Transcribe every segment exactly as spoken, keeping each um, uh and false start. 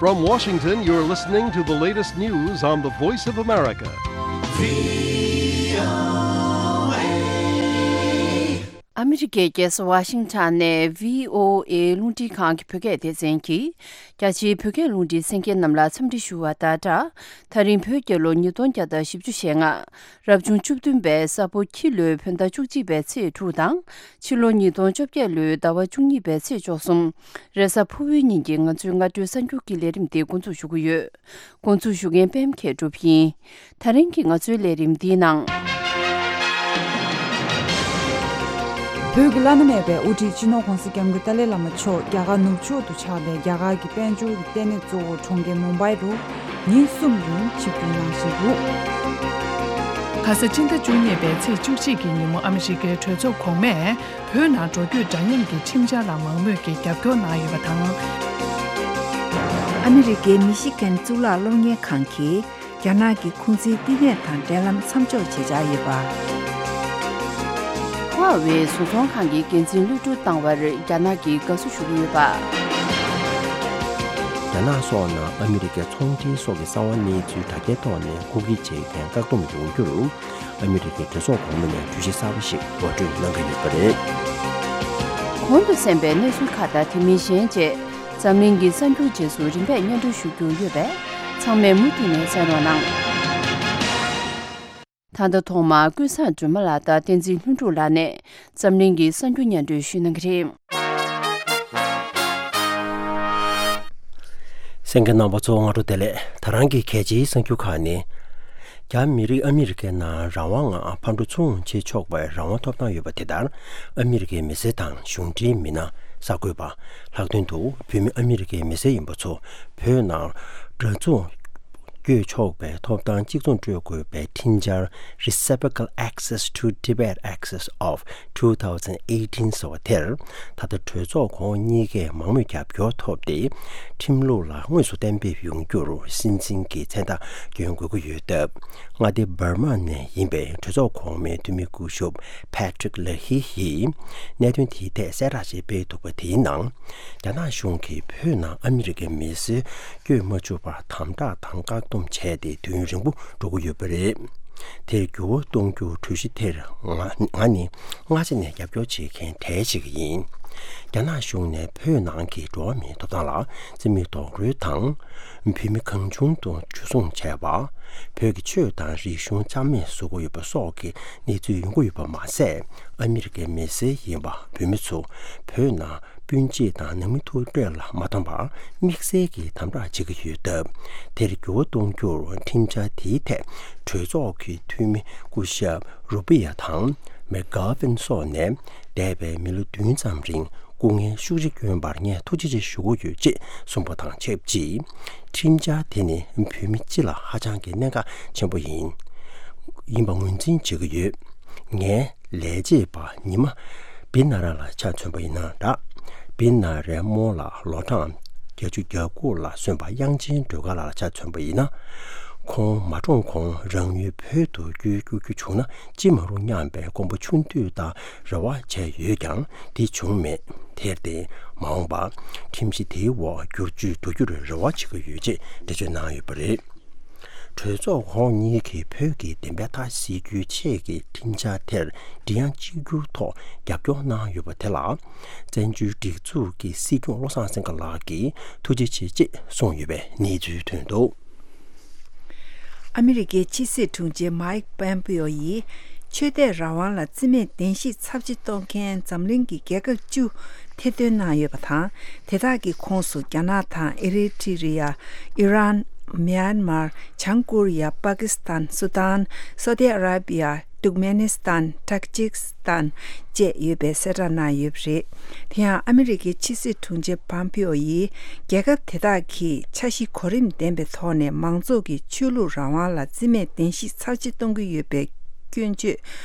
From Washington, you're listening to the latest news on the Voice of America. ཨ་མི་རི་ཀའི་རྒྱལ་ས་ཝ་ཤིང་ཊོན་ནས་བྷི་ཨོ་ཨེ་རླུང་འཕྲིན་ཁང་གི་བོད་སྐད་སྡེ་ཚན་གྱིས། རྒྱ་ཆེའི་བོད་སྐད་རླུང་འཕྲིན་གསན་མཁན་རྣམས་ལ་འཚམས་འདྲི་ཞུ་བ་དང་སྦྲགས། ད་རིང་བོད་རྒྱལ་ལོ་ཉིས་སྟོང་བརྒྱ་དང་བཞི་བཅུ་ཞེ་ལྔ། རབ་བྱུང་བཅུ་བདུན་པའི་ས་ཕོ་ཁྱི་ལོའི་བོད་ཟླ་བཅུ་གཅིག་པའི་ཚེས་དྲུག་དང་། ཕྱི་ལོ་ཉིས་སྟོང་བཅོ་བརྒྱད་ལོའི་ཟླ་བ་བཅུ་གཉིས་པའི་ཚེས་བཅུ་གསུམ། རེས་གཟའ་ཕུར་བུའི་ཉིན་གྱི་ང་ཚོའི་སྔ་དྲོའི་གསར་འགྱུར་གྱི་ལས་རིམ་འདི་འགོ་འཛུགས་ཞུ་གི་ཡོད། འགོ་འཛུགས་ཞུ་མཁན་པད་མ་མཁས་གྲུབ་ཡིན། ད་རིང་གི་ང་ཚོའི་ལས་རིམ་འདིའི་ནང་། བོད་ཀྱི་བླ་ན་མེད་པའི་དབུ་ཁྲིད་སྤྱི་ནོར་༧གོང་ས་༧སྐྱབས་མགོན་ཏཱ་ལའི་བླ་མ་མཆོག་རྒྱ་གར་ནུབ་ཕྱོགས་སུ་ཆགས་པའི་རྒྱ་གར་གྱི་དཔལ་འབྱོར་གྱི་ལྟེ་གནས་གཙོ་བོ་གྲོང་ཁྱེར་མུམ་བྷའི་རུ་ཉིན་གསུམ་རིང་ཆིབས་བསྒྱུར་གནང་བཞིན་འདུག། ཁ་ས་སྤྱི་ཟླ་བཅུ་གཉིས་པའི་ཚེས་བཅུ་གཅིག་གི་ཉིན་མོ་ཨ་མི་རི་ཀའི་གྲོས་ཚོགས་གོང་མས། བོད་ནང་འགྲོ་སྐྱོད་འདྲ་མཉམ་གྱི་ཁྲིམས་འཆར་ལ་མང་མོས་ཀྱིས་རྒྱབ་སྐྱོར་གནང་ཡོད་པ་དང་། ཨ་མི་རི་ཀའི་མི་ཤི་གན་གཙུག་ལག་སློབ་གཉེར་ཁང་གིས་རྒྱ་ནག་གི་ཁུང་ཙིའི་བསྟི་གནས་དང་འབྲེལ་ལམ་མཚམས་འཇོག་བྱེད་འཆར་ཡོད་པ། ཧྭ་ཝེ་བཟོ་ཚོང་ཁང་གི་འགན་འཛིན་གློད་གྲོལ་བཏང་བར་རྒྱ་ནག་གིས་དགའ་བསུ་ཞུ་གི་ཡོད་པ། རྒྱ་ནག་སོགས་ནང་ཨ་མི་རི་ཀའི་ཚོང་འབྲེལ་སོགས་ཀྱི་གསང་བ་གནས་ཚུལ་དྲ་རྒྱའི་ཐོག་ནས་རྐུ་འཁྱེར་བྱེད་མཁན་བཀག་སྡོམ་ཡོང་རྒྱུར། ཨ་མི་རི་ཀའི་གྲོས་ཚོགས་གོང་མ་ནས་གྲོས་གཞི་གསར་པ་ཞིག་ངོ་སྤྲོད་གནང་གི་ཡོད་པ་རེད། གོང་དུ་གསན་པའི་གནས་ཚུལ་ཁག་དང་དེ་མིན་གཞན་བཅས་འཛམ་གླིང་གི་གསར་འགྱུར་རྗེས་སུ་རིམ་པས་སྙན་སྒྲོན་ཞུ་རྒྱུ་ཡོད་པས་ཚང་མས་མུ་མཐུད་ནས་གསན་རོགས་གནང་། ད་ལྟ་ཐོག་མར་ཀུན་བཟང་སྒྲོལ་མ་ལགས་དང་བསྟན་འཛིན་ལྷུན་གྲུབ་ལགས་ནས་འཛམ་གླིང་གི་གསར་འགྱུར་སྙན་སྒྲོན་ཞུ་གནང་གི་རེད། གསན་མཁན་རྣམ་པ་ཚོ་སྔ་དྲོ་བདེ་ལེགས། ད་རང་གི་གལ་ཆེའི་གསར་འགྱུར་ཁག་ནི། རྒྱ་མི་རིགས་ཨ་མི་རི་ཀའི་ནང་རང་དབང་ངང་ཕར་འགྲོ་ཚུར་འོང་བྱེད་ཆོག་པའི་རང་དབང་ཐོབ་ཐང་ཡོད་པ་དེ་ལྟར་ཨ་མི་རི་ཀའི་མི་སེར་དང་གཞུང་འབྲེལ་མི་སྣ། གསར་འགོད་པ། ལྷག་དོན་དུ་བོད་མི་ཨ་མི་རི་ཀའི་མི་སེར་ཡིན་པ་ཚོ་བོད་ནང་འགྲོ་ཚུར་བསྐྱོད་ཆོག་པའི་ཐོབ་ཐང་གཅིག་མཚུངས་སྤྲོད་དགོས་པའི་ཁྲིམས་འཆར། Reciprocal Access to Tibet Access of two thousand eighteen ཟེར་བ་དེར། ད་ལྟ་གྲོས་ཚོགས་གོང་འོག་གཉིས་ཀས་མང་མོས་རྒྱབ་སྐྱོར་ཐོབ་སྟེ། ཁྲིམས་ལུགས་ལ་དངོས་སུ་གཏན་འབེབས་ཡོང་རྒྱུར་སྲིད་འཛིན་གྱི་མཚན་རྟགས་སྐྱོན་དགོས་ཀྱི་ཡོད་སྟབས། མངའ་སྡེ་འབར་མ་ནས་ཡིན་པའི་གྲོས་ཚོགས་གོང་མའི་འཐུས་མི་སྐུ་ཞབས་Patrick Leahy ཡིས་གནད་དོན་དེའི་ཐད་གསལ་བསྒྲགས་ཤིག་སྤེལ་འདུག་པ། དེའི་ནང་། རྒྱ་ནག་གཞུང་གིས་བོད་ནང་ཨ་མི་རི་ཀའི་མི་སེར་བསྐྱོད་མ་བཅུག་པར་དམ་དྲག་དང་བཀག་སྡོམ་བྱས་ཏེ་དུས་ཡུན་རིང་པོ་འགྲོ་གི་ཡོད་པ་རེད། དེར་འགྱུར་བ་གཏོང་རྒྱུར་གྲོས་གཞི་དེར་ང་ང་ནི་སྔ་ཕྱི་ནས་རྒྱབ་སྐྱོར་བྱེད་མཁན་གྲས་ཤིག་ཡིན། རྒྱ་ནག་གཞུང་ནས་བོད་ནང་གི་འགྲོ་བ་མིའི་ཐོབ་ཐང་ལ་རྩིས་མེད་རྡོག་རོལ་དང་། བོད་མི་གང་བྱུང་དུ་འཇུ་བཟུང་བྱས་པ། བོད་ཀྱི་ཆོས་དང་རིག་གཞུང་རྩ་མེད་བཟོ་གི་ཡོད་པ་སོགས་ཀྱི་གནས་ཚུལ་ཡོང་གི་ཡོད་པ་མ་ཟད། ཨ་མི་རི་ཀའི་མི་སེར་ཡིན་པ་བོད་མི་ཚོ་བོད་ནང་སྤུན་མཆེད་དང་ནང་མི་ཐུག་འཕྲད་ལ་མ་འཐམ་པར་དམིགས་བསལ་གྱིས་དམ་དྲག་བྱེད་ཀྱི་ཡོད་སྟབས། དེར་འགྱུར་བ་གཏོང་རྒྱུར་ཁྲིམས་འཆར་དེའི་ཐད་གྲོས་ཚོགས་ཀྱི་འཐུས་མི་སྐུ་ཞབས་Rubio དང་McGovern སོགས་ནས། འདས་པའི་མི་ལོ་བདུན་ཙམ་རིང་སྐུ་ངལ་ཤུགས་ཆེ་བསྐྱོན་པར་ངས་ཐུགས་རྗེ་ཆེ་ཞུ་གི་ཡོད་ཅེས་གསུངས་པ་དང་ཆབས་ཅིག། ཁྲིམས་འཆར་དེ་ནི་བོད་མི་སྤྱི་ལ་ཧ་ཅང་གི་གནད་འགག་ཆེན་པོ་ཡིན། ཡིན་པ་ངོས་འཛིན་བྱེད་ཀྱི་ཡོད། ངའི་ལས་བྱེད་པ་ཉི་མ་བི་ན་ར་ལ་ཆ་མཚོན་པ་ཡིན་ན་འདྲ། བི་ན་རའི་རྨོ་ལགས་ལོ་གྲངས་བརྒྱད་ཅུ་གྱ་དགུ་ལ་སོན་པ་དབྱངས་ཅན་སྒྲོལ་དཀར་ལགས་ལ་ཆ་མཚོན་པ་ཡིན་ན། ཁོང་མ་གྲོངས་གོང་རང་ཡུལ་བོད་དུ་བསྐྱོད་བཅུག་རྒྱུ་བྱུང་ན་ཅི་མ་རུང་སྙམ་པའི་དཀོན་པོ་ཆུང་དུས་དང་རེ་བ་བྱས་ཡོད་ཀྱང་དེ་བྱུང་མེད། དེར་བརྟེན་མ་འོངས་པར་ཁྲིམས་གཞི་དེའི་འོག་བསྒྱུར་བཅོས་འགྲོ་རྒྱུར་རེ་བ་བྱེད་ཀྱི་ཡོད་ཅེས་འགྲེལ་བརྗོད་གནང་ཡོད་པ་རེད། གྲོས་ཚོགས་གོང་གཉིས་ཀྱིས་བོད་ཀྱི་བདེན་པའི་མཐའ་སེལ་རྒྱུའི་ཆེད་ཀྱི་ཁྲིམས་འཆར་དེར་མགྲིན་དབྱངས་གཅིག་གྱུར་ཐོག་རྒྱབ་སྐྱོར་གནང་ཡོད་པ་དེ་ལ། བཙན་བྱོལ་སྒྲིག་འཛུགས་ཀྱི་སྲིད་སྐྱོང་བློ་བཟང་སེང་གེ་ལགས་ཀྱིས་ཐུགས་རྗེ་ཆེ་ཅེས་གསུངས་ཡོད་པའི་གནས་ཚུལ་ཐོན་འདུག། ཨ་མི་རི་ཀའི་ཕྱི་སྲིད་དྲུང་ཆེ་མཱིག་པོམ་པེའོ་ཡིས་ཆོས་དད་རང་དབང་ལ་རྩིས་མེད་གདན་ཞུས་ཚབས་ཆེ་གཏོང་མཁན་འཛམ་གླིང་གི་རྒྱལ་ཁབ་བཅུ་ཐེར་འདོན་གནང་ཡོད་པ་དང་། དེ་དག་གི་ཁོངས་སུ་རྒྱ་ནག་དང་ཨི་རི་ཊི་རི་ཡ། ཨི་རན། མྱན་མར། བྱང་ཀོ་རི་ཡ། པ་ཀི་སི་ཐན། སུ་དཱན། སོ་ཏི་ཨ་ར་བི་ཡ། ཏུར་ཀ་མེ་ནི་སི་ཐན། ཏཱ་ཇིག་སི་ཐན་བཅས་ཡོད་པའི་གསལ་བསྒྲགས་གནང་ཡོད་པ་རེད། དེ་ཡང་ཨ་མི་རི་ཀའི་ཕྱི་སྲིད་དྲུང་ཆེ་པོམ་པེའོ་ཡིས་རྒྱལ་ཁབ་དེ་དག་གིས་འཆར་གཞི་གོ་རིམ་ལྡན་པའི་ཐོག་ནས་མང་ཚོགས་ཀྱི་ཆོས་ལུགས་རང་དབང་ལ་རྩིས་མེད་གདན་ཞུ་ཚབས་ཆེ་གཏོང་གི་ཡོད་པའི་སྐྱོན་བརྗོད་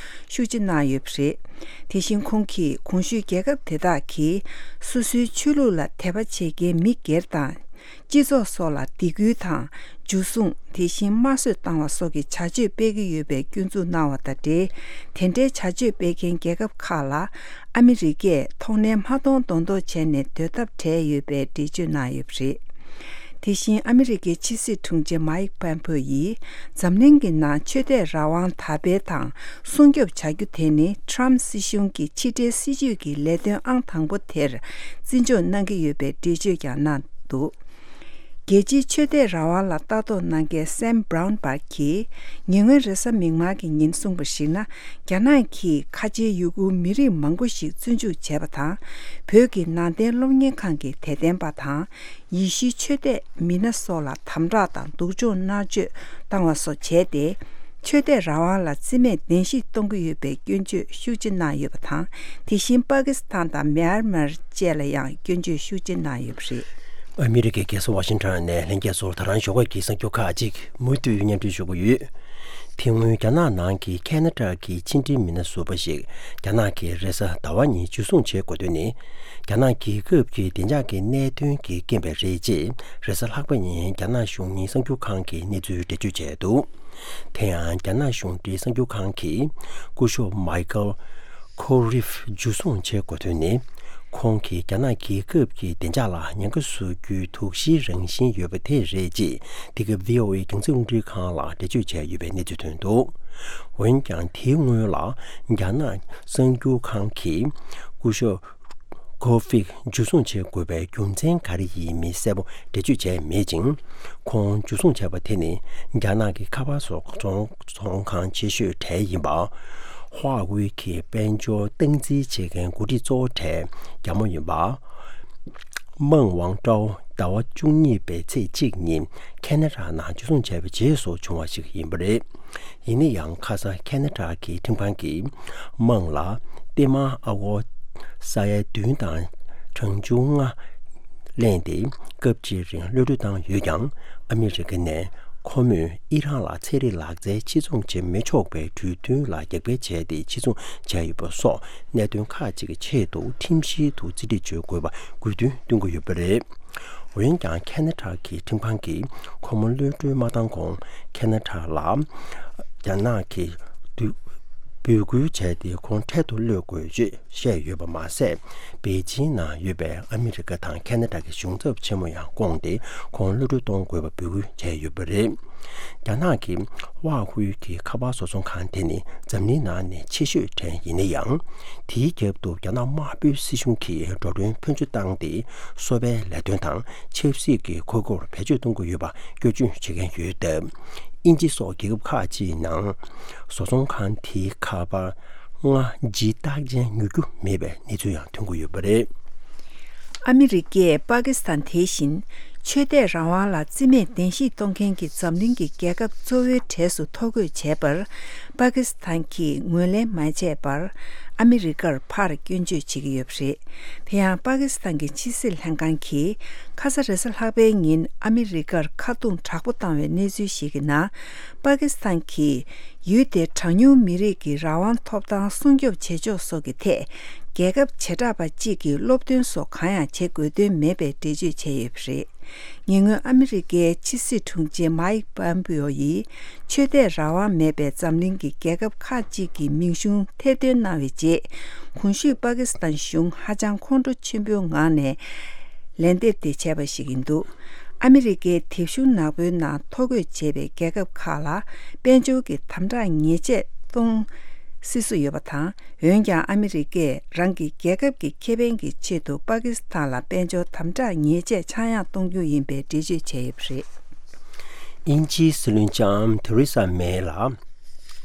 ཤུགས་ཆེ་གནང་ཡོད་པ་རེད། དེ་བཞིན་ཁོང་གིས་གོང་ཞུས་རྒྱལ་ཁབ་དེ་དག་གིས་སོ་སོའི་ཆོས་ལུགས་ལ་དད་པ་བྱེད་མཁན་མི་སྒེར་དང་། སྤྱི་ཚོགས་སོགས་ལ་སྡིགས་སྐུལ་དང་། འཇུ་བཟུང་། དེ་བཞིན་དམར་གསོད་བཏང་བ་སོགས་ཀྱི་བྱ་སྤྱོད་སྤེལ་གྱི་ཡོད་པའི་སྐྱོན་འཛུགས་གནང་བ་དང་འབྲེལ། དེ་འདྲའི་བྱ་སྤྱོད་སྤེལ་མཁན་རྒྱལ་ཁབ་ཁག་ལ་ཨ་མི་རི་ཀས་ཐོག་ནས་མ་མཐོང་མདོག་མདོག་བྱས་ནས་སྡོད་ཐབས་བྲལ་ཡོད་པའི་འགྲེལ་བརྗོད་གནང་ཡོད་པ་རེད། དེ་བཞིན་ཨ་མི་རི་ཀའི་ཕྱི་སྲིད་དྲུང་ཆེ་མཱིག་པོམ་པེའོ་ཡིས་འཛམ་གླིང་གི་ནང་ཆོས་དད་རང་དབང་དར་སྤེལ་དང་སྲུང་སྐྱོབ་བྱ་རྒྱུ་དེ་ནི་ཊམ་སྲིད་གཞུང་གི་ཕྱི་འབྲེལ་སྲིད་ཇུས་ཀྱི་ལས་དོན་ཨང་དང་པོ་དེར་བརྩི་འཇོག་གནང་གི་ཡོད་པའི་འགྲེལ་བརྗོད་ཀྱང་གནང་འདུག་རྒྱལ་སྤྱིའི་ཆོས་དད་རང་དབང་ལ་ལྟ་རྟོག་གནང་མཁན་སེམ་བྷ་རའུན་བར་གྱིས་ཉེ་སྔོན་རེས་གཟའ་མིག་དམར་གྱི་ཉིན་གསུངས་པར་གཞིགས་ན། རྒྱ་ནག་གིས་ཁ་ཆེའི་ཡུ་གུར་མི་རིགས་མང་པོ་ཞིག་བཙོན་འཇུག་བྱས་པ་དང་། བོད་ཀྱི་ནང་བསྟན་སློབ་གཉེར་ཁང་གི་དད་ལྡན་པ་དང་། ཡེ་ཤུའི་ཆོས་དད་མི་སྣ་སོགས་ལ་དམ་དྲག་དང་སྡུག་སྦྱོང་མནར་གཅོད་བཏང་བ་སོགས་བྱས་ཏེ། ཆོས་དད་རང་དབང་ལ་བརྩི་མེད་གདན་ཞིག་གཏོང་གི་ཡོད་པའི་སྐྱོན་བརྗོད་ཤུགས་ཆེ་གནང་ཡོད་པ་དང་། དེ་བཞིན་པ་ཀི་སི་ཐན་དང་མེན་མར་བཅས་ལ་ཡང་སྐྱོན་བརྗོད་ཤུགས་ཆེ་གནང་ཡོད་པ་རེད། ཨ་མི་རི་ཀའི་རྒྱལ་ས་ཝ་ཤིང་ཊོན་ནས་ལྷན་རྒྱས་ཚོར་ད་རང་ཞོགས་ཀས་ཀྱི་གསར་འགྱུར་ཁག་ཅིག་མུ་མཐུད་སྙན་སྒྲོན་ཞུ་གི་ཡོད། དེ་སྔོན་རྒྱ་ནག་ནང་གི་ཁེ་ན་ཌ་གི་ཕྱི་འབྲེལ་མི་སྣ་ཟུར་པ་ཞིག་རྒྱ་ནག་གིས་རེས་གཟའ་ཟླ་བ་ཉིན་འཇུ་བཟུང་བྱེད་དགོས་དོན་ནི། རྒྱ་ནག་རྒྱལ་ཁབ་ཀྱི་བདེ་འཇགས་ཀྱི་གནད་དོན་གྱི་རྐྱེན་པས་རེད་ཅེས་རེས་གཟའ་ལྷག་པ་ཉིན་རྒྱ་ནག་གཞུང་གཉེར་གསར་འགྱུར་ཁང་གིས་གནས་ཚུལ་འགྲེལ་བརྗོད་བྱས་འདུག་དེ་ཡང་རྒྱ་ནག་གཞུང་འབྲེལ་གསར་འགྱུར་ཁང་གིས་སྐུ་ཞབས་མའི་ཀལ་ཁོ་རིབ་འཇུ་བཟུང་བྱེད་དགོས་དོན་ནི། ཁོང་གིས་རྒྱ་ནག་རྒྱལ་ཁབ་ཀྱི་བདེ་འཇགས་ལ་ཉེན་ཁ་བཟོ་རྒྱུའི་དོགས་གཞིའི་རང་བཞིན་ཡོད་པ་དེ་རེད་ཅེས་འདི་ག་བྷི་ཨོ་ཨེ་རྒྱང་སྲིང་རླུང་འཕྲིན་ཁང་ལ་འགྲེལ་བརྗོད་བྱས་ཡོད་པའི་གནས་ཚུལ་ཐོན་འདུག་འོན་ཀྱང་དེའི་སྔོན་ལ་རྒྱ་ནག་གསར་འགྱུར་ཁང་གིས་སྐུ་ཞབས་ཁོ་ཧྥིག་འཇུ་བཟུང་བྱེད་དགོས་པའི་རྒྱུ་མཚན་ག་རེ་ཡིན་མིན་གསལ་པོ་འགྲེལ་བརྗོད་བྱས་མེད་ཅིང་། ཁོང་འཇུ་བཟུང་བྱས་པ་དེ་ནི་རྒྱ་ནག་གི་ཁ་པར་བཟོ་ཚོང་ཚོང་ཁང་ཆེ་ཤོས་གྲས་ཡིན་པ། ཧྭ་ཝེ་གི་དཔལ་འབྱོར་སྟངས་འཛིན་བྱེད་མཁན་འགོ་ཁྲིད་གཙོ་བོ་གྲས་རྒྱ་མོ་ཡིན་པ། མང་ཝང་ཀྲའོ་ཟླ་བ་བཅུ་གཉིས་པའི་ཚེས་གཅིག་ཉིན་ཁེ་ན་ཌ་ནང་འཇུ་བཟུང་བྱས་པའི་རྗེས་སུ་བྱུང་བ་ཞིག་ཡིན་པ་རེད། ཡིན་ན་ཡང་ཁ་སང་ཁེ་ན་ཌ་གི་ཁྲིམས་ཁང་གིས་དམངས་ལ་ཏིལ་མར་ཨ་སྒོར་ས་ཡ་བདུན་དང་གྲངས་ཆུང་ལྔ་ལེན་ཏེ་སྐབས་གཅིག་རིང་གློད་གྲོལ་བཏང་ཡོད་ཀྱང་། ཨ་མི་རི་ཀ་ནས་ཁོ་མོས་ཨི་རན་ལ་ཚན་རིག་ལག་རྩལ་ཕྱིར་ཚོང་བྱེད་མི་ཆོག་པའི་གྲོས་མཐུན་ལ་རྒྱབ་འགལ་བྱས་ཏེ་ཕྱིར་ཚོང་བྱས་ཡོད་པ་སོགས་གནད་དོན་ཁག་ཅིག་གི་ཆེད་དུ་ཁྲིམས་བཞིན་དུ་རྩིས་སྤྲོད་བྱེད་དགོས་པ་དགོས་འདུན་བཏོན་གྱི་ཡོད་པ་རེད། འོན་ཀྱང་ཁེ་ན་ཌ་གི་ཁྲིམས་ཁང་གིས་ཁོ་མོ་གློད་གྲོལ་མ་བཏང་གོང་ཁེ་ན་ཌ་ལ་རྒྱ་ནག་གིས་འབོད་སྐུལ་བྱས་ཏེ་ཁོང་འཕྲལ་དུ་གློད་དགོས་ཅེས་བཤད་ཡོད་པ་མ་ཟད། པེ་ཅིང་ནང་ཡོད་པའི་ཨ་མི་རི་ཀ་དང་ཁེ་ན་ཌ་གི་གཞུང་ཚབ་ཆེན་མོ་ཡང་བསྐོངས་ཏེ་ཁོང་གློད་གྲོལ་གཏོང་དགོས་པ་འབོད་སྐུལ་བྱས་ཡོད་པ་རེད། རྒྱ་ནག་གི་ཧྭ་ཧུའེ་གི་ཁ་པར་བཟོ་ཚོང་ཁང་དེ་ནི་འཛམ་གླིང་ནང་ནས་ཆེ་ཤོས་གྲས་ཡིན་ན་ཡང་། དེའི་རྒྱབ་ཏུ་རྒྱ་ནག་དམར་པོའི་སྲིད་གཞུང་གིས་འགྲོ་གྲོན་ཕོན་ཆེ་བཏང་སྟེ་གསོ་བའི་ལས་དོན་དང་ཆབ་སྲིད་ཀྱི་ཁུར་པོར་བེད་སྤྱོད་གཏོང་གི་ཡོད་པ་སྐྱོན་བརྗོད་བྱེད་མཁན་ཡོད་སྟབས། དབྱིན་ཇི་སོགས་རྒྱལ་ཁབ་ཁག་ཅིག་ནང་བཟོ་ཚོང་ཁང་དེའི་ཁ་པར་སྔ་ཕྱི་རྟགས་ཅན་ཉོ་རྒྱུ་མེད་པའི་གནས་ཚུལ་ཡང་ཐོན་གྱི་ཡོད་པ་རེད། ཨ་མི་རི་ཀས་པ་ཀི་སི་ཐན་དེ་བཞིན་ཆོས་དད་རང་དབང་ལ་བརྩི་མེད་གདན་ཞིག་གཏོང་མཁན་གྱི་འཛམ་གླིང་གི་རྒྱལ་ཁབ་གཙོ་བོའི་གྲས་སུ་ཐོ་འགོད་བྱས་པར་པ་ཀི་སི་ཐན་གྱིས་ངོས་ལེན་མ་བྱས་པར་ཨ་མི་རི་ཀར་ཕར་སྐྱོན་བརྗོད་བྱེད་ཀྱི་ཡོད་པ་རེད། དེ་ཡང་པ་ཀི་སི་ཐན་གྱི་ཕྱི་སྲིད་ལྷན་ཁང་གིས་ཁ་ས་རེས་གཟའ་ལྷག་པའི་ཉིན་ཨ་མི་རི་ཀར་ཁ་རྡུང་དྲག་པོ་བཏང་བའི་གནས་ཚུལ་ཞིག་གི་ནང་། པ་ཀི་སི་ཐན་གྱིས་ཡུལ་དེའི་གྲངས་ཉུང་མི་རིགས་ཀྱི་རང་དབང་ཐོབ་ཐང་སྲུང་སྐྱོབ་བྱེད་ཕྱོགས་སོགས་ཀྱི་ཐད། རྒྱལ་ཁབ་བྱེ་བྲག་པ་གཅིག་གིས་སློབ་སྟོན་སོགས་གང་ཡང་བྱེད་དགོས་དོན་མེད་པའི་འགྲེལ་བརྗོད་བྱས་ཡོད་པ་རེད། ཉེ་སྔོན་ཨ་མི་རི་ཀའི་ཕྱི་སྲིད་དྲུང་ཆེ་མཱིག་པོམ་པེའོ་ཡིས་ཆོས་དད་རང་དབང་མེད་པའི་འཛམ་གླིང་གི་རྒྱལ་ཁབ་ཁག་ཅིག་གི་མིང་གཞུང་ཐེར་འདོན་གནང་བའི་རྗེས། གོང་ཞུས་པ་ཀི་སི་ཐན་གཞུང་ཧ་ཅང་ཁོང་ཁྲོ་ཆེན་པོའི་ངང་ནས་ལན་འདེབས་དེ་བྱས་པ་ཞིག་ཡིན་འདུག་ཨ་མི་རི་ཀའི་དེབ་གཞུང་ནག་པོའི་ནང་ཐོ་འགོད་བྱས་པའི་རྒྱལ་ཁབ་ཁག་ལ་དཔལ་འབྱོར་གྱི་དམ་དྲག་ཉེས་ཆད་གཏོང་སྲིད་བཟོ་ཡོད་པ་དང་། འོན་ཀྱང་ཨ་མི་རི་ཀས་རང་གི་རྒྱལ་ཁབ་ཀྱི་ཁེ་ཕན་གྱི་ཆེད་དུ་པ་ཀི་སི་ཐན་ལ་དཔལ་འབྱོར་དམ་དྲག་ཉེས་ཆད་ཆག་ཡང་གཏོང་རྒྱུ་ཡིན་པའི་འགྲེལ་བརྗོད་བྱས་ཡོད་པ་རེད། དབྱིན་ཇིའི་སྲིད་བློན་ལྕམ་ཐེ་རེ་ས་མེ་ལ་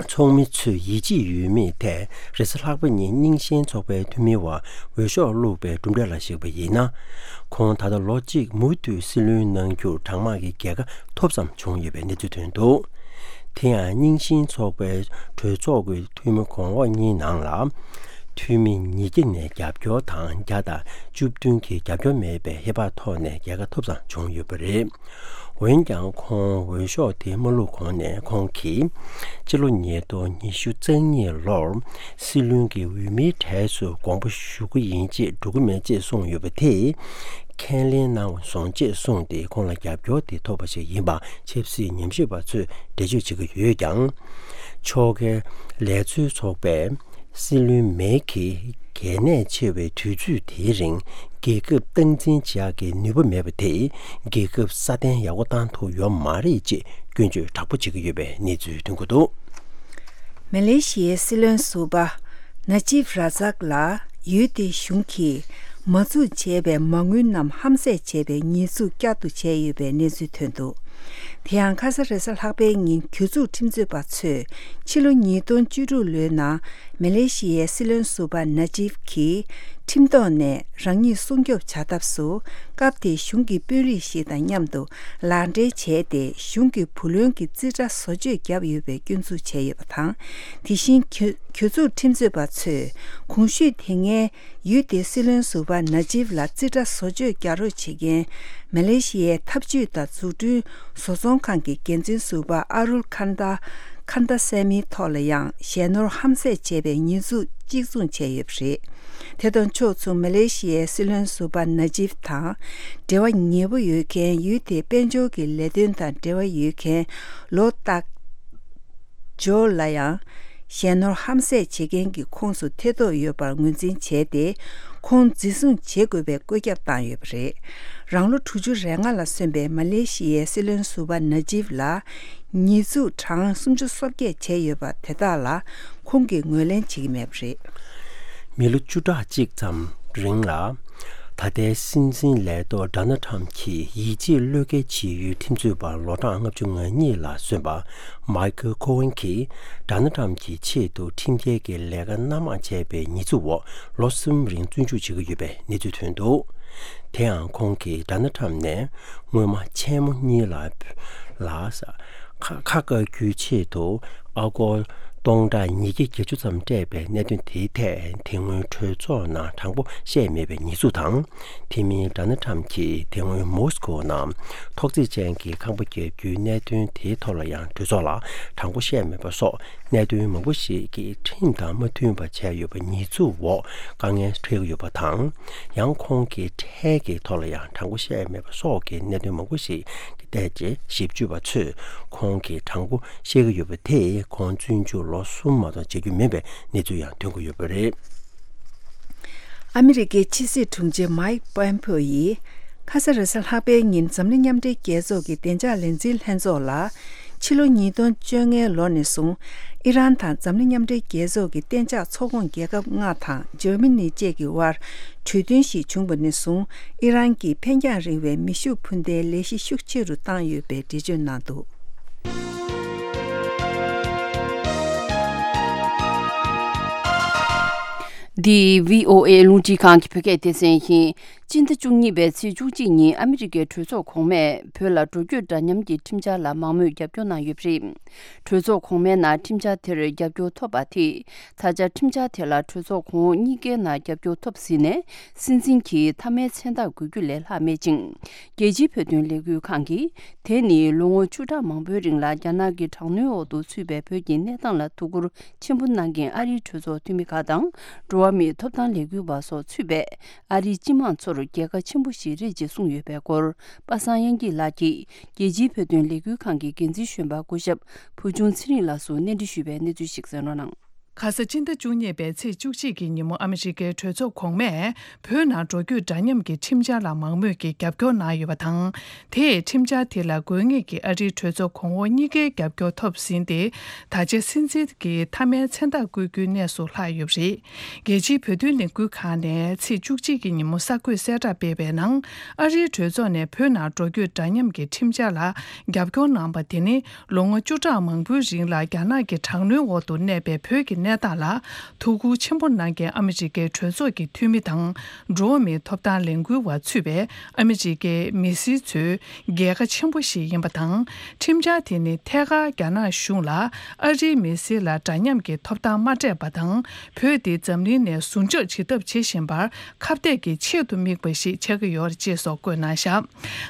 ཚོགས་མི་ཚོས་ཡིད་ཆེས་ཡོད་མེད་ཐད་རེས་གཟའ་ལྷག་པ་ཉིན་རྙིང་ཞེན་ཚོགས་པའི་འཐུས་མི་བར་འོས་ཤོག་བླུགས་པའི་གྲུབ་འབྲས་ལ་གཞིགས་པ་ཡིན་ན། ཁོང་ད་ལྟ་ལོ་གཅིག་མུ་མཐུད་སྲིད་བློན་གནང་རྒྱུར་གྲང་དམག་གི་རྒྱལ་ཁ་ཐོབ་ཙམ་བྱུང་ཡོད་པའི་གནས་ཚུལ་ཐོན་འདུག་དེ་ཡང་རྙིང་ཞེན་ཚོགས་པའི་གྲོས་ཚོགས་ཀྱི་འཐུས་མི་གོང་འོག་གཉིས་ནང་ལ། འཐུས་མི་ཉིས་བརྒྱ་ནས་རྒྱབ་སྐྱོར་དང་བརྒྱ་དང་བཅུ་བདུན་གྱིས་རྒྱབ་སྐྱོར་མེད་པའི་ཧེ་བག་ཐོག་ནས་རྒྱལ་ཁ་ཐོབ་ཙམ་བྱུང་ཡོད་པ་རེད། འོན་ཀྱང་ཁོང་འོས་ཤོག་དེ་མ་བླུགས་གོང་ནས་ཁོང་གིས་སྤྱི་ལོ་ཉིས་སྟོང་ཉི་ཤུ་རྩ་གཉིས་ལོར་སྲིད་བློན་གྱི་འོས་མིའི་གྲས་སུ་དགོངས་པ་ཞུ་གི་ཡིན་ཅེས་འགྲོ་གི་མེད་ཅེས་གསུངས་ཡོད་པ་དེས། ཁས་ལེན་གནང་བ་བཟུང་ཅེས་གསུངས་ཏེ་ཁོང་ལ་རྒྱབ་སྐྱོར་དེ་ཐོབ་པ་ཞིག་ཡིན་པ་ཆབ་སྲིད་ཉམས་ཞིབ་པ་ཚོས་འགྲེལ་བརྗོད་བྱེད་ཀྱི་ཡོད་ཀྱང་། ཕྱོགས་འགལ་ལས་འཛིན་ཚོགས་པས་ སྲིད་བློན་མེ་གིས་གལ་གནད་ཆེ་བའི་དུས་ཚོད་དེའི་རིང་རྒྱལ་ཁབ་སྟངས་འཛིན་བྱེད་ཡག་གི་ནུས་པ་མེད་པ་དེས་རྒྱལ་ཁབ་སྲ་བརྟན་ཡག་པོ་བཏང་ཐུབ་ཡོད་མ་རེད་ཅེས་སྐྱོན་བརྗོད་དྲག་པོ་བྱེད་ཀྱི་ཡོད་པའི་གནས་ཚུལ་ཐོན་གྱི་འདུག། མ་ལེ་ཤི་ཡའི་སྲིད་བློན་ཟུར་པ་ན་ཇིབ་ར་ཛག་ལ་ཡུལ་དེའི་གཞུང་གིས་མ་འཛུགས་བྱས་པའི་མ་དངུལ་རྣམས་ཧམ་བཟས་བྱས་པའི་ཉེས་འཛུགས་བསྐྱར་དུ་བྱས་ཡོད་པའི་གནས་ཚུལ་ཐོན་འདུག། དེ་ཡང་ཁ་ས་རེས་གཟའ་ལྷག་པའི་ཉིན་གྱོད་འཛུགས་ཁྲིམས་རྩོད་པ་ཚོས་ཕྱི་ལོ་ཉིས་སྟོང་བཅུ་དྲུག་ལོའི་ནང་མ་ལེ་ཤི་ཡའི་སྲིད་བློན་ཟུར་པ་ན་ཇིབ་ཀྱིས་ཁྲིམས་ཐོག་ནས་རང་ཉིད་སྲུང་སྐྱོབ་བྱ་ཐབས་སུ་སྐབས་དེའི་གཞུང་གི་དཔོན་རིགས་ཤིག་དང་མཉམ་དུ་ལག་འབྲེལ་བྱས་ཏེ་གཞུང་གི་བུ་ལོན་གྱི་རྩིས་ཁྲ་བཟོ་བཅོས་བརྒྱབ་ཡོད་པའི་སྐྱོན་འཛུགས་བྱས་ཡོད་པ་དང་། དེ་བཞིན་གྱོད་གྱོད་འཛུགས་ཁྲིམས་རྩོད་པ་ཚོས་གོང་ཞུས་དེ་སྔའི་ཡུལ་དེའི་སྲིད་བློན་ཟུར་པ་ན་ཇིབ་ལ་རྩིས་ཁྲ་བཟོ་བཅོས་རྒྱག་རོགས་བྱེད་མཁན་མ་ལེ་ཤི་ཡའི་འཐབ་ཇུས་དང་འཛུགས་སྐྲུན་བཟོ་ཚོང་ཁང་གི་འགན་འཛིན་ཟུར་པ་ཨ་རུལ་ཁན་ད་ཁན་ད་སེ་མིའི་ཐོག་ལ་ཡང་ཞལ་ནོར་ཧམ་བཟས་བྱས་པའི་ཉེས་འཛུགས་གཅིག་མཚུངས་བྱས་ཡོད་པ་རེད། དེ་དང་ཕྱོགས་མཚུངས་མ་ལེ་ཤི་ཡའི་སྲིད་བློན་ཟུར་པ་ན་ཇིབ་དང་འབྲེལ་བ་ཉེ་པོ་ཡོད་མཁན་ཡུལ་དེའི་དཔལ་འབྱོར་གྱི་ལས་དོན་དང་འབྲེལ་བ་ཡོད་མཁན་ལོ་ཏག་ཇོ་ལ་ཡང་ཞལ་ནོར་ཧམ་བཟས་བྱེད་མཁན་གྱི་ཁོངས་སུ་ཐེ་གཏོགས་ཡོད་པར་ངོས་འཛིན་བྱས་ཏེ། ཁོང་འཛིན་བཟུང་བྱེད་དགོས་པའི་བཀོད་ཁྱབ་བཏང་ཡོད་པ་རེད། རང་ལོ་དྲུག་ཅུ་རེ་ལྔ་ལ་སོན་པའི་མ་ལེ་ཤི་ཡའི་སྲིད་བློན་ཟུར་པ་ན་ཇིབ་ལ་ཉེས་འཛུགས་གྲངས་སུམ་ཅུ་སོ་བརྒྱད་བྱས་ཡོད་པ་དེ་དག་ལ་ཁོང་གིས་ངོས་ལེན་བྱེད་ཀྱི་མེད་པ་རེད། མི་ལོ་བཅུ་ཕྲག་གཅིག་ཙམ་རིང་ལ། ད་ལྟའི་སྲིད་འཛིན་ལས་ཐོག་ཌོ་ནལ་ཊམ་གྱིས་ཡིད་ཆེས་བློས་འགེལ་བྱེད་ཡུལ་ཁྲིམས་རྩོད་པ་ལོ་གྲངས་ལྔ་བཅུ་ང་གཉིས་ལ་སོན་པ་མའི་ཁལ་ཁོ་ཝན་གྱིས་ཌོ་ནལ་ཊམ་གྱི་ཆེད་དུ་ཁྲིམས་འགལ་གྱི་ལས་ཀ་སྣ་མང་བྱས་པའི་ཉེས་འཛུགས་འོག་ལོ་གསུམ་རིང་བཙོན་འཇུག་བྱེད་ཀྱི་ཡོད་པའི་གནས་ཚུལ་ཐོན་འདུག། དེ་ཡང་ཁོང་གིས་ཌོ་ནལ་ཊམ་ནས་སྔོན་མ་ཆེན་མོ་གཉིས་ལ་ལ་ཁ་ཁ་བཀག་རྒྱུའི་ཆེད་དུ། ཨ་སྒོར་སྟོང་ཕྲག་ཉིས་བརྒྱ་བརྒྱད་ཅུ་ཙམ་སྤྲད་པའི་གནད་དོན་དེའི་ཐད་དེ་སྔོན་གྲོས་ཚོགས་ནང་དྲང་པོ་བཤད་མེད་པའི་ཉེས་འཛུགས་དང་། དེ་མིན་ཌོ་ནལ་ཊམ་གྱིས་དེ་སྔོན་མོ་སི་ཀོ་ནང་ཐོག་བརྩེགས་ཅན་གྱི་ཁང་པ་བརྒྱབ་རྒྱུའི་གནད་དོན་དེའི་ཐོག་ལ་ཡང་གྲོས་ཚོགས་ལ་དྲང་པོ་བཤད་མེད་པ་སོགས་གནད་དོན་མང་པོ་ཞིག་གིས་ཁྲིམས་དང་མ་མཐུན་པ་བྱས་ཡོད་པ་ཉེས་འཛུགས་འོག་དཀའ་ངལ་འཕྲད་ཀྱི་ཡོད་པ་དང་། ཡང་ཁོང་གི་ཁྲལ་གྱི་ཐོག་ལ་ཡང་དྲང་པོ་བཤད་མེད་པ་སོགས་ཀྱི་གནད་དོན་མང་པོ་ཞིག་བལྟས་རྗེས་ཞིབ་དཔྱོད་པ་ཚོས་ཁོང་གིས་དྲང་པོ་བཤད་ཀྱི་ཡོད་པ་དེས་ཁོང་བཙོན་འཇུག་ལོ་གསུམ་མ་གཏོགས་བྱེད་རྒྱུ་མིན་པའི་གནས་ཚུལ་ཡང་ཐོན་གྱི་ཡོད་པ་རེད། ཨ་མི་རི་ཀའི་ཕྱི་སྲིད་དྲུང་ཆེ་མའིག་པོམ་པེའོ་ཡིས་ཁ་ས་རེས་གཟའ་ལྷག་པའི་ཉིན་འཛམ་གླིང་མཉམ་འབྲེལ་རྒྱལ་ཚོགས་ཀྱི་བདེ་འཇགས་ལས་འཛིན་ལྷན་ཚོགས་ལ་ཕྱི་ལོ་ཉིས་སྟོང་བཅོ་ལྔའི་ལོ་ནས་བཟུང་ཨི་རན་དང་འཛམ་གླིང་མཉམ་འབྲེལ་རྒྱལ་ཚོགས་ཀྱི་གཏན་འཇགས་ཚོགས་ཁོངས་རྒྱལ་ཁབ་ལྔ་དང་འཇར་མ་ནི་བཅས་ཀྱི་དབར་གྲོས་མཐུན་ཞིག་བྱུང་བ་ནས་བཟུང་ཨི་རན་གྱིས་འཕེན་རྒྱང་རིང་བའི་མེ་ཤུགས་འཕུར་མདེལ་ལས་གཞི་ཤུགས་ཆེ་རུ་བཏང་ཡོད་པའི་འགྲེལ་བརྗོད་གནང་འདུག། འདི་བྷི་ཨོ་ཨེ་རླུང་འཕྲིན་ཁང་གི་བོད་སྐད་སྡེ་ཚན་ཡིན། སྤྱི་ཟླ་བཅུ་གཉིས་པའི་ཚེས་བཅུ་གཅིག་ཉིན་ཨ་མི་རི་ཀའི་གྲོས་ཚོགས་གོང་མས་བོད་ལ་འགྲོ་སྐྱོད་འདྲ་མཉམ་གྱི་ཁྲིམས་འཆར་ལ་མང་མོས་རྒྱབ་སྐྱོར་གནང་ཡོད་པ་རེད། གྲོས་ཚོགས་གོང་མའི་ནང་ཁྲིམས་འཆར་དེར་རྒྱབ་སྐྱོར་ཐོབ་པ་དེས། ད་ཆ་ཁྲིམས་འཆར་དེ་ལ་གྲོས་ཚོགས་གོང་འོག་གཉིས་ཀའི་ནང་རྒྱབ་སྐྱོར་ཐོབ་ཟིན་ནས། སྲིད་འཛིན་གྱིས་མཐའ་མའི་མཚན་རྟགས་འགོད་རྒྱུ་ལས་ལྷག་མེད་ཅིང་། རྒྱལ་སྤྱིའི་བོད་དོན་ལས་འགུལ་ཁང་གིས། དེ་ནི་ལོ་ངོ་བཅུ་ཕྲག་མང་པོའི་རིང་ལ་རྒྱ་ནག་གི་དྲག་གནོན་འོག་ཏུ་ཚུད་པའི་བོད་ཀྱི་གནས་སྟངས་ལ་ཐུགས་ཁུར་ཆེན་པོ་གནང་མཁན་ཨ་རིའི་གྲོས་ཚོགས་འཐུས་མི་ཁག་དང་། འགྲོ་བ་མིའི་ཐོབ་ཐང་ལས་འགུལ་བ་སོགས་ཚུད་པའི་ཨ་རིའི་སྤྱི་དམངས་ཚོར་རྒྱལ་ཁ་ཆེན་པོ་ཞིག་རེད་ཅེས་གསུངས་ཡོད་པའི་སྐོར། པ་སངས་དབྱངས་སྐྱིད་ལགས་ཀྱིས། རྒྱལ་སྤྱིའི་བོད་དོན་ལས་འགུལ་ཁང་གི་འགན་འཛིན་གཞོན་པ་སྐུ་ཞབས་བུ་ཆུང་ཚེ་རིང་ལགས་སུ་གནས་འདྲི་ཞུས་པའི་གནས་ཚུལ་ཞིག་གསན་རོགས་གནང་། ཁ་ས་སྤྱི་ཟླ་བཅུ་གཉིས་པའི་ཚེས་བཅུ་གཅིག་གི་ཉིན་མོ་ཨ་མི་རི་ཀའི་གྲོས་ཚོགས་གོང་མས་བོད་ནང་འགྲོ་སྐྱོད་འདྲ་མཉམ་གྱི་ཁྲིམས་འཆར་ལ་མང་མོས་ཀྱིས་རྒྱབ་སྐྱོར་གནང་ཡོད་པ་དང་། དེས་ཁྲིམས་འཆར་དེ་ལ་དགོས་ངེས་ཀྱི་ཨ་རིའི་གྲོས་ཚོགས་གོང་འོག་གཉིས་ཀའི་རྒྱབ་སྐྱོར་ཐོབ་ཟིན་ཏེ། ད་ཆ་སྲིད་འཛིན་གྱི་མཐའ་མའི་མཚན་རྟགས་བཀོད་རྒྱུའི་གནས་སུ་ལྷག་ཡོད་པ་རེད། རྒྱལ་སྤྱིའི་བོད་དོན་ལས་འགུལ་ཁང་ནས་ཚེས་བཅུ་གཅིག་གི་ཉིན་མོ་གསར་འགོད་གསལ་བསྒྲགས་སྤེལ་བའི་ནང་། ཨ་རིའི་གྲོས་ཚོགས་ནས་བོད་ནང་འགྲོ་སྐྱོད་འདྲ་མཉམ་གྱི་ཁྲིམས་འཆར་ལ་རྒྱབ་སྐྱོར་གནང་པ་དེ་ནི། ལོ་ངོ་བཅུ་ཕྲག་མང་པོའི་རིང་ལ་རྒྱ་ནག་གི་དྲག་གནོན་འོག་ཏུ་གནས་པའི་བོད་ཀྱི་གནས་སྟངས་ལ་ཐུགས་ཁུར་ཆེན་པོ་གནང་མཁན་ཨ་མི་རི་ཀའི་གྲོས་ཚོགས་ཀྱི་འཐུས་མི་དང་། འགྲོ་བ་མིའི་ཐོབ་ཐང་ལས་འགུལ་བ་ཚུད་པའི་ཨ་མི་རི་ཀའི་མི་སེར་ཚོའི་རྒྱལ་ཁ་ཆེན་པོ་ཞིག་ཡིན་པ་དང་། ཁྲིམས་འཆར་དེ་ནི་ཐད་ཀར་རྒྱ་ནག་གཞུང་ལ་ཨ་རིའི་མི་སེར་ལ་འདྲ་མཉམ་གྱི་ཐོབ་ཐང་མ་སྤྲད་པ་དང་། བོད་དེ་འཛམ་གླིང་ནས་ཟུར་འཇོག་བྱེད་ཐབས་བྱེད་བཞིན་པར་ཁ་གཏད་ཀྱི་ཆེད་དུ་དམིགས་པ་ཞིག་ཆགས་ཀྱི་ཡོད་རེད་ཅེས་སོགས་བཀོད་གནང་བཞག།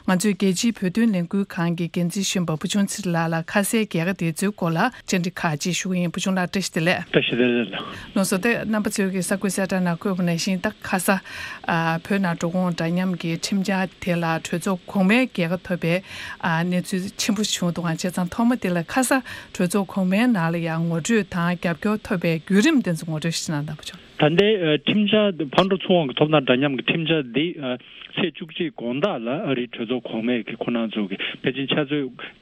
ང་ཚོའི་རྒྱལ་སྤྱིའི་བོད་དོན་ལས་འགུལ་ཁང་གི་འགན་འཛིན་གཞོན་པ་བུ་ཆུང་ཚེ་རིང་ལགས་ལ་ཁ་སའི་རྒྱལ་ཁ་དེ་ཚོའི་སྐོར་ལ་བཅར་འདྲི་ཁག་ཅིག་ཞུ་གི་ཡིན། བུ་ཆུང་ལགས་བཀྲ་ཤིས་བདེ་ལེགས། ཞེས་དེ་ལ། ལགས་སོ། དེ་རྣམ་པ་ཚོས་ཀྱི་གསར་འགོད་གསལ་བསྒྲགས་ནང་བཀོད་པ་ནང་བཞིན། ད་ཁ་ས་ཨ་བོད་ནང་འགྲོ་འོང་འདྲ་མཉམ་གྱི་ཁྲིམས་འཆར་དེ་ལ་གྲོས་ཚོགས་གོང་མའི་རྒྱལ་ཁ་ཐོབ་པའི་ཨ་གནས་ཚུལ་ཆེན་པོ་བྱུང་འདུག་ག་བྱས་ཙང་ཐོག་མ་དེ་ལ་ཁ་ས་གྲོས་ཚོགས་གོང་མའི་ནང་ལ་ཡང་ངོ་སྤྲོད་དང་རྒྱབ་སྐྱོར་ཐོབ་པའི་བརྒྱུད་རིམ་དེ་ཚོ་ངོ་སྤྲོད་ཞིག་གནང་དང་པོ་བྱུང་། ད་ལྟའི་ཨ་ཁྲིམས་འཆར་ཕར་འགྲོ་ཚུར་འོང་གི་ཐོབ་ཐང་འདྲ་མཉམ་གྱི་ཁྲིམས་འཆར་འདི་ཨ་ཚེས་བཅུ་གཅིག་དགོང་དག་ལ་ཨ་རིའི་གྲོས་ཚོགས་གོང་མས་ཀྱི་ཁོ་རང་ཚོ་གི་ཕལ་ཆེར་ཆུ་ཚོད་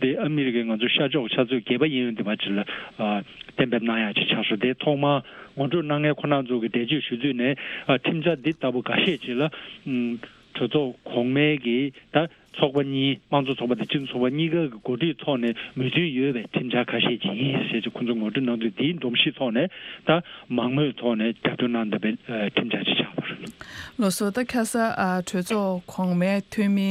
འདི་ཨ་མི་རི་ཀའི་ང་ཚོ་ཤར་ཕྱོགས་ཆུ་ཚོད་བརྒྱད་པ་ཡིན་ཡོད་འདི་བ་ཅིག་ལ་ཨ་གཏན་འབེབས་གནང་ཡག་ཅིག་ཆགས་སོང་། དེ་ཐོག་མར་ངོ་སྤྲོད་གནང་མཁན་ཁོ་རང་ཚོ་གི་འགྲེལ་བརྗོད་ཞུ་ཚུལ་ནས་ཨ་ཁྲིམས་འཆར་འདི་ལྟ་བུ་འགའ་ཤས་ཅིག་ལ་ཨམ་གྲོས་ཚོགས་གོང་མའི་གི་ད་ཚོགས་པ་གཉིས་དམངས་གཙོ་ཚོགས་པ་དང་སྤྱི་མཐུན་ཚོགས་པ་གཉིས་ཀ་གི་གོ་སྒྲིག་ཐོག་ནས་མོས་མཐུན་ཡོད་པའི་ཁྲིམས་འཆར་ཁ་ཤས་ཅིག་ཡིན་ཞེས་ཀྱི་ཁོ་ཚོས་ངོ་སྤྲོད་གནང་དུས། དེའི་སྒྲོམ་གཞི་ཐོག་ནས་ད་མང་མོས་ཐོག་ནས་རྒྱབ་སྐྱོར་གནང་བསྡད་པའི་ཨ་ཁྲིམས་འཆར་ཅིག་ཆགས་པ་རེད། ལགས་སོ། ད་ཁ་ས་ཨ་གྲོས་ཚོགས་གོང་མའི་འཐུས་མི་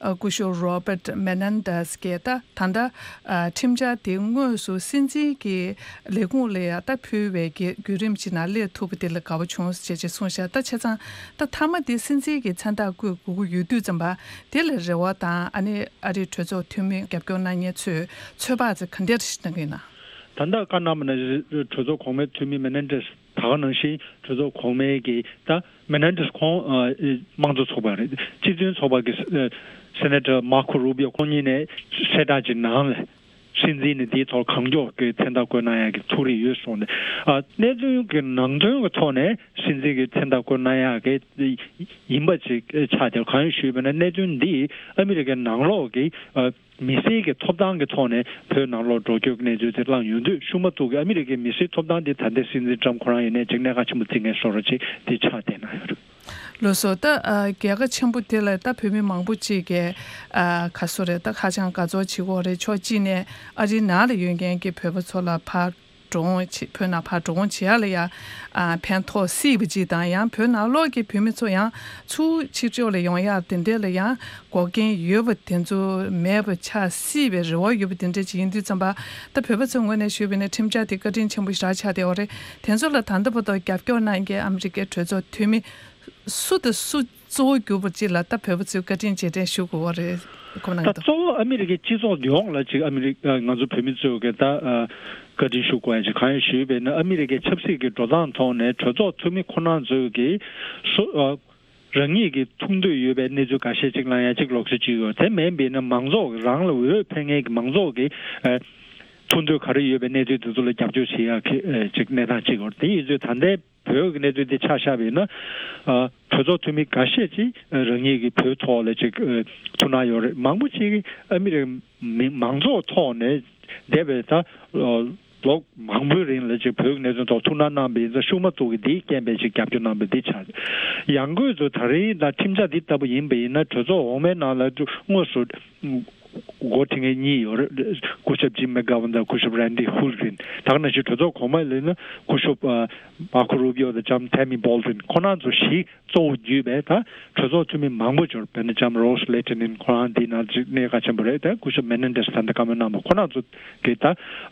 ཨ་སྐུ་ཞབས་Robert Menendez་གིས་ད་ད་ལྟ་ཨ་ཁྲིམས་འཆར་དེ་དངོས་སུ་སྲིད་འཛིན་གྱི་ལས་ཁུངས་ལ་ཡང་ད་ཕུལ་བའི་གི་བརྒྱུད་རིམ་ཅིག་ནང་སླེབས་ཐུབ་པ་དེ་ལ་དགའ་པོ་བྱུང་ཞེས་ཅིག་གསུངས་ཤག་ད་བྱས་ཙང་ད་མཐའ་མ་དེ་སྲིད་འཛིན་གྱི་མཚན་རྟགས་བཀོད་དགོས་ཀྱི་ཡོད་དུས་ཙམ་པ་དེ་ལ་རེ་བ་དང་ཨ་ནི་ཨ་རིའི་གྲོས་ཚོགས་འཐུས་མི་རྒྱབ་སྐྱོར་གནང་མཁན་ཚོས་ཚོད་དཔག་ཅིག་ག་འདྲ་ཞིག་གནང་གི་ཡིན་ན། ད་ལྟ་བཀའ་གནང་བ་ནང་བཞིན་གྲོས་ཚོགས་གོང་མའི་འཐུས་མི་Menendez། ད་ག་ནང་བཞིན་གྲོས་ཚོགས་གོང་མའི་གི་ད་Menendez་ཁོང་ཨ་དམངས་གཙོ་ཚོགས་པ་རེད། སྤྱི་མཐུན་ཚོགས་པ་གི་ཨ་Senator Marco Rubio་ཁོང་གཉིས་ནས་གསལ་བསྒྲགས་ཅིག་ནང་ལ་སྲིད་འཛིན་ནས་དེའི་ཐོག་གང་མགྱོགས་ཀྱི་མཚན་རྟགས་བཀོད་གནང་ཡག་གི་ཐུགས་རེ་ཡོད་གསུངས་ནས། ཨ་གནད་དོན་གྱི་ནང་དོན་གྱི་ཐོག་ནས་སྲིད་འཛིན་གྱི་མཚན་རྟགས་བཀོད་གནང་ཡག་གི་ཡིན་པ་ཅིག་ཆགས་ཏེ། གང་ཡིན་ཞུས་པ་ན་གནད་དོན་འདི་ཨ་མི་རི་ཀའི་ནང་ལོགས་ཀྱི་ཨ་མི་སེར་གྱི་ཐོབ་ཐང་གི་ཐོག་ནས་བོད་ནང་ལོགས་འགྲོ་སྐྱོད་ཀྱི་གནས་ཚུལ་དེ་བསླངས་ཡོང་དུས། ཤུགས་མ་ཐུག་གི་ཨ་མི་རི་ཀའི་མི་སེར་ཐོབ་ཐང་དེ་ད་ལྟའི་སྲིད་འཛིན་ཊམ་ཁོ་རང་ཡིན་ནའི་ཅིག་གནད་འགག་ཆེན་པོ་བརྩི་མཁན་བཟོ་འདྲ་ཅིག་དེ་ཆགས་བསྡད་གནང་ཡོད་རེད། ལགས་སོ། ད་ཨ་རྒྱལ་ཁ་ཆེན་པོ་དེ་ལ་ད་བོད་མི་མང་པོ་ཅིག་གིས་ཨ་ག་སོ་རེད། ད་ཧ་ཅང་དགའ་ཚོར་བྱེད་ཀྱི་ཡོད་རེད། ཕྱོགས་གཅིག་ནས་ཨ་རིའི་ནང་ལ་ཡོད་མཁན་གྱི་བོད་པ་ཚོ་ལ་ཕར་འགྲོ་འོང་བྱེད། བོད་ནང་ཕར་འགྲོ་འོང་བྱེད་ཡག་ལ་ཡང་ཨ་ཕན་ཐོགས་སྲིད་པ་ཅིག་དང་། ཡང་བོད་ནང་ལོགས་ཀྱི་བོད་མི་ཚོ་ཡང་ཚུར་ཕྱི་ཕྱོགས་ལ་ཡོང་ཡག་དེ་འདྲ་ལ་ཡང་འགོག་རྐྱེན་ཡོད་པ་དེ་ཚོ་མེད་པ་ཆགས་སྲིད་པའི་རེ་བ་ཡོད་པ་དེ་འདྲ་ཅིག་ཡིན་དུས་ཙམ་པ། ད་བོད་པ་ཚོའི་ངོས་ནས་ཞུས་པ་ཡིན་ན་ཁྲིམས་འཆར་དེ་བཀའ་དྲིན་ཆེན་པོ་ཞེ་དྲག་ཆགས་བསྡད་ཡོད་རེད། དེ་ཚོ་ལ་ད་ལྟ་བར་དུ་རྒྱབ་སྐྱོར་གནང་མཁན་ཨ་མི་རི་ཀའི་གྲོས་ཚོགས་འཐུས་མི་སུ་དང་སུ་གཙོ་བོ་གྱུར་པ་ཅིག་ལ་ད་བོད་པ་ཚོས་བཀའ་དྲིན་རྗེས་དྲན་ཞུ་དགོས་པ་རེད། ཁོ་ན་ད་གཏོགས། གཙོ་བོ་ཨ་མི་རི་ཀའི་སྤྱི་ཚོགས་ཡོངས་ལ་ཅིག་ཨ་མི་རི་ཨ་ང་ཚོ་བོད་མི་ཚོས་གི་ད་ཨ་བཀའ་དྲིན་ཞུ་དགོས་ཡ་ཅིག་གང་ཡིན་ཞུས་པས་ན། ཨ་མི་རི་ཀའི་ཆབ་སྲིད་ཀྱི་འགྲོ་སྟངས་ཐོག་ནས་གྲོས་ཚོགས་འཐུས་མི་ཁོ་རང་ཚོས་གི་སུ་ཨ་རང་ཉིད་ཀྱི་ཐུགས་འདོད་ཡོད་པའི་གནས་ཚུལ་འགའ་ཤས་ཅིག་གནང་ཡ་ཅིག་ལོགས་སུ་ཅིག་ཡོད། དེ་མིན་པས་ན་མང་ཚོགས་རང་ལ་འོས་འཕེན་མཁན་གྱི་མང་ཚོགས་ཀྱི་ཨ་ཐུགས་འདོད་ག་རེ་ཡོད་པའི་གནས་ཚུལ་དེ་ཚོ་ལ་རྒྱབ་སྐྱོར་བྱེད་ཡ་གི་ཨ་ཅིག་གནས་སྟངས་ཅིག་ཡོད། དེ་ཡིན་ཚུལ་ད་ལྟའི་བོད་ཀྱི་གནས་ཚུལ་འདི་ཆ་བཞག་པ་ཡིན་ན། ཨ་གྲོས་ཚོགས་འཐུས་མི་འགའ་ཤས་ཅིག་ཨ་རང་ཉིད་ཀྱི་བོད་ཐོག་ལ་ཅིག་ཨ་ཐུགས་སྣང་ཡོད་རེད། མང་པོ་ཅིག་ཨ་མི་རི་མི་མང་ཚོགས་ཐོག་ནས་འདས་པའི་ད་ཨ་ལོ་མང་པོའི་རིང་ལ་ཅིག་བོད་ཀྱི་གནད་དོན་ཐོག་ཐུགས་སྣང་གནང་པ་ཡིན་ཙང་། ཤུགས་མ་ཐུག་གི་འདིའི་རྐྱེན་པས་ཅིག་རྒྱབ་སྐྱོར་གནང་པ་འདི་ཆགས། ཡང་སྒོས་སུ་ད་རིང་ད་ཁྲིམས་འཆར་འདི་ལྟ་བུ་ཡིན་པ་ཡིན་ན། གྲོས་ཚོགས་འོག་མའི་ནང་ལ་དངོས་སུ་འགོ་ཁྲིད་མཁན་གཉིས་ཡོད་རེད། སྐུ་ཞབས་Jim McGovern་དང་སྐུ་ཞབས་Randy Houlgain། ད་ག་ནང་བཞིན་གྲོས་ཚོགས་གོང་མ་ལ་ཡིན་ན་སྐུ་ཞབས་ཨ་Marco Rubio་དང་ལྕམ་Tammy Baldwin། ཁོ་རང་ཚོ་བཞི་གཙོ་བོ་བརྒྱུད་པའི་ད་གྲོས་ཚོགས་འཐུས་མི་མང་པོ་ཡོད་རེད། དཔེར་ན་ལྕམ་Rose Lehtinen། ཁོ་རང་འདི་ནང་ཅིག་གནད་འགག་ཆེན་པོ་རེད། ད་སྐུ་ཞབས་Menendez་ད་ལྟ་བཀའ་མོལ་གནང་བ། ཁོ་རང་ཚོ་གི་ད་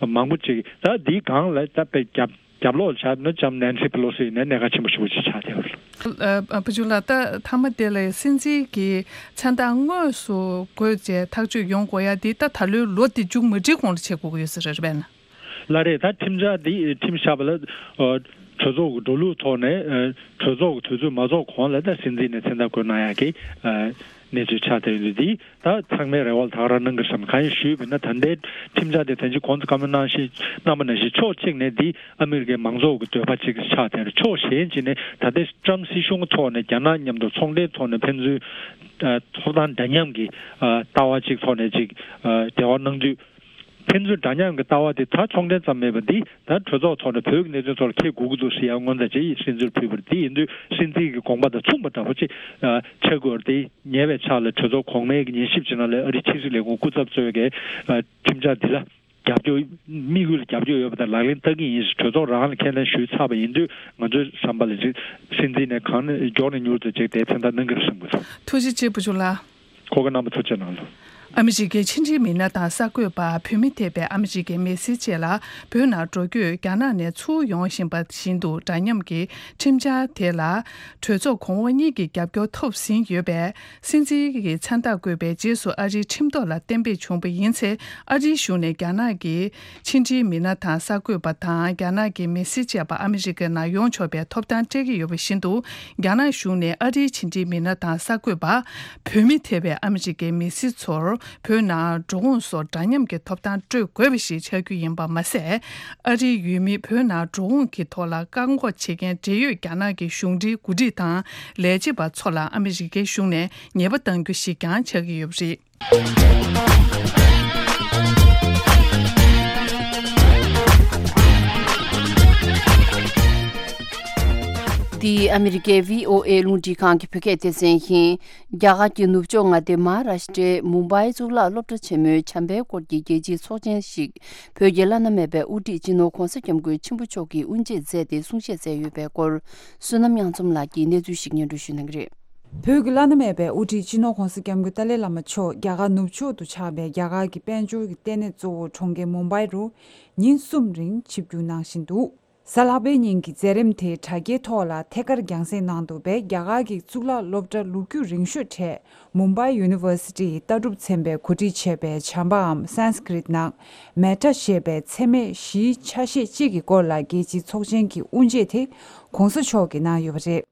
མང་པོ་ཅིག་ད་འདིའི་སྒང་ལ་ད་དཔེ་རྒྱབ་རྒྱབ་ལོགས་ཆགས་ན་ལྕམ་Nancy Pelosi་ཡིན་ནའི་གནད་འགག་ཆེན་པོ་ཞེ་པོ་ཅིག་ཆགས་བསྡད་ཡོད་རེད། ཨ་ཨ་བུ་ཆུང་ལགས། ད་མཐའ་མ་དེ་ལ་སྲིད་འཛིན་གྱི་མཚན་རྟགས་དངོས་སུ་བཀོད་བྱས་ཐག་གཅོད་ཡོང་དགོས་ཡ་འདི་ད་ད་ལོའི་ལོ་འདི་མཇུག་མ་སྒྲིལ་གོང་ལ་བྱེད་དགོས་ཀྱི་ཡོད་ས་རེད། རེད་པས་ན། ལགས་རེད། ད་ཁྲིམས་འཆར་འདི་ཁྲིམས་བཞག་པ་ལ་ཨ་གྲོས་ཚོགས་ཀྱི་འགྲོ་ལུགས་ཐོག་ནས་ཨ་གྲོས་ཚོགས་ཀྱི་དུས་ཚོད་མ་རྫོགས་གོང་ལ་ད་སྲིད་འཛིན་ནས་མཚན་རྟགས་བཀོད་གནང་ཡ་གི་ཨ་གནས་ཚུལ་ཆགས་བསྡད་ཡོད་འདུག་འདི་ད་ཚང་མས་རེ་བ་ལ་ད་ག་རང་གནང་གི་བསམ། གང་ཡིན་ཞུས་པ་ཡིན་ན། ད་ལྟའི་ཁྲིམས་འཆར་དེ་ད་ཅི་གོང་དུ་བཀའ་མོལ་གནང་བཞིན་གནང་བ་ནང་བཞིན་ཕྱོགས་གཅིག་ནས་འདི་ཨ་མི་རི་ཀའི་མང་ཚོགས་ཀྱི་འདོད་པ་ཅིག་ཆགས་བསྡད་རེད། ཕྱོགས་གཞན་ཅིག་ནས་ད་ལྟའི་ཊམ་སྲིད་གཞུང་གི་ཐོག་ནས་རྒྱ་ནག་མཉམ་དུ་ཚོང་འབྲེལ་ཐོག་ནས་ཕན་ཚུན་ཨ་ཐོབ་ཐང་འདྲ་མཉམ་གྱི་ཨ་ལྟ་བ་ཅིག་ཐོག་ནས་ཅིག་ཨ་འབྲེལ་བ་གནང་དུས། ཕན་ཚུན་འདྲ་མཉམ་གྱི་ལྟ་བ་དེ་ད་ཚོང་འབྲེལ་ཙམ་མེད་པ་འདི་ད་གྲོས་ཚོགས་ཐོག་ནས་བོད་ཀྱི་གནད་དོན་ཐོག་ལ་འཁྱེར་དགོས་ཀྱི་འདུག་ཟེར་ཡ་སྔོན་དང་ཅིག་སྲིད་འཛིན་ཕུལ་བ་རེད། དེ་ཡིན་དུས་སྲིད་འཛིན་གྱི་དགོངས་པ་དང་མཚུངས་པ་འདྲ་པོ་ཅིག་ཨ་ཆགས་དགོས་རེད། དེ་ཉེ་བའི་ཆར་ལ་གྲོས་ཚོགས་གོང་མའི་ཉན་ཞིབ་བྱེད་ནང་ལ་ཨ་རིའི་ཕྱི་སྲིད་ལས་ཁུངས་སྐུ་ཚབ་གཙོས་ཀྱི་ཨ་ཁྲིམས་འཆར་འདི་ལ་རྒྱབ་སྐྱོར་དམིགས་ཡུལ་ལ་རྒྱབ་སྐྱོར་ཡོད་པ་དང་ལག་ལེན་བསྟར་གྱི་ཡིན་ཞེས་གྲོས་ཚོགས་རང་ལ་ཁས་ལེན་ཞུས་ཚར་བ་ཡིན་དུས། ང་ཚོའི་བསམ་པ་ལ་ཅིག་སྲིད་འཛིན་ནས་གང་ནས་མགྱོགས་ནས་མྱུར་དུ་ཅིག་དེ་མཚན་རྟགས་གནང་གི་རེད་བསམ་གྱི་འདུག་ཐུགས་རྗེ་ཆེ་བུ་ཆུང་ལགས། ཁོ་གི་རྣམ་པ་ཐུགས་རྗེ་གནང་ལོ། ཨ་མི་རི་ཀའི་ཕྱི་འབྲེལ་མི་སྣ་དང་གསར་འགོད་པ། བོད་མི་ཐེ་བའི་ཨ་མི་རི་ཀའི་མི་སེར་བཅས་ལ་བོད་ནང་འགྲོ་སྐྱོད་རྒྱ་ནག་ནས་ཚུར་ཡོང་བཞིན་པ་བཞིན་དུ། འདྲ་མཉམ་གྱི་ཁྲིམས་འཆར་དེ་ལ་གྲོས་ཚོགས་གོང་འོག་གཉིས་ཀྱི་རྒྱབ་སྐྱོར་ཐོབ་ཟིན་ཡོད་པས། སྲིད་འཛིན་གྱི་མཚན་རྟགས་བཀོད་པའི་རྗེས་སུ་ཨ་རིའི་ཁྲིམས་ཐོག་ལ་གཏན་འབེབས་བྱུང་བ་ཡིན་ཚེ། ཨ་རིའི་གཞུང་ནས་རྒྱ་ནག་གི་ཕྱི་འབྲེལ་མི་སྣ་དང་གསར་འགོད་པ་དང་རྒྱ་ནག་གི་མི་སེར་བཅས་པ་ཨ་མི་རི་ཀའི་ནང་ཡོང་ཆོག་པའི་ཐོབ་ཐང་སྤྲད་ཀྱི་ཡོད་པ་བཞིན་དུ། རྒྱ་ནག་གཞུང་ནས་ཨ་རིའི་ཕྱི་འབྲེལ་མི་སྣ་དང་གསར་འགོད་པ། བོད་མི་ཐེ་བའི་ཨ་མི་རི་ཀའི་མི་སེར་ཚོར་བོད་ནང་འགྲོ་འོང་སོགས་འདྲ་མཉམ་གྱི་ཐོབ་ཐང་སྤྲོད་དགོས་པ་ཞིག་ཆགས་རྒྱུ་ཡིན་པ་མ་ཟད། ཨ་རིའི་ཡུལ་མི་བོད་ནང་འགྲོ་འོང་གི་ཐོག་ལ་བཀག་འགོག་བྱེད་མཁན་འབྲེལ་ཡོད་རྒྱ་ནག་གི་གཞུང་འབྲེལ་འགོ་ཁྲིད་དང་ལས་བྱེད་པ་ཚོ་ལ་ཨ་མི་རི་ཀའི་གཞུང་ནས་ཉེས་པ་གཏང་རྒྱུ་ཞིག་ཀྱང་ཆགས་ཀྱི་ཡོད་པ་རེད། འདི་ཨ་མི་རི་ཀའི་བྷི་ཨོ་ཨེ་རླུང་འཕྲིན་ཁང་གི་བོད་སྐད་སྡེ་ཚན་ཡིན། རྒྱ་གར་གྱི་ནུབ་ཕྱོགས་མངའ་སྡེ་མ་ཧཱ་རཱ་ཤི་ཏྲའི་མུམ་བྷའི་གཙུག་ལག་སློབ་གྲྭ་ཆེན་མོའི་བྱམས་པའི་སྐོར་གྱི་རྒྱལ་སྤྱིའི་ཚོགས་ཆེན་ཞིག་བོད་ཀྱི་བླ་ན་མེད་པའི་དབུ་ཁྲིད་སྤྱི་ནོར་༧གོང་ས་༧སྐྱབས་མགོན་ཆེན་པོ་མཆོག་གིས་དབུ་འབྱེད་མཛད་དེ་གསུང་བཤད་མཛད་ཡོད་པའི་སྐོར། བསོད་ནམས་དབྱངས་འཛོམས་ལགས་ཀྱིས་གནས་ཚུལ་ཞིག་སྙན་སྒྲོན་ཞུ་གནང་གི་རེད། བོད་ཀྱི་བླ་ན་མེད་པའི་དབུ་ཁྲིད་སྤྱི་ནོར་༧གོང་ས་༧སྐྱབས་མགོན་ཏཱ་ལའི་བླ་མ་མཆོག་རྒྱ་གར་ནུབ་ཕྱོགས་སུ་ཆགས་པའི་རྒྱ་གར་གྱི་དཔལ་འབྱོར་གྱི་ལྟེ་གནས་གཙོ་བོ་གྲོང་ཁྱེར་མུམ་བྷའི་རུ་ཉིན་གསུམ་རིང་ཆིབས་བསྒྱུར་གནང་བཞིན་འདུག་གཟའ་ལྷག་པའི་ཉིན་གྱི་མཛད་རིམ་དེ་དྲ་རྒྱའི་ཐོག་ལ་ཐད་ཀར་རྒྱང་སྲིང་གནང་འདུག་པས། རྒྱ་གར་གྱི་གཙུག་ལག་སློབ་གྲྭ་ལོ་རྒྱུས་རིང་ཤོས་གྲས་མུམ་བྷའི་ཡུ་ནི་ཝར་སི་ཊི་ཡི་ལྟ་གྲུབ་ཚན་པས་གོ་སྒྲིག་བྱས་པའི་བྱམས་པའམ་སཾ་སྐྲྀཏ་ནང་མེ་ཊ་ཞེས་པའི་མཚན་སྨད་བཞིའི་ཆ་ཤས་གཅིག་གི་སྐོར་ལ་རྒྱལ་སྤྱིའི་ཚོགས་ཆེན་གྱི་དབུ་འབྱེད་དེ་༧གོང་ས་མཆོག་གིས་གནང་ཡོད་པ་རེད།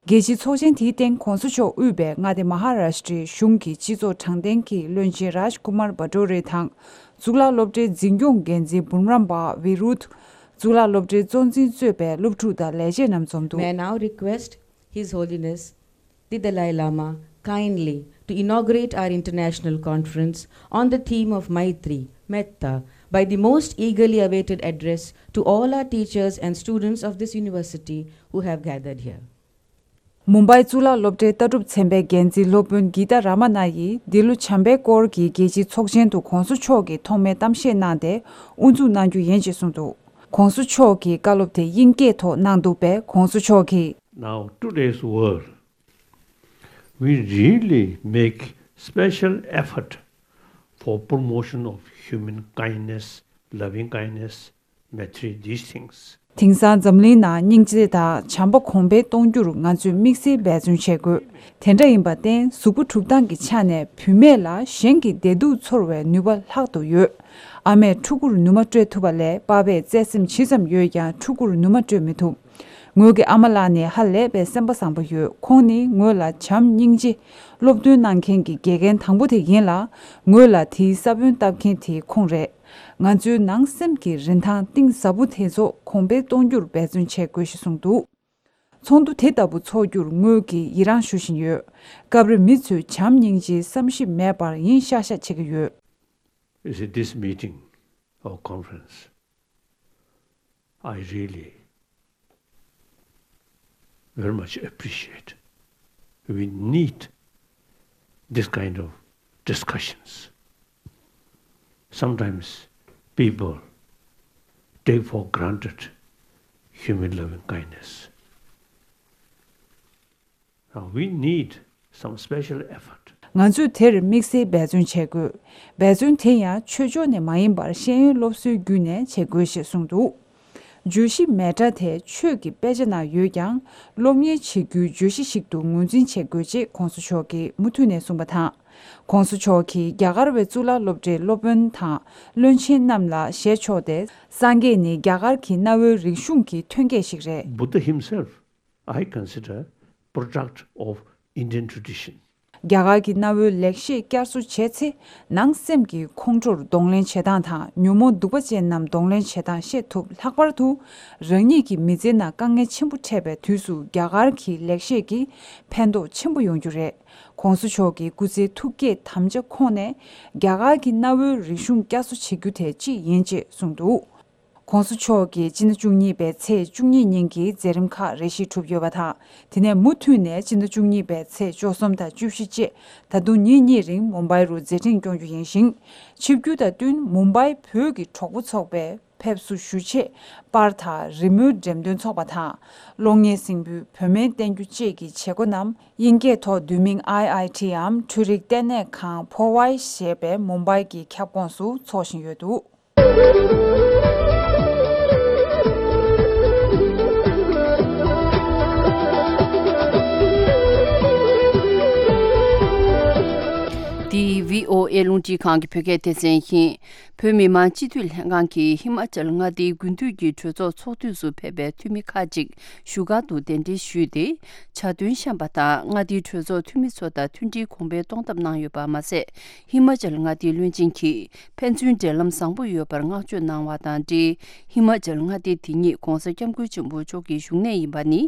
རྒྱལ་སྤྱིའི་ཚོགས་ཆེན་དེའི་སྟེང་༧གོང་ས་མཆོག་དབུས་པའི་མངའ་སྡེ་མ་ཧཱ་རཱ་ཤི་ཏྲའི་གཞུང་གི་སྤྱི་ཚོགས་དྲང་བདེན་གྱི་བློན་ཆེན་རཱཇ་ཀུ་མར་བྷ་ཏོ་རེ་དང་། གཙུག་ལག་སློབ་གྲྭའི་འཛིན་སྐྱོང་འགན་འཛིན་བུམ་རམ་པ་བི་རུད། གཙུག་ལག་སློབ་གྲྭའི་གཙོ་འཛིན་གཙོས་པའི་སློབ་ཕྲུག་དང་ལས་བྱེད་རྣམས་འཛོམས་འདུག May I now request His Holiness the Dalai Lama kindly to inaugurate our international conference on the theme of Maitri, Metta, by the most eagerly awaited address to all our teachers and students of this university who have gathered here. མུམ་བྷའི་གཙུག་ལག་སློབ་གྲྭའི་ལྟ་གྲུབ་ཚན་པའི་འགན་འཛིན་སློབ་དཔོན་གི་ཏཱ་ར་མ་ན་ཡིས་འདི་ལོ་བྱམས་པའི་སྐོར་གྱི་རྒྱལ་སྤྱིའི་ཚོགས་ཆེན་དུ་༧གོང་ས་མཆོག་གིས་ཐོག་མའི་གཏམ་བཤད་གནང་སྟེ་དབུ་འཛུགས་གནང་རྒྱུ་ཡིན་ཅེས་གསུངས་འདུག ༸གོང་ས་མཆོག་གིས་བཀའ་སློབ་དེ་དབྱིན་སྐད་ཐོག་གནང་འདུག་པས། ༸གོང་ས་མཆོག་གིས། Now, today's world, we really make special effort for promotion of human kindness, loving kindness, Maitri, these things. དེང་སང་འཛམ་གླིང་ནང་སྙིང་རྗེ་དང་བྱམས་པ་གོང་འཕེལ་གཏོང་རྒྱུར་ང་ཚོས་དམིགས་བསལ་འབད་བརྩོན་བྱེད་དགོས། དེ་འདྲ་ཡིན་པར་བརྟེན། གཟུགས་པོ་གྲུབ་སྟངས་ཀྱི་ཆ་ནས་བུད་མེད་ལ་གཞན་གྱི་བདེ་སྡུག་ཚོར་བའི་ནུས་པ་ལྷག་ཏུ་ཡོད། ཨ་མས་ཕྲུ་གུར་ནུ་མ་སྤྲོད་ཐུབ་པ་ལས་པ་ཕས་བརྩེ་སེམས་ཇི་ཙམ་ཡོད་ཀྱང་ཕྲུ་གུར་ནུ་མ་སྤྲོད་མི་ཐུབ། ངོས་ཀྱི་ཨ་མ་ལགས་ནི་ཧ་ལས་པའི་སེམས་པ་བཟང་པོ་ཡོད། ཁོང་ནི་ངོས་ལ་བྱམས་སྙིང་རྗེ་སློབ་སྟོན་གནང་མཁན་གྱི་དགེ་རྒན་དང་པོ་དེ་ཡིན་ལ། ངོས་ལ་དེའི་ས་བོན་བཏབ་མཁན་དེ་ཁོང་རེད། ང་ཚོའི་ནང་སེམས་ཀྱི་རིན་ཐང་གཏིང་ཟབ་པོ་དེ་ཚོ་གོང་འཕེལ་གཏོང་རྒྱུར་འབད་བརྩོན་བྱེད་དགོས་ཞེས་གསུངས་འདུག་ཚོགས་འདུ་དེ་ལྟ་བུ་འཚོགས་རྒྱུར་ངོས་ཀྱིས་ཡི་རངས་ཞུ་བཞིན་ཡོད། སྐབས་རེ་མི་ཚོས་བྱམས་སྙིང་རྗེའི་བསམ་ཞིབ་མེད་པར་ཡིན་ཤག་ཤག་བྱེད་ཀྱི་ཡོད། You see, this meeting or conference, I really very much appreciate. We need this kind of discussions. Sometimes people take for granted human loving kindness. Now we need some special effort. ང་ཚོས་དེར་དམིགས་བསལ་འབད་བརྩོན་བྱེད་དགོས། འབད་བརྩོན་དེ་ཡང་ཆོས་ཕྱོགས་ནས་མ་ཡིན་པར་ཤེས་ཡོན་སློབ་གསོའི་བརྒྱུད་ནས་བྱེད་དགོས་ཞེས་གསུངས་འདུག་བརྗོད་གཞི་མེ་ཊ་དེ་ཆོས་ཀྱི་དཔེ་ཆ་ནང་ཡོད་ཀྱང་། སློབ་གཉེར་བྱེད་རྒྱུའི་བརྗོད་གཞི་ཞིག་ཏུ་ངོས་འཛིན་བྱེད་དགོས་ཅེས་༸གོང་ས་མཆོག་གིས་མུ་མཐུད་ནས་གསུངས་པ་དང་། ༸གོང་ས་མཆོག་གིས་རྒྱ་གར་བའི་གཙུག་ལག་སློབ་གྲྭའི་སློབ་དཔོན་དང་བློན་ཆེན་རྣམས་ལ་ཞལ་ཕྱོགས་ཏེ། སངས་རྒྱས་ནི་རྒྱ་གར་གྱི་གནའ་བོའི་རིག་གཞུང་གི་ཐོན་སྐྱེད་ཞིག་རེད། Buddha himself, I consider, product of Indian tradition. རྒྱ་གར་གྱི་གནའ་བོའི་ལེགས་བཤད་བསྐྱར་གསོ་བྱས་ཚེ། ནང་སེམས་ཀྱི་ཁོང་ཁྲོར་གདོང་ལེན་བྱེད་སྟངས་དང་། ཉོན་མོངས་གདུག་པ་ཅན་རྣམས་གདོང་ལེན་བྱེད་སྟངས་ཤེས་ཐུབ། ལྷག་པར་དུ། རང་ཉིད་ཀྱི་མི་ཚེའི་ནང་དཀའ་ངལ་ཆེན་པོ་འཕྲད་པའི་དུས་སུ། རྒྱ་གར་གྱི་ལེགས་བཤད་ཀྱིས་ཕན་ཐོགས་ཆེན་པོ་ཡོང་རྒྱུ་རེད། ༸གོང་ས་མཆོག་གི་སྐུ་ཚེའི་ཐུགས་བསྐྱེད་དམ་བཅའ་ཁོངས་ནས། རྒྱ་གར་གྱི་གནའ་བོའི་རིག་གཞུང་བསྐྱར་གསོ་བྱེད་རྒྱུ་དེ་གཅིག་ཡིན་ཅེས་གསུངས་འདུག ༸གོང་ས་མཆོག་གིས་སྤྱི་ཟླ་བཅུ་གཉིས་པའི་ཚེས་བཅུ་གཉིས་ཉིན་གྱི་མཛད་རིམ་ཁག་རེ་ཞིག་གྲུབ་ཡོད་པ་དང་། དེ་ནས་མུ་མཐུད་ནས་སྤྱི་ཟླ་བཅུ་གཉིས་པའི་ཚེས་བཅུ་གསུམ་དང་བཅུ་བཞི་བཅས་ད་དུང་ཉིན་གཉིས་རིང་མུམ་བྷའི་རུ་མཛད་འཕྲིན་སྐྱོང་རྒྱུ་ཡིན་ཞིང་། ཆིབས་བསྒྱུར་དང་བསྟུན་མུམ་བྷའི་བོད་ཀྱི་གྲོགས་པོ་ཚོགས་པའི་ ཕེབས་བསུ་ཞུ་ཆེད་པར་དང་རི་མོའི་འགྲེམས་སྟོན་ཚོགས་པ་དང་། གློག་བརྙན་གཟིགས་འབུལ་བོད་སྨན་བསྟེན་རྒྱུ་བཅས་ཀྱི་བྱེད་སྒོ་རྣམས་དབྱིན་སྐད་ཐོག་འདུས་མིང་ཨའི་ཨའི་ཊི་འམ་འཕྲུལ་རིག་ལྟེ་གནས་ཁང་ཕོ་ཝའི་ཞེས་པའི་མུམ་བྷའི་གི་ཁྱབ་ཁོངས་སུ་འཚོགས་བཞིན་ཡོད་འདུག། འདི་བྷི་ཨོ་ཨེ་རླུང་འཕྲིན་ཁང་གི་བོད་སྐད་སྡེ་ཚན་ཡིན། བོད་མི་མང་སྤྱི་འཐུས་ལྷན་ཁང་གིས་ཧི་མ་ཅལ་མངའ་སྡེའི་དགུན་དུས་ཀྱི་གྲོས་ཚོགས་ཚོགས་དུས་སུ་ཕེབས་པའི་འཐུས་མི་ཁག་ཅིག་བཞུགས་སྒར་དུ་གདན་འདྲེན་ཞུས་ཏེ། བྱ་དོན་བཤམས་པ་དང་མངའ་སྡེའི་གྲོས་ཚོགས་འཐུས་མི་ཚོ་དང་མཐུན་སྒྲིལ་གོང་འཕེལ་གཏོང་ཐབས་གནང་ཡོད་པ་མ་ཟད། ཧི་མ་ཅལ་མངའ་སྡེའི་བློན་ཆེན་གྱིས་ཕན་ཚུན་འབྲེལ་ལམ་བཟང་པོ་ཡོད་པར་བསྔགས་བརྗོད་གནང་བ་དང་འབྲེལ། ཧི་མ་ཅལ་མངའ་སྡེ་དེ་ཉིད་༧གོང་ས་༧སྐྱབས་མགོན་ཆེན་པོ་མཆོག་གི་བཞུགས་གནས་ཡིན་པ་ནི།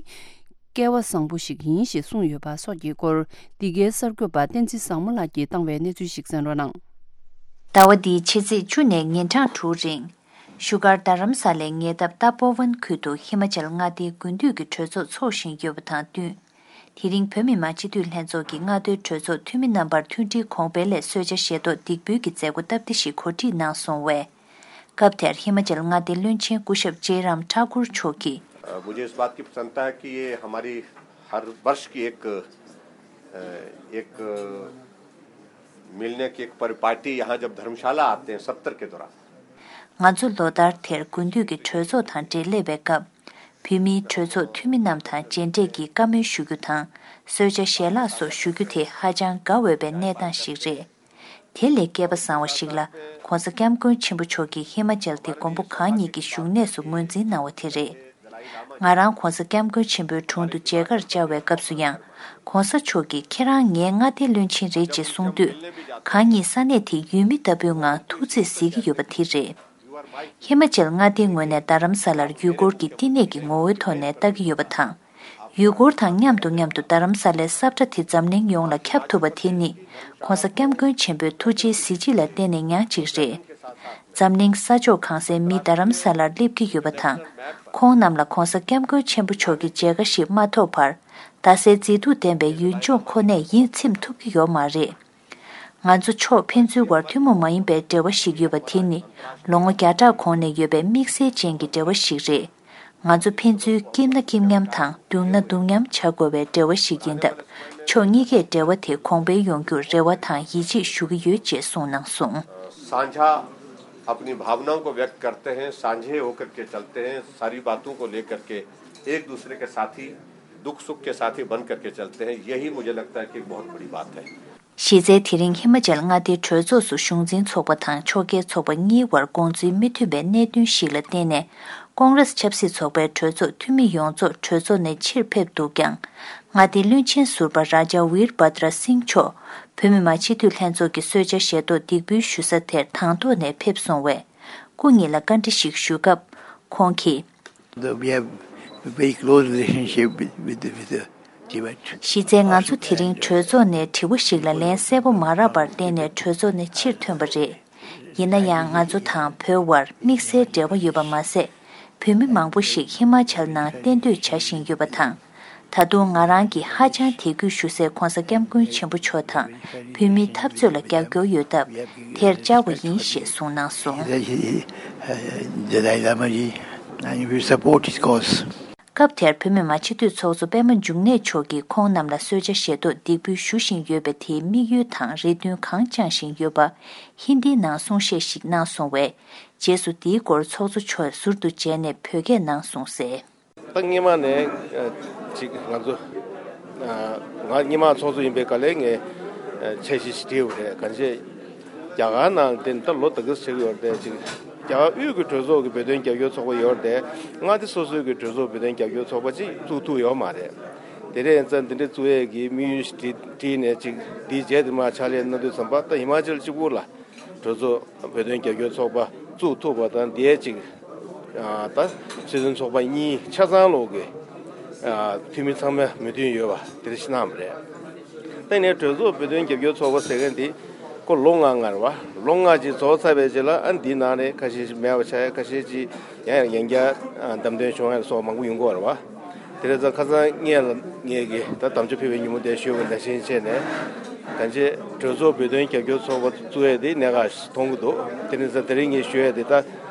སྐལ་བ་བཟང་པོ་ཞིག་ཡིན་ཞེས་གསུངས་ཡོད་པ་སོགས་ཀྱི་སྐོར། འདི་གའི་གསར་འགོད་པ་བསྟན་འཛིན་བཟང་མོ་ལགས་ཀྱིས་བཏང་བའི་གནས་ཚུལ་ཞིག་གསན་རོགས་གནང་། ཟླ་བ་འདིའི་ཕྱི་ཚེས་བཅུ་ནས་ཉིན་གྲངས་དྲུག་རིང་། བཞུགས་སྒར་རྡ་རམ་ས་ལའི་ཉེ་འདབས་ཏ་པོ་ཝན་ཁུལ་དུ་ཧི་མ་ཅལ་མངའ་སྡེའི་དགུན་དུས་ཀྱི་གྲོས་ཚོགས་འཚོགས་བཞིན་ཡོད་པ་དང་བསྟུན། དེ་རིང་བོད་མི་མང་སྤྱི་འཐུས་ལྷན་ཚོགས་ཀྱི་མངའ་སྡེའི་གྲོས་ཚོགས་འཐུས་མི་རྣམ་པར་མཐུན་སྒྲིལ་གོང་འཕེལ་སླད་གསོལ་ཇ་བཞེས་ཐོག་འདེགས་འབུལ་གྱི་མཛད་སྒོ་སྟབས་བདེ་ཞིག་གོ་སྒྲིག་གནང་སོང་བས། སྐབས་དེར་ཧི་མ་ཅལ་མངའ་སྡེའི་བློན་ཆེན་སྐུ་ཞབས་ཇེ་རམ་ཐཱ་ཀུར་མཆོག་གིས། अ, मुझे इस बात की प्रसन्नता है कि ये हमारी हर वर्ष की एक, अ, एक, अ, मिलने की एक परिपाटी, यहाँ जब धर्मशाला आते हैं सत्र के दौरान, ང་ཚོ་ལོ་ལྟར་དེར་དགུན་དུས་ཀྱི་གྲོས་ཚོགས་དང་འབྲེལ་སླེབས་པའི་སྐབས། བོད་མིའི་གྲོས་ཚོགས་འཐུས་མི་རྣམས་དང་མཇལ་འཕྲད་ཀྱིས་བཀའ་མོལ་ཞུ་རྒྱུ་དང་། གསོལ་ཇ་ཞལ་ལག་སོགས་ཞུ་རྒྱུ་དེ་ཧ་ཅང་དགའ་འོས་པའི་གནས་སྟངས་ཤིག་རེད། དེ་ལས་སྐལ་པ་བཟང་བ་ཞིག་ལ། ྋགོང་ས་ྋསྐྱབས་མགོན་ཆེན་པོ་མཆོག་གིས་ཧི་མ་ཅལ་དེ་མགོན་པོ་གང་ཉིད་ཀྱི་བཞུགས་གནས་སུ་ངོས་འཛིན་གནང་བ་དེ་རེད། ང་རང་ྋགོང་ས་ྋསྐྱབས་མགོན་ཆེན་པོའི་དྲུང་དུ་མཇལ་ཁར་བཅར་བའི་སྐབས་སུ་ཡང་། ྋགོང་ས་མཆོག་གིས་ཁྱེད་རང་ངའི་མངའ་སྡེའི་བློན་ཆེན་རེད་ཅེས་གསུངས་དུས། གང་ཉིད་ས་གནས་དེའི་ཡུལ་མི་ལྟ་བུའི་ངང་ཐུགས་རྗེས་གཟིགས་ཀྱི་ཡོད་པ་དེ་རེད། ཧི་མ་ཅལ་མངའ་སྡེའི་ངོས་ནས་རྡ་རམ་ས་ལར་ཡུལ་སྐོར་གྱི་བསྟི་གནས་ཀྱི་ངོ་བོའི་ཐོག་ནས་ལྟ་གི་ཡོད་པ་དང་། ཡུལ་སྐོར་དང་མཉམ་དུ་མཉམ་དུ་རྡ་རམ་ས་ལའི་ས་ཁྲ་དེ་འཛམ་གླིང་ཡོངས་ལ་ཁྱབ་ཐུབ་པ་དེ་ནི། ྋགོང་ས་ྋསྐྱབས་མགོན་ཆེན་པོའི་ཐུགས་རྗེའི་གཟི་བརྗིད་ལ་བརྟེན་ནས་མྱངས་གཅིག་རེད། འཛམ་གླིང་ས་ཕྱོགས་གང་སའི་མི་རྡ་རམ་ས་ལར་སླེབས་ཀྱི་ཡོད་པ་དང་། ཁོང་རྣམས་ལ་ྋགོང་ས་ྋསྐྱབས་མགོན་ཆེན་པོ་མཆོག་གི་མཇལ་ཁ་ཞིག་མ་ཐོབ་བར། རྡ་སའི་མཛེས་སྡུག་ལྡན་པའི་ཡུལ་ལྗོངས་ཁོ་ནས་ཡིད་ཚིམ་ཐུབ་ཀྱི་ཡོད་མ་རེད། ང་ཚོ་ཕྱོགས་ཕན་ཚུན་བར་ཐུན་མོང་མ་ཡིན་པའི་འབྲེལ་བ་ཞིག་ཡོད་པ་དེ་ནི། ལོ་ངོ་བརྒྱ་ཕྲག་གོང་ནས་ཡོད་པའི་དམིགས་བསལ་ཅན་གྱི་འབྲེལ་བ་ཞིག་རེད། ང་ཚོ་ཕན་ཚུན་སྐྱིད་ན་སྐྱིད་མཉམ་དང་སྡུག་ན་སྡུག་མཉམ་བྱ་དགོས་པའི་འབྲེལ་བ་ཞིག་ཡིན་སྟབས། ཕྱོགས་གཉིས་ཀས་འབྲེལ་བ་དེ་གོང་འཕེལ་ཡོང་རྒྱུར་རེ་བ་དང་ཡིད་ཆེས་ཞུ་གི་ཡོད་ཅེས་གསུངས་གནང་སོང་། साझा अपनी भावनाओं को व्यक्त करते हैं, साझे होकर के चलते हैं, सारी बातों को लेकर के एक दूसरे के साथी, दुख सुख के साथी बन करके चलते हैं। यही मुझे लगता है कि एक बहुत बड़ी बात है। གཞི་རྩའི་དེ་རིང་ཧི་མ་ཅལ་མངའ་སྡེའི་གྲོས་ཚོགས་སུ་གཞུང་འཛིན་ཚོགས་པ་དང་ཕྱོགས་འགལ་ཚོགས་པ་གཉིས་བར་དགོངས་ཚུལ་མི་མཐུན་པའི་གནད་དོན་ཞིག་ལ་བརྟེན་ནས། ཀོང་རེས་ཆབ་སྲིད་ཚོགས་པའི་གྲོས་ཚོགས་འཐུས་མི་ཡོངས་རྫོགས་གྲོས་ཚོགས་ནས་ཕྱིར་ཕེབས་འདུག་ཀྱང་། མངའ་སྡེའི་བློན་ཆེན་ཟུར་པ་རཱ་ཇཱ་ཝིར་བྷ་དྲ་སིང་མཆོག་བོད་མི་མང་སྤྱི་འཐུས་ལྷན་ཚོགས་ཀྱི་གསོལ་ཇ་བཞེས་ཐོག་འདེགས་འབུལ་ཞུ་ས་དེར་དང་ཐོག་ནས་ཕེབས་སོང་བས། སྐུ་ཉིད་ལ་བཀའ་འདྲི་ཞིག་ཞུས་སྐབས། ཁོང་གིས། We have a very close relationship with, with, with the Tibet. གཞི་རྩའི་ང་ཚོ་དེ་རིང་གྲོས་ཚོགས་ནས་དྲི་བ་ཞིག་ལ་ལན་གསལ་པོ་མ་རག་པར་བརྟེན་ནས་གྲོས་ཚོགས་ནས་ཕྱིར་ཐོན་པ་རེད། ཡིན་ན་ཡང་ང་ཚོ་དང་བོད་དབར་དམིགས་བསལ་འབྲེལ་བ་ཡོད་པ་མ་ཟད། བོད་མི་མང་པོ་ཞིག་ཧི་མ་ཅལ་ནང་གཏན་སྡོད་བྱ་བཞིན་ཡོད་པ་དང་། ད་དུང་ང་རང་གིས་ཧ་ཅང་དད་གུས་ཞུ་སའི་ྋགོང་ས་ྋསྐྱབས་མགོན་ཆེན་པོ་མཆོག་དང་བོད་མིའི་འཐབ་རྩོད་ལ་རྒྱབ་སྐྱོར་ཡོད་སྟབས། དེར་བཅར་བ་ཡིན་ཞེས་གསུངས་གནང་སོང་། He, uh, Dalai Lama ji, and we support his cause. སྐབས་དེར་བོད་མི་མང་སྤྱི་འཐུས་ཚོགས་གཙོ་པད་མ་འབྱུང་གནས་མཆོག་གིས་ཁོང་རྣམས་ལ་གསོལ་ཇ་བཞེས་ཐོག་འདེགས་འབུལ་ཞུ་བཞིན་ཡོད་པའི་དེའི་དམིགས་ཡུལ་དང་རེ་འདུན་གང་བཅངས་བཞིན་ཡོད་པ། ཧིན་དིའི་ནང་གསུང་བཤད་ཞིག་གནང་སོང་བས། རྗེས་སུ་དེའི་སྐོར་ཚོགས་གཙོ་མཆོག་ཟུར་དུ་མཇལ་ནས་བོད་སྐད་ནང་གསུངས་གསལ། ད་སྔོན་མ་ནས་ཅིག་ང་ཚོ་ང་སྔོན་མ་ཚོགས་གཙོ་ཡིན་པའི་སྐབས་ལ་ངས་འཆར་གཞི་ཞིག་བྲིས་པ་རེད། གང་ཅི་རྒྱ་གར་ནང་དེ་ད་ལོ་ད་ག་ཟེར་གྱི་ཡོད་རེད། ཅིག་རྒྱ་གར་དབུས་ཀྱི་གྲོས་ཚོགས་ཀྱི་བོད་དོན་རྒྱབ་སྐྱོར་ཚོགས་པ་ཡོད་རེད། མངའ་སྡེ་སོ་སོའི་གི་གྲོས་ཚོགས་བོད་དོན་རྒྱབ་སྐྱོར་ཚོགས་པ་ཅིག་བཙུགས་ཐུབ་ཡོད་མ་རེད། དེ་རེད་ཙང་འདི་འདྲ་བཙུགས་ཡས་ཀྱི་དམིགས་ཡུལ་ཞིག་བྲིས་བྲིས་ནས་ཅིག་འདིའི་རྗེས་དེ་མར་ཕྱག་ལས་གནང་དུས་ཙམ་པ་ད་ཧི་མ་ཅལ་གཅིག་པུ་ལ། གྲོས་ཚོགས་བོད་དོན་རྒྱབ་སྐྱོར་ཚོགས་པ་བཙུགས་ཐུབ་པ་དང་དེའི་ཅིག་ད་སྲིད་དོན་ཚོགས་པ་གཉིས་ཆ་ཚང་ལོག་གི་འཐུས་མི་ཚང་མ་མོས་མཐུན་ཡོད་པ་དེ་འདྲ་ཞིག་གནང་བ་རེད། ད་ནས་གྲོས་ཚོགས་བོད་དོན་རྒྱབ་སྐྱོར་ཚོགས་པ་ཟེར་མཁན་དེ་ཁོ་ལོ་ལྔ་ལྔ་རེད་བ། ལོ་ལྔ་ཅིག་རྫོགས་ཚར་བའི་རྗེས་ལ་ཨ་འདིའི་ནང་ནས་ཁ་ཤས་ཤིག་མེད་པ་ཆགས་ཡ། ཁ་ཤས་ཅིག་ཡང་ཡང་བསྐྱར་བདམས་ཐོན་བྱུང་ཡ་སོགས་མང་པོ་ཡོང་གི་ཡོད་རེད་བ། དེ་རེད་ཙང་ཁ་སང་ངས་ལ་ངས་ཀྱི་ད་དམ་བཅའ་ཕུལ་བའི་ཉིན་མོ་དེ་ཞུས་པ་ནང་བཞིན་བྱས་ནས་གང་ཅི་གྲོས་ཚོགས་བོད་དོན་རྒྱབ་སྐྱོར་ཚོགས་པ་བཙུགས་ཡས་དེ་གནད་འགག་མཐོང་གི་འདུག་དེ་རེད་ཙང་དེ་རིང་ངས་ཞུ་ཡས་དེ་ད་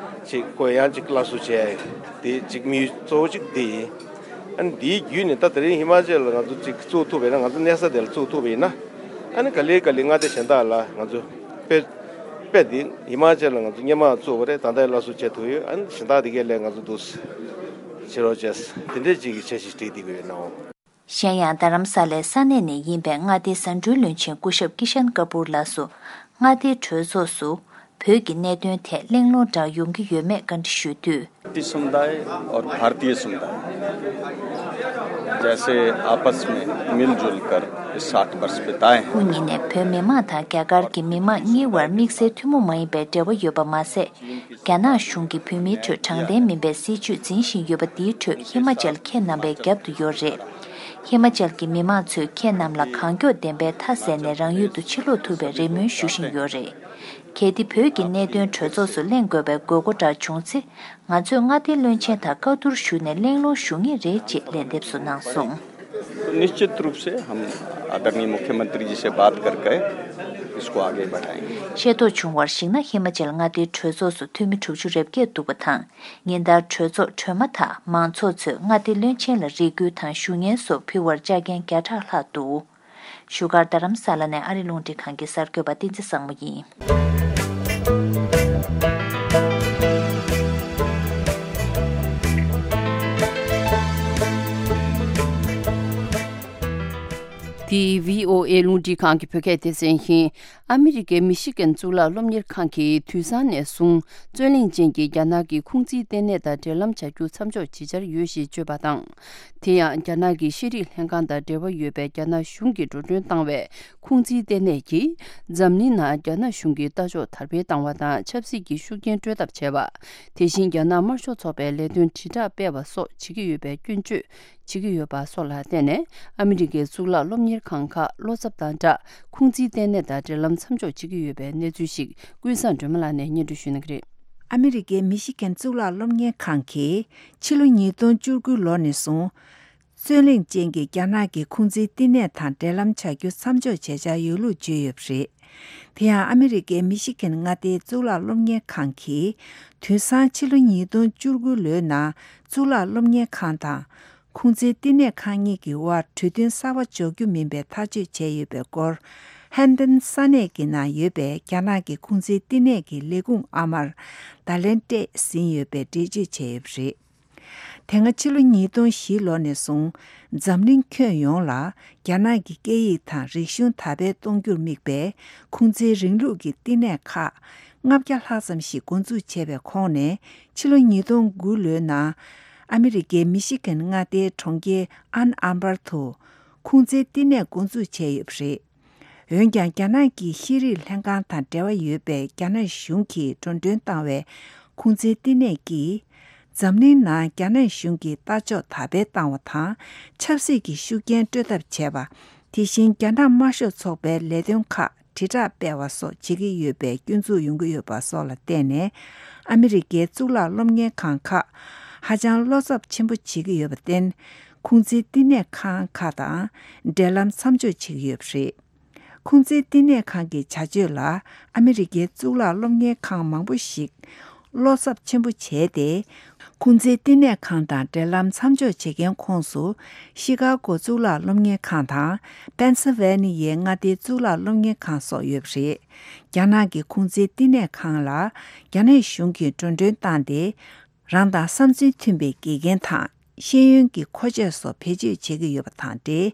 ཅིག་གོ་ཡང་ཅིག་སླར་གསོ་བྱས། དེ་ཅིག་དམིགས་ཡུལ་གཙོ་བོ་ཅིག་དེ་ཡིན། ཨ་ནི་དེའི་བརྒྱུད་ནས་ད་དེ་རིང་ཧི་མ་ཅལ་ལ་ང་ཚོ་ཅིག་བཙུགས་ཐུབ་པ་ཡིན་ན། ང་ཚོ་གནས་ས་དེ་ལ་བཙུགས་ཐུབ་པ་ཡིན་ན། ཨ་ནི་ག་ལེ་ག་ལེ་མངའ་སྡེ་གཞན་དག་ལ་ང་ཚོ་དཔེ་དཔེ་དེ་ཧི་མ་ཅལ་ལ་ང་ཚོ་སྔོན་མ་བཙུགས་པ་རེད། ད་ལྟ་སླར་གསོ་བྱེད་ཐུབ་ཡོད། ཨ་ནི་གཞན་དག་དེ་གའི་ལས་ང་ཚོ་འདུག་བྱེད་རོགས་བྱས། དེ་འདྲས་ཅིག་གི་འཆར་གཞི་སྒྲིག་བསྡད་ཀྱི་ཡོད་ནའོ། གཞན་ཡང་། རྡ་རམ་ས་ལའི་ས་གནས་ནས་ཡིན་པའི་མངའ་སྡེའི་ཟ་འབྲུའི་བློན་ཆེན་སྐུ་ཞབས་ཀི་ཤན་ཀ་པུར་ལགས་སུ། མངའ་སྡེའི་གྲོས་ཚོགས་སུ་བོད་ཀྱི་གནད་དོན་ཐད་གླེང་སློང་འདྲ་ཡོང་གི་ཡོད་མེད་བཀའ་འདྲི་ཞུས་དུས། भारतीय समुदाय और भारतीय समुदाय जैसे आपस में मिलजुल कर इस साठ वर्ष बिताए हैं। སྐུ་ཉིད་ནས་བོད་མི་མང་དང་རྒྱ་གར་གྱི་མི་མང་གཉིས་བར་དམིགས་བསལ་ཐུན་མོང་མ་ཡིན་པའི་འབྲེལ་བ་ཡོད་པ་མ་ཟད། རྒྱ་ནག་གཞུང་གིས་བོད་མིའི་ཁྲོད་དྲང་བདེན་མིན་པའི་སྲིད་བྱུས་འཛིན་བཞིན་ཡོད་པ་འདིའི་ཁྲོད་ཧི་མ་ཅལ་ཁྱེད་རྣམ་པའི་རྒྱབ་ཏུ་ཡོད་རེད། ཧི་མ་ཅལ་གྱི་མི་མང་ཚོས་ཁྱེད་རྣམས་ལ་གང་མགྱོགས་བདེན་པའི་མཐའ་གསལ་ནས་རང་ཡུལ་དུ་ཕྱིར་ལོག་ཐུབ་པའི་རེ་སྨོན་ཞུ་བཞིན་ཡོད་རེད། གལ་ཏེ་བོད་ཀྱི་གནད་དོན་གྲོས་ཚོགས་སུ་གླེང་དགོས་པའི་དགོས་མཁོ་འདྲ་བྱུང་ཚེ། ང་ཚོས་མངའ་སྡེའི་བློན་ཆེན་དང་བཀའ་བསྡུར་ཞུས་ནས་གླེང་སློང་ཞུ་ངེས་རེད་ཅེས་ལན་འདེབས་སུ་གནང་སོང་། तो निश्चित रूप से हम आदरणीय मुख्यमंत्री जी से बात करके इसको आगे बढ़ाएंगे। ཤེས་རྟོགས་བྱུང་བར་གཞིགས་ན། ཧི་མ་ཅལ་མངའ་སྡེའི་གྲོས་ཚོགས་སུ་འཐུས་མི་དྲུག་ཅུ་རེ་བརྒྱད་འདུག་པ་དང་། ཉིན་ལྟར་གྲོས་ཚོགས་གྲོལ་མ་ཐག་མང་ཚོགས་ཚོས་མངའ་སྡེའི་བློན་ཆེན་ལ་རེ་སྐུལ་དང་ཞུ་སྙན་སོགས་ཕུལ་བར་བཅར་མཁན་བརྒྱ་ཕྲག་ལྷག་འདུག་བཞུགས་སྒར་རྡ་རམ་ས་ལ་ནས་ཨ་རི་རླུང་འཕྲིན་ཁང་གི་གསར་འགོད་པ་བསྟན་འཛིན་བཟང་མོ་ཡིན། འདི་བྷི་ཨོ་ཨེ་རླུང་འཕྲིན་ཁང་གི་བོད་སྐད་སྡེ་ཚན་ཡིན། ཨ་མི་རི་ཀའི་མི་ཤི་གན་གཙུག་ལག་སློབ་གཉེར་ཁང་གིས་དུས་སང་ནས་བཟུང་རྩོད་གླེང་ཅན་གྱི་རྒྱ་ནག་གི་ཁུང་ཙིའི་ལྟེ་གནས་དང་འབྲེལ་ལམ་བྱ་རྒྱུ་མཚམས་འཇོག་བྱེད་འཆར་ཡོད་ཞེས་བརྗོད་པ་དང་། དེ་ཡང་རྒྱ་ནག་གི་ཤེས་རིག་ལྷན་ཁང་དང་འབྲེལ་བ་ཡོད་པའི་རྒྱ་ནག་གཞུང་གིས་འགྲོ་གྲོན་བཏང་བའི་ཁུང་ཙིའི་ལྟེ་གནས་ཀྱིས་འཛམ་གླིང་ནང་རྒྱ་ནག་གཞུང་གི་ལྟ་ཕྱོགས་དར་སྤེལ་བཏང་བ་དང་ཆབ་སྲིད་ཀྱི་ཤུགས་རྐྱེན་སྤྲོད་ཐབས་བྱས་པ། དེ་བཞིན་རྒྱ་ནག་དམར་ཤོག་ཚོགས་པའི་ལས་དོན་དྲིལ་བསྒྲགས་སྤེལ་བ་སོགས་བྱེད་ཀྱི་ཡོད་པའི་སྐྱོན་བརྗོད་བྱེད་ཀྱི་ཡོད་པ་སོགས་ལ་བརྟེན་ནས། ཨ་མི་རི་ཀའི་གཙུག་ལག་སློབ་གཉེར་ཁང་ཁག་བློ་འཚབ་དང་སྦྲགས་ཁུང་ཙིའི་ལྟེ་གནས་དང་འབྲེལ་ལམ་མཚམས་འཇོག་བྱེད་ཀྱི་ཡོད་པའི་གནས་ཚུལ་ཞིག་ཀུན་བཟང་སྒྲོལ་མ་ལགས་ནས་སྙན་སྒྲོན་ཞུ་གནང་གི་རེད། ཨ་མི་རི་ཀའི་མི་ཤི་གན་གཙུག་ལག་སློབ་གཉེར་ཁང་གིས་ཕྱི་ལོ་ཉིས་སྟོང་བཅུ་དགུ་ལོ་ནས་བཟུང་རྩོད་གླེང་ཅན་གྱི་རྒྱ་ནག་གི་ཁུང་ཙིའི་བསྟི་གནས་དང་འབྲེལ་ལམ་བྱ་རྒྱུ་མཚམས་འཇོག་བྱེད་འཆར་ཡོད་ལུགས་བརྗོད་ཡོད་པ་རེད། དེ་ཡང་ཨ་མི་རི་ཀའི་མི་ཤི་གན་མངའ་སྡེའི་གཙུག་ལག་སློབ་གཉེར་ཁང་གིས་དུས་སང་ཕྱི་ལོ་ཉིས་སྟོང་བཅུ་དགུ་ལོའི་ནང་གཙུག་ལག་སློབ་གཉེར་ཁང་དང་ཁུང་ཙིའི་བསྟི་གནས་ཁང་གཉིས་ཀྱི་དབར་གྲོས་མཐུན་གསར་པ་འཇོག་རྒྱུ་མིན་པའི་ཐག་གཅོད་བྱས་ཡོད་པའི་སྐོར། ཧན་ཏན་ས་གནས་ཀྱི་ནང་ཡོད་པའི་རྒྱ་ནག་གི་ཁུང་ཙིའི་བསྟི་གནས་ཀྱི་ལས་ཁུངས་ཨ་མར་བརྡ་ལན་སྤྲད་ཟིན་ཡོད་པའི་འགྲེལ་བརྗོད་བྱས་ཡོད་པ་རེད། དེ་སྔ་ཕྱི་ལོ་ཉིས་སྟོང་བཞི་ལོ་ནས་བཟུང་འཛམ་གླིང་ཁྱོན་ཡོངས་ལ་རྒྱ་ནག་གི་སྐད་ཡིག་དང་རིག་གཞུང་དར་སྤེལ་གཏོང་རྒྱུར་དམིགས་པའི་ཁུང་ཙིའི་རིང་ལུགས་ཀྱི་བསྟི་གནས་ཁག་ལྔ་བརྒྱ་ལྷག་ཙམ་ཞིག་འགོ་འཛུགས་བྱས་པའི་ཁོངས་ནས་ཕྱི་ལོ་ཉིས་སྟོང་དགུ་ལོའི་ནང་ཨ་མི་རི་ཀའི་མི་ཤི་གན་མངའ་སྡེའི་གྲོང་ཁྱེར་ཨན་ཨམ་པར་དུ་ཁུང་ཙིའི་བསྟི་གནས་འགོ་འཛུགས་བྱས་ཡོད་པ་རེད། འོན་ཀྱང་རྒྱ་ནག་གི་ཤེས་རིག་ལྷན་ཁང་དང་འབྲེལ་བ་ཡོད་པའི་རྒྱ་ནག་གཞུང་གིས་འགྲོ་གྲོན་བཏང་བའི་ཁུང་ཙིའི་བསྟི་གནས་ཀྱིས་འཛམ་གླིང་ནང་རྒྱ་ནག་གཞུང་གི་ལྟ་ཕྱོགས་དར་སྤེལ་བཏང་བ་དང་ཆབ་སྲིད་ཀྱི་ཤུགས་རྐྱེན་སྤྲོད་ཐབས་བྱས་པ། དེ་བཞིན་རྒྱ་ནག་དམར་ཤོག་ཚོགས་པའི་ལས་དོན་ཁག་དྲིལ་བསྒྲགས་སྤེལ་བ་སོགས་བྱེད་ཀྱི་ཡོད་པའི་སྐྱོན་འཛུགས་ཡོང་གི་ཡོད་པ་སོགས་ལ་བརྟེན་ནས་ཨ་མི་རི་ཀའི་གཙུག་ལག་སློབ་གཉེར་ཁང་ཁག་ཧ་ཅང་བློ་འཚབ་ཆེན་པོ་བྱེད་ཀྱི་ཡོད་པར་བརྟེན། ཁུང་ཙིའི་བསྟི་གནས་ཁང་ཁག་དང་འབྲེལ་ལམ་མཚམས་འཇོག་བྱེད་ཀྱི་ཡོད་པ་རེད། ཁུང་ཙིའི་བསྟི་གནས་ཁང་གི་བྱ་སྤྱོད་ལ་ཨ་མི་རི་ཀའི་གཙུག་ལག་སློབ་གཉེར་ཁང་མང་པོ་ཞིག་བློ་འཚབ་ཆེན་པོ་བྱས་ཏེ། ཁུང་ཙིའི་བསྟི་གནས་ཁང་དང་འབྲེལ་ལམ་མཚམས་འཇོག་བྱེད་མཁན་ཁོངས་སུ་ཤི་ཀ་གོ་གཙུག་ལག་སློབ་གཉེར་ཁང་དང་པེན་སིལ་ཝེ་ནི་ཡའི་མངའ་སྡེའི་གཙུག་ལག་སློབ་གཉེར་ཁང་སོགས་ཡོད་པ་རེད། རྒྱ་ནག་གི་ཁུང་ཙིའི་བསྟི་གནས་ཁང་ལ་རྒྱ་ནག་གཞུང་གིས་འགྲོ་གྲོན་བཏང་སྟེ། རང་དང་བསམ་ཚུལ་མཐུན་པའི་དགེ་རྒན་དང་ཤེས་ཡོན་གྱི་མཁོ་ཆས་སོགས་བེད་སྤྱོད་བྱེད་ཀྱི་ཡོད་པ་དང་འབྲེལ།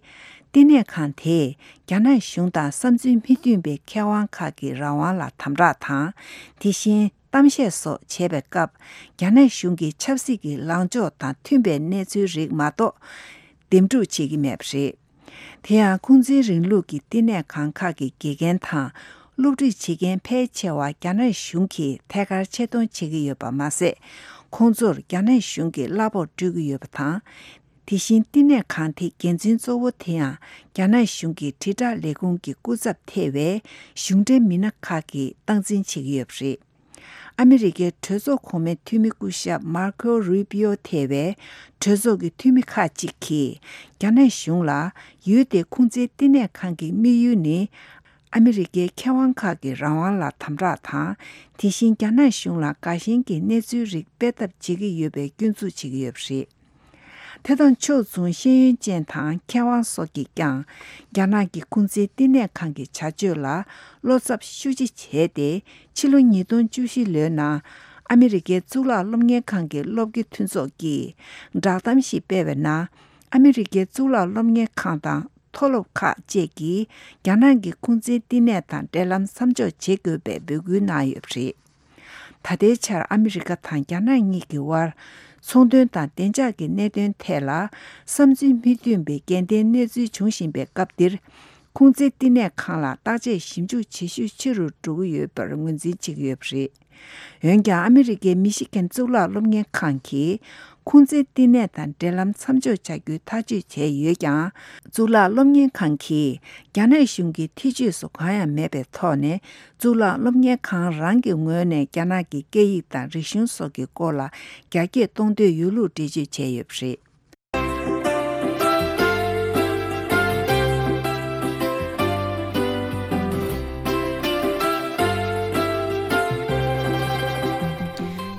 བསྟི་གནས་ཁང་དེས་རྒྱ་ནག་གཞུང་དང་བསམ་ཚུལ་མི་མཐུན་པའི་མཁས་དབང་ཁག་གི་རང་དབང་ལ་དམ་དྲག་དང་། དེ་བཞིན་གཏམ་བཤད་སོགས་བྱེད་པའི་སྐབས། རྒྱ་ནག་གཞུང་གི་ཆབ་སྲིད་ཀྱི་ལངས་ཕྱོགས་དང་མཐུན་པའི་གནས་ཚུལ་རིགས་མ་གཏོགས། འདེམས་སྒྲུག་བྱེད་ཀྱི་མེད་པ་རེད། དེ་ཡང་ཁུང་ཙིའི་རིང་ལུགས་ཀྱི་བསྟི་གནས་ཁང་ཁག་གི་དགེ་རྒན་དང་སློབ་ཁྲིད་བྱེད་མཁན་ཕལ་ཆེ་བ་རྒྱ་ནག་གཞུང་གིས་ཐད་ཀར་ཆེད་གཏོང་བྱེད་ཀྱི་ཡོད་པ་མ་ཟད། ཁོང་ཚོར་རྒྱ་ནག་གཞུང་གིས་གླ་ཕོགས་སྤྲོད་ཀྱི་ཡོད་པ་དང་། དེ་བཞིན་བསྟི་གནས་ཁང་དེའི་འགན་འཛིན་གཙོ་བོ་དེ་ཡང་རྒྱ་ནག་གཞུང་གི་དྲིལ་བསྒྲགས་ལས་ཁུངས་ཀྱི་སྐུ་ཚབ་ཐེ་བའི་གཞུང་འབྲེལ་མི་སྣ་ཁག་གིས་སྟངས་འཛིན་བྱེད་ཀྱི་ཡོད་པ་རེད། ཨ་མི་རི་ཀའི་གྲོས་ཚོགས་གོང་མའི་འཐུས་མི་སྐུ་ཞབས་མར་ཁོ་རུ་པི་ཡོ་ཐེ་བའི་གྲོས་ཚོགས་ཀྱི་འཐུས་མི་ཁག་ཅིག་གིས་རྒྱ་ནག་གཞུང་ལ་ཡུལ་དེའི་ཁུང་ཙིའི་བསྟི་གནས་ཁང་གི་དམིགས་ཡུལ་ནི། ཨ་མི་རི་ཀའི་མཁས་དབང་ཁག་གི་རང་དབང་ལ་དམ་དྲག་དང་། དེ་བཞིན་རྒྱ་ནག་གཞུང་ལ་དགའ་ཞེན་གྱི་གནས་ཚུལ་རིགས་སྤེལ་ཐབས་བྱེད་ཀྱི་ཡོད་པའི་སྐྱོན་འཛུགས་བྱེད་ཀྱི་ཡོད་པ་རེད། དེ་དང་ཕྱོགས་མཚུངས་ཤེས་ཡོན་ཅན་དང་མཁས་དབང་སོགས་ཀྱིས་ཀྱང་རྒྱ་ནག་གི་ཁུང་ཙི་བསྟི་གནས་ཁང་གི་བྱ་སྤྱོད་ལ་བློ་འཚབ་ཤུགས་ཆེ་བྱས་ཏེ། ཕྱི་ལོ་ཉིས་སྟོང་བཅུ་བཞི་ལོའི་ནང་ཨ་མི་རི་ཀའི་གཙུག་ལག་སློབ་གཉེར་ཁང་གི་སློབ་དགེ་མཐུན་ཚོགས་ཀྱིས་བསྒྲགས་གཏམ་ཞིག་སྤེལ་བའི་ནང་། ཨ་མི་རི་ཀའི་གཙུག་ལག་སློབ་གཉེར་ཁང་དང་མཐོ་སློབ་ཁག་བཅས་ཀྱིས་རྒྱ་ནག་གི་ཁུང་ཙི་བསྟི་གནས་དང་འབྲེལ་ལམ་མཚམས་འཇོག་བྱེད་དགོས་པའི་འབོད་སྐུལ་གནང་ཡོད་པ་རེད། ད་ལྟའི་ཆར་ཨ་མི་རི་ཀ་དང་རྒྱ་ནག་གཉིས་ཀྱི་དབར་ཚོང་དོན་དང་བདེ་འཇགས་ཀྱི་གནད་དོན་ཐད་ལ་བསམ་ཚུལ་མི་མཐུན་པའི་འགལ་ལྡན་གནས་ཚུལ་འབྱུང་བཞིན་པའི་སྐབས་འདིར། ཁུང་ཙི་བསྟི་གནས་ཁང་ལ་བརྟག་དཔྱད་ཞིབ་འཇུག་བྱེད་ཤུགས་ཆེ་རུ་འགྲོ་གི་ཡོད་པར་ངོས་འཛིན་བྱེད་ཀྱི་ཡོད་པ་རེད། འོན་ཀྱང་ཨ་མི་རི་ཀའི་མི་ཤི་གན་གཙུག་ལག་སློབ་གཉེར་ཁང་གིས་ཁུང་ཙི་བསྟི་གནས་དང་འབྲེལ་ལམ་མཚམས་འཇོག་བྱ་རྒྱུའི་ཐག་གཅོད་བྱས་ཡོད་ཀྱང་། གཙུག་ལག་སློབ་གཉེར་ཁང་གིས་རྒྱ་ནག་གཞུང་གི་ཐེ་བྱུས་སུ་གང་ཡང་མེད་པའི་ཐོག་ནས། གཙུག་ལག་སློབ་གཉེར་ཁང་རང་གི་ངོས་ནས་རྒྱ་ནག་གི་སྐད་ཡིག་དང་རིག་གཞུང་སོགས་ཀྱི་སྐོར་ལ་རྒྱ་སྐྱེད་གཏོང་འདོད་ཡོད་ལུགས་འགྲེལ་བརྗོད་བྱས་ཡོད་པ་རེད།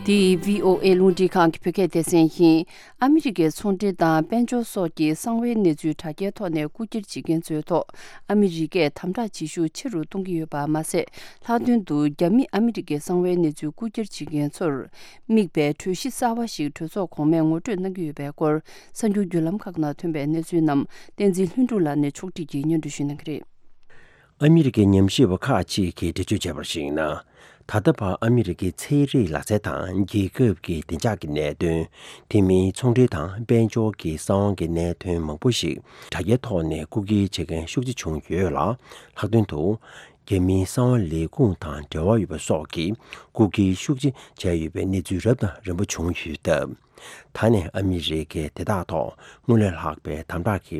འདི་བྷི་ཨོ་ཨེ་རླུང་འཕྲིན་ཁང་གི་བོད་སྐད་སྡེ་ཚན་ཡིན། ཨ་མི་རི་ཀའི་ཚོང་འབྲེལ་དང་དཔལ་འབྱོར་སོགས་ཀྱི་གསང་བའི་གནས་ཚུལ་དྲ་རྒྱའི་ཐོག་ནས་རྐུ་འཁྱེར་བྱེད་མཁན་ཚོའི་ཐོག་ཨ་མི་རི་ཀས་དམ་དྲག་བྱེད་ཤུགས་ཆེ་རུ་གཏོང་གི་ཡོད་པ་མ་ཟད། ལྷག་དོན་དུ་རྒྱ་མི་ཨ་མི་རི་ཀའི་གསང་བའི་གནས་ཚུལ་རྐུ་འཁྱེར་བྱེད་མཁན་ཚོར་དམིགས་པའི་གྲོས་གཞི་གསར་བ་ཞིག་གྲོས་ཚོགས་གོང་མས་ངོ་སྤྲོད་གནང་གི་ཡོད་པའི་སྐོར། གསར་འགྱུར་བརྒྱུད་ལམ་ཁག་ནང་ཐོན་པའི་གནས་ཚུལ་རྣམས་བསྟན་འཛིན་ལྷུན་གྲུབ་ལགས་ནས་ཕྱོགས་སྒྲིག་གིས་སྙན་སྒྲོན་ཞུ་གནང་གི་རེད། ཨ་མི་རི་ཀའི་ཉམས་ཞིབ་པ་ཁག་ཅིག་གིས་འགྲེལ་བརྗོད་བྱས་པར་གཞིགས་ན། ད་ལྟ་བར་ཨ་མི་རི་ཀའི་ཚན་རིག་ལག་རྩལ་དང་རྒྱལ་ཁབ་ཀྱི་བདེ་འཇགས་ཀྱི་གནད་དོན། དེ་མིན་ཚོང་འབྲེལ་དང་དཔལ་འབྱོར་གྱི་གསང་བ་གི་གནད་དོན་མང་པོ་ཞིག་དྲ་རྒྱའི་ཐོག་ནས་རྐུ་འཁྱེར་བྱེད་མཁན་ཤུགས་ཆེ་བྱུང་ཡོད་ལ། ལྷག་དོན་དུ། རྒྱ་མིའི་གསང་བ་ལས་ཁུངས་དང་འབྲེལ་བ་ཡོད་པ་སོགས་ཀྱིས་རྐུ་འཁྱེར་ཤུགས་ཆེ་བྱས་ཡོད་པའི་གནས་ཚུལ་རབ་དང་རིམ་པ་བྱུང་ཡོད་སྟབས། ད་ནས་ཨ་མི་རི་ཀས་དེ་དག་ཐོག་སྔར་ལས་ལྷག་པའི་དམ་དྲག་གི་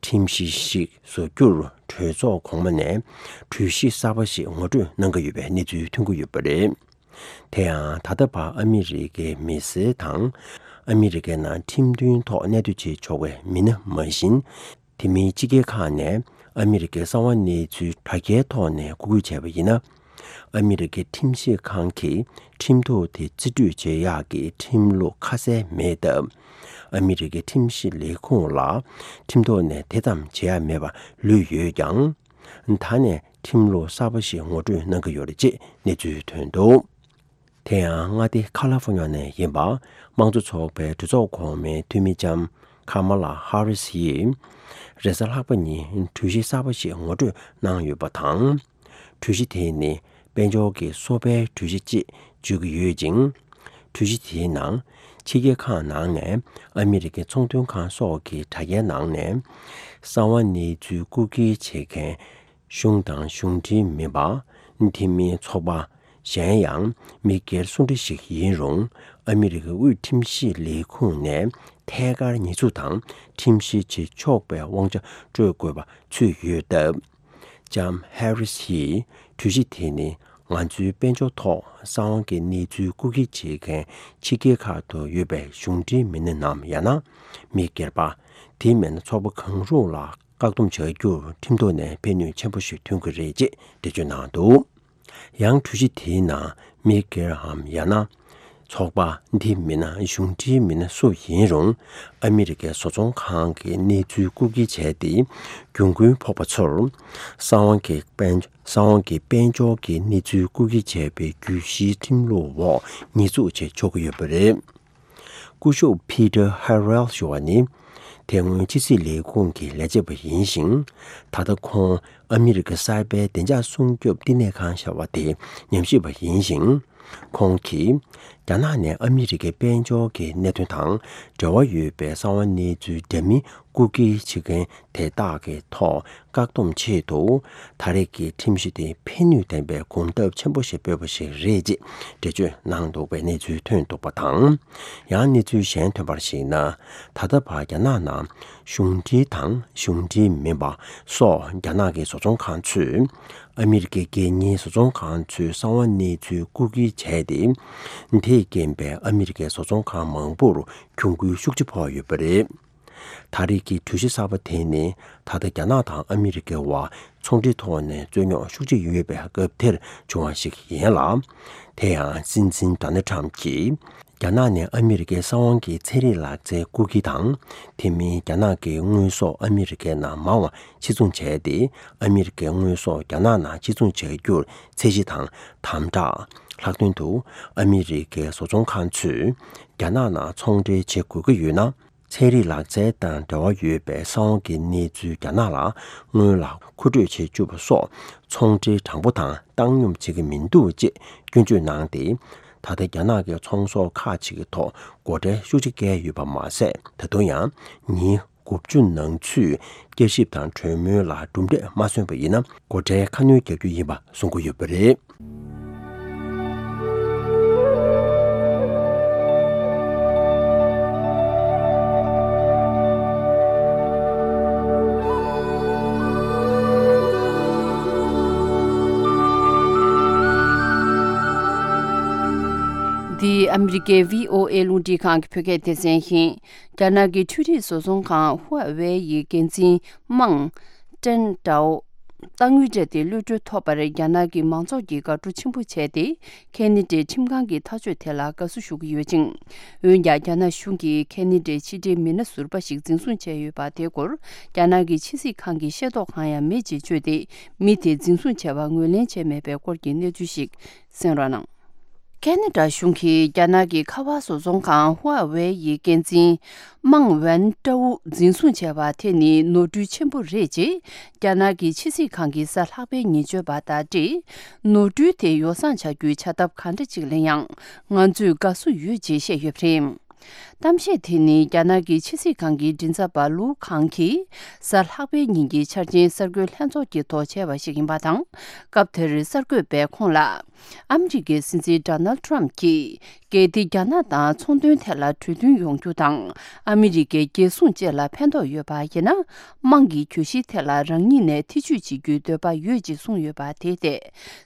ཁྲིམས་གཞི་ཞིག་བཟོ་རྒྱུར་གྲོས་ཚོགས་གོང་མ་ནས་གྲོས་གཞི་གསར་པ་ཞིག་ངོ་སྤྲོད་གནང་གི་ཡོད་པའི་གནས་ཚུལ་ཐོན་གྱི་ཡོད་པ་རེད། དེ་ཡང་ད་ལྟ་བར་ཨ་མི་རི་ཀའི་མི་སེར་དང་། ཨ་མི་རི་ཀའི་ནང་ཁྲིམས་མཐུན་ཐོག་གནས་སྡོད་བྱེད་ཆོག་པའི་མི་སྣ་མ་བཞིན། དེ་མིན་ཕྱི་རྒྱལ་ཁག་ནས་ཨ་མི་རི་ཀའི་གསང་བ་གནས་ཚུལ་དྲ་རྒྱའི་ཐོག་ནས་རྐུ་འཁྱེར་བྱས་པ་ཡིན་ན། ཨ་མི་རི་ཀའི་ཁྲིམས་ཞིབ་ཁང་གིས་ཁྲིམས་ཐོག་དེ་རྩིས་སྤྲོད་བྱེད་ཡག་གི་ཁྲིམས་ལུགས་ཁ་གསལ་མེད་སྟབས། ཨ་མི་རི་ཀའི་ཁྲིམས་ཞིབ་ལས་ཁུངས་ལ་ཁྲིམས་ཐོག་ནས་དེ་ཙམ་བྱེད་ཡག་མེད་པ་ལུས་ཡོད་ཀྱང་། ད་ནས་ཁྲིམས་ལུགས་གསར་པ་ཞིག་ངོ་སྤྲོད་གནང་གི་ཡོད་རེད་ཅེས་གནས་ཚུལ་ཐོན་འདུག་དེ་ཡང་མངའ་སྡེ་ཁ་ལ་ཧྥོ་ཉ་ནས་ཡིན་པ། དམངས་གཙོ་ཚོགས་པའི་གྲོས་ཚོགས་གོང་མའི་འཐུས་མི་ལྕམ་ཁ་མ་ལ་ཧ་རི་སི་ཡིས། རེས་གཟའ་ལྷག་པ་ཉིན་གྲོས་གཞི་གསར་པ་ཞིག་ངོ་སྤྲོད་གནང་ཡོད་པ་དང་། གྲོས་གཞི་དེ་ནི་དཔལ་འབྱོར་གྱི་སོ་པའི་གྲོས་གཞི་ཅེས་བརྗོད་ཀྱི་ཡོད་ཅིང་། གྲོས་གཞི་དེའི་ནང་ཕྱི་རྒྱལ་ཁག་ནང་ནས་ཨ་མི་རི་ཀའི་ཚོང་དོན་ཁང་སོགས་ཀྱི་དྲ་རྒྱའི་ནང་ནས་གསང་བ་གནས་ཚུལ་རྐུ་འཁྱེར་བྱེད་མཁན། གཞུང་དང་གཞུང་འབྲེལ་མིན་པ། དེ་མིན་ཚོགས་པ། གཞན་ཡང་མི་སྒེར་སུ་འདྲ་ཞིག་ཡིན་རུང་། ཨ་མི་རི་ཀའི་དབུས་ཁྲིམས་ཞིབ་ལས་ཁུངས་ནས་ཐད་ཀར་ཉེས་འཛུགས་དང་ཁྲིམས་བཤེར་བྱེད་ཆོག་པའི་དབང་ཆ་སྤྲོད་དགོས་པ་ཚུད་ཡོད་སྟབས། ལྕམ་ཧེ་རི་སི་ཡིས་གྲོས་གཞི་དེ་ནི་ང་ཚོའི་དཔལ་འབྱོར་ཐོག་གསང་བ་གི་གནས་ཚུལ་རྐུ་འཁྱེར་བྱེད་མཁན་ཕྱི་རྒྱལ་ཁག་ཏུ་ཡོད་པའི་གཞུང་འབྲེལ་མི་སྣ་ནམ་ཡང་ན་མི་སྒེར་པ། དེ་མིན་ཚོགས་པ་གང་རུང་ལ། བཀག་སྡོམ་བྱ་རྒྱུར་ཁྲིམས་ཐོག་ནས་ཕན་ནུས་ཆེན་པོ་ཞིག་ཐོན་གྱི་རེད་ཅེས་འགྲེལ་བརྗོད་གནང་འདུག་ཡང་གྲོས་གཞི་དེའི་ནང་མི་སྒེར་འམ་ཡང་ན་ཚོགས་པ། འདི་མིན་ན་གཞུང་འབྲེལ་མི་སྣ་སུ་ཡིན་རུང་ཨ་མི་རི་ཀའི་བཟོ་ཚོང་ཁང་གི་གནས་ཚུལ་རྐུ་འཁྱེར་བྱས་ཏེ་གྱོང་གུན་ཕོག་པ་ཚོར་གསང་བ་གི་དཔལ་གསང་བ་གི་དཔལ་འབྱོར་གྱི་གནས་ཚུལ་རྐུ་འཁྱེར་བྱས་པའི་གྱོད་གཞིའི་ཁྲིམས་ལུགས་འོག་ཉེས་འཛུགས་བྱེད་ཆོག་གི་ཡོད་པ་རེད། སྐུ་ཞབས་Peter Harrell ཞུ་བ་ནི། དེ་སྔོན་ཕྱི་སྲིད་ལས་ཁུངས་ཀྱི་ལས་བྱེད་པ་ཡིན་ཞིང་། ད་ལྟ་ཁོང་ཨ་མི་རི་ཀ་གསར་པའི་བདེ་འཇགས་སྲུང་སྐྱོབ་བསྟི་གནས་ཁང་ཞེས་པ་དེའི་ཉམས་ཞིབ་པ་ཡིན་ཞིང་། ཁོང་གིས་རྒྱ་ནག་ནས་ཨ་མི་རི་ཀའི་དཔལ་འབྱོར་གྱི་གནད་དོན་དང་འབྲེལ་བ་ཡོད་པའི་གསང་བ་གནས་ཚུལ་འདྲ་མིན་རྐུ་འཁྱེར་བྱེད་མཁན་དེ་དག་གི་ཐོག་བཀག་སྡོམ་ཆེད་དུ། ད་རེས་ཀྱི་ཁྲིམས་གཞི་དེ་ཕན་ནུས་ལྡན་པའི་གོམ་སྟབས་ཆེན་པོ་ཞིག་སྤོས་པ་ཞིག་རེད་ཅེས་འགྲེལ་བརྗོད་གནང་འདུག་པའི་གནས་ཚུལ་ཐོན་འདུག་པ་དང་། ཡང་གནས་ཚུལ་གཞན་ཐོན་པར་གཞིགས་ན། ད་ལྟ་བར་རྒྱ་ནག་ནང་གཞུང་འབྲེལ་དང་གཞུང་འབྲེལ་མིན་པ་སོགས་རྒྱ་ནག་གི་བཟོ་ཚོང་ཁང་ཚོས་ཨ་མི་རི་ཀའི་སྒེར་གཉེར་བཟོ་ཚོང་ཁང་ཚོའི་གསང་བ་གནས་ཚུལ་རྐུ་འཁྱེར་བྱས་ཏེ། དེས་རྐྱེན་པས་ཨ་མི་རི་ཀའི་བཟོ་ཚོང་ཁང་མང་པོར་གྱོང་གུན་ཤུགས་ཆེ་ཕོག་ཡོད་པ་རེད། ད་རེས་ཀྱི་གྲོས་གཞི་གསར་པ་དེ་ནི་ད་ལྟ་རྒྱ་ནག་དང་ཨ་མི་རི་ཀའི་བར་ཚོང་འབྲེལ་ཐོག་ནས་རྩོད་རྙོག་ཤུགས་ཆེ་ཡོད་པའི་སྐབས་དེར་བྱུང་བ་ཞིག་ཡིན་ལ། དེ་ཡང་སྲིད་འཛིན་ཌོ་ནལ་ཊམ་གྱིས་རྒྱ་ནག་ནས་ཨ་མི་རི་ཀའི་ས་དབང་གི་ཚན་རིག་ལག་རྩལ་རྐུ་འཁྱེར་དང་། དེ་མིན་རྒྱ་ནག་གི་དངོས་ཟོག་ཨ་མི་རི་ཀའི་ནང་མང་བ་ཕྱིར་ཚོང་བྱས་ཏེ། ཨ་མི་རི་ཀའི་དངོས་ཟོག་རྒྱ་ནག་ནང་ཕྱིར་ཚོང་བྱ་རྒྱུར་ཚད་གཞི་དང་དམ་དྲག་ལྷག་དོན་དུ་ཨ་མི་རི་ཀའི་བཟོ་ཚོང་ཁང་ཚོས་རྒྱ་ནག་ནང་ཚོང་འབྲེལ་བྱེད་དགོས་ཀྱི་ཡོད་ན། ཚན་རིག་ལག་རྩལ་དང་འབྲེལ་བ་ཡོད་པའི་ས་དབང་གི་གནས་ཚུལ་རྒྱ་ནག་ལ་སྔོན་ལ་མཁོ་སྤྲོད་བྱེད་བཅུག་པ་སོགས་ཚོང་འབྲེལ་དྲང་པོ་དང་བཏང་སྙོམས་བྱེད་ཀྱི་མི་འདུག་ཅེས་སྐྱོན་བརྗོད་གནང་སྟེ། ད་ལྟ་རྒྱ་ནག་གི་ཚོང་ཟོག་ཁག་ཅིག་གི་ཐོག་སྒོ་ཁྲལ་ཤུགས་ཆེ་བཀལ་ཡོད་པ་མ་ཟད། ད་དུང་ཡང་ཉིན་དགུ་བཅུ་ནང་ཚུད་བསྐྱར་ཞིབ་དང་གྲོས་མོལ་ལ་གྲུབ་འབྲས་མ་སོན་པ་ཡིན་ན། སྒོ་ཁྲལ་ཁ་སྣོན་རྒྱག་རྒྱུ་ཡིན་པ་གསུང་གི་ཡོད་པ་རེད། འདི་ཨ་མི་རི་ཀའི་བྷི་ཨོ་ཨེ་རླུང་འཕྲིན་ཁང་གི་བོད་སྐད་སྡེ་ཚན་ཡིན། རྒྱ་ནག་གི་འཕྲུལ་རིག་བཟོ་ཚོང་ཁང་ཧུའེ་ཝེ་ཡི་འགན་འཛིན་མང་ཀྲེན་ཀྲའོ། གཏའ་དངུལ་སྤྲད་དེ་གློད་གྲོལ་ཐོབ་པར་རྒྱ་ནག་གི་མང་ཚོགས་ཀྱིས་དགའ་སྤྲོ་ཆེན་པོ་བྱས་ཏེ། ཁེ་ནེ་ཌའི་ཁྲིམས་ཁང་གི་ཐག་གཅོད་དེ་ལ་དགའ་བསུ་ཞུ་གི་ཡོད་ཅིང་། འོན་ཀྱང་། རྒྱ་ནག་གཞུང་གིས་ཁེ་ནེ་ཌའི་ཕྱི་འབྲེལ་མི་སྣ་ཟུར་པ་ཞིག་འཛིན་བཟུང་བྱས་ཡོད་པ་དེའི་སྐོར། རྒྱ་ནག་གི་ཕྱི་སྲིད་ཁང་གིས་ཤེས་རྟོགས་གང་ཡང་མེད་ཅེས་བརྗོད་དེ། མི་དེ་འཛིན་བཟུང་བྱས་པ་ངོས་ལེན་བྱས་མེད་པའི་སྐོར་གྱི་གནས་ཚུལ་ཞིག་གསན་རོགས་གནང་། ཁེ་ནེ་ཌ་གཞུང་གིས་རྒྱ་ནག་གི་ཁ་པར་བཟོ་ཚོང་ཁང་ཧུའེ་ཝེ་ཡི་འགན་འཛིན་མང་ཝན་ཀྲའུ་འཛིན་བཟུང་བྱས་པ་དེ་ནི་ནོར་འཁྲུལ་ཆེན་པོ་རེད་ཅེས་རྒྱ་ནག་གི་ཕྱི་སྲིད་ཁང་གིས་གཟའ་ལྷག་པའི་ཉིན་བརྗོད་པ་དང་འབྲེལ། ནོར་འཁྲུལ་དེ་ཡོ་བསྲང་བྱ་རྒྱུའི་བྱ་ཐབས་གང་འདྲ་ཅིག་ལེན་ཡང་། ང་ཚོས་དགའ་བསུ་ཡོད་ཅེས་བཤད་ཡོད་པ་རེད། གཏམ་བཤད་དེ་ནི་རྒྱ་ནག་གི་ཕྱི་སྲིད་ཁང་གི་མགྲིན་ཚབ་པ་ལུའུ་ཁང་གིས་གཟའ་ལྷག་པའི་ཉིན་གྱི་འཆར་ཅན་གསར་འགོད་ལྷན་ཚོགས་ཀྱི་ཐོག་བྱས་པ་ཞིག་ཡིན་པ་དང་། སྐབས་དེར་གསར་འགོད་པས་ཁོང་ལ། ཨ་མི་རི་ཀའི་སྲིད་འཛིན་ཌོ་ནལ་ཊམ་གྱིས། གལ་ཏེ་རྒྱ་ནག་དང་ཚོང་དོན་ཐད་ལ་གྲོས་མཐུན་ཡོང་རྒྱུ་དང་། ཨ་མི་རི་ཀའི་རྒྱལ་སྲུང་བཅས་ལ་ཕན་ཐོགས་ཡོད་པ་ཡིན་ན། དམངས་ཀྱི་གྱོད་གཞི་ཐད་ལ་རང་ཉིད་ནས་ཐེ་བྱུས་བྱེད་རྒྱུའི་འདོད་པ་ཡོད་ཅེས་གསུངས་ཡོད་པ་དེ་ཐད་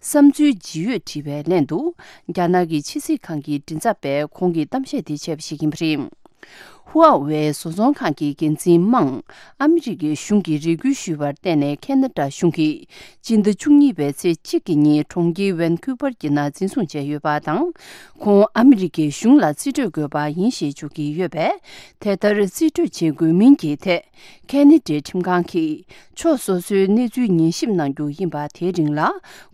བསམ་ཚུལ་ཇི་ཡོད་དྲིས་པའི་ལན་དུ། རྒྱ་ནག་གི་ཕྱི་སྲིད་ཁང་གི་མགྲིན་ཚབ་པས་ཁོང་གིས་གཏམ་བཤད་དེ་བྱས་པ་ཞིག་ཡིན་པ་རེད། ཧུའེ་ཝེ་བཟོ་ཚོང་ཁང་གི་འགན་འཛིན་མང་ཨ་མི་རི་ཀའི་གཞུང་གིས་རེ་སྐུལ་ཞུས་པར་བརྟེན་ནས་ཁེ་ན་ཌ་གཞུང་གིས་སྤྱི་ཟླ་བཅུ་གཉིས་པའི་ཚེས་གཅིག་གི་ཉིན་གྲོང་ཁྱེར་ཝན་ཁུ་པར་གྱི་ནང་འཛིན་བཟུང་བྱས་ཡོད་པ་དང་། ཁོང་ཨ་མི་རི་ཀའི་གཞུང་ལ་རྩིས་སྤྲོད་དགོས་པ་ཡིན་ཞེས་བརྗོད་ཀྱི་ཡོད་པས། དེ་ལྟར་རྩིས་སྤྲོད་བྱེད་དགོས་མིན་གྱི་ཐད། ཁེ་ནེ་ཌའི་ཁྲིམས་ཁང་གིས་ཕྱོགས་སོ་སོའི་གནས་ཚུལ་ཉན་ཞིབ་གནང་རྒྱུ་ཡིན་པ་དེའི་རིང་ལ་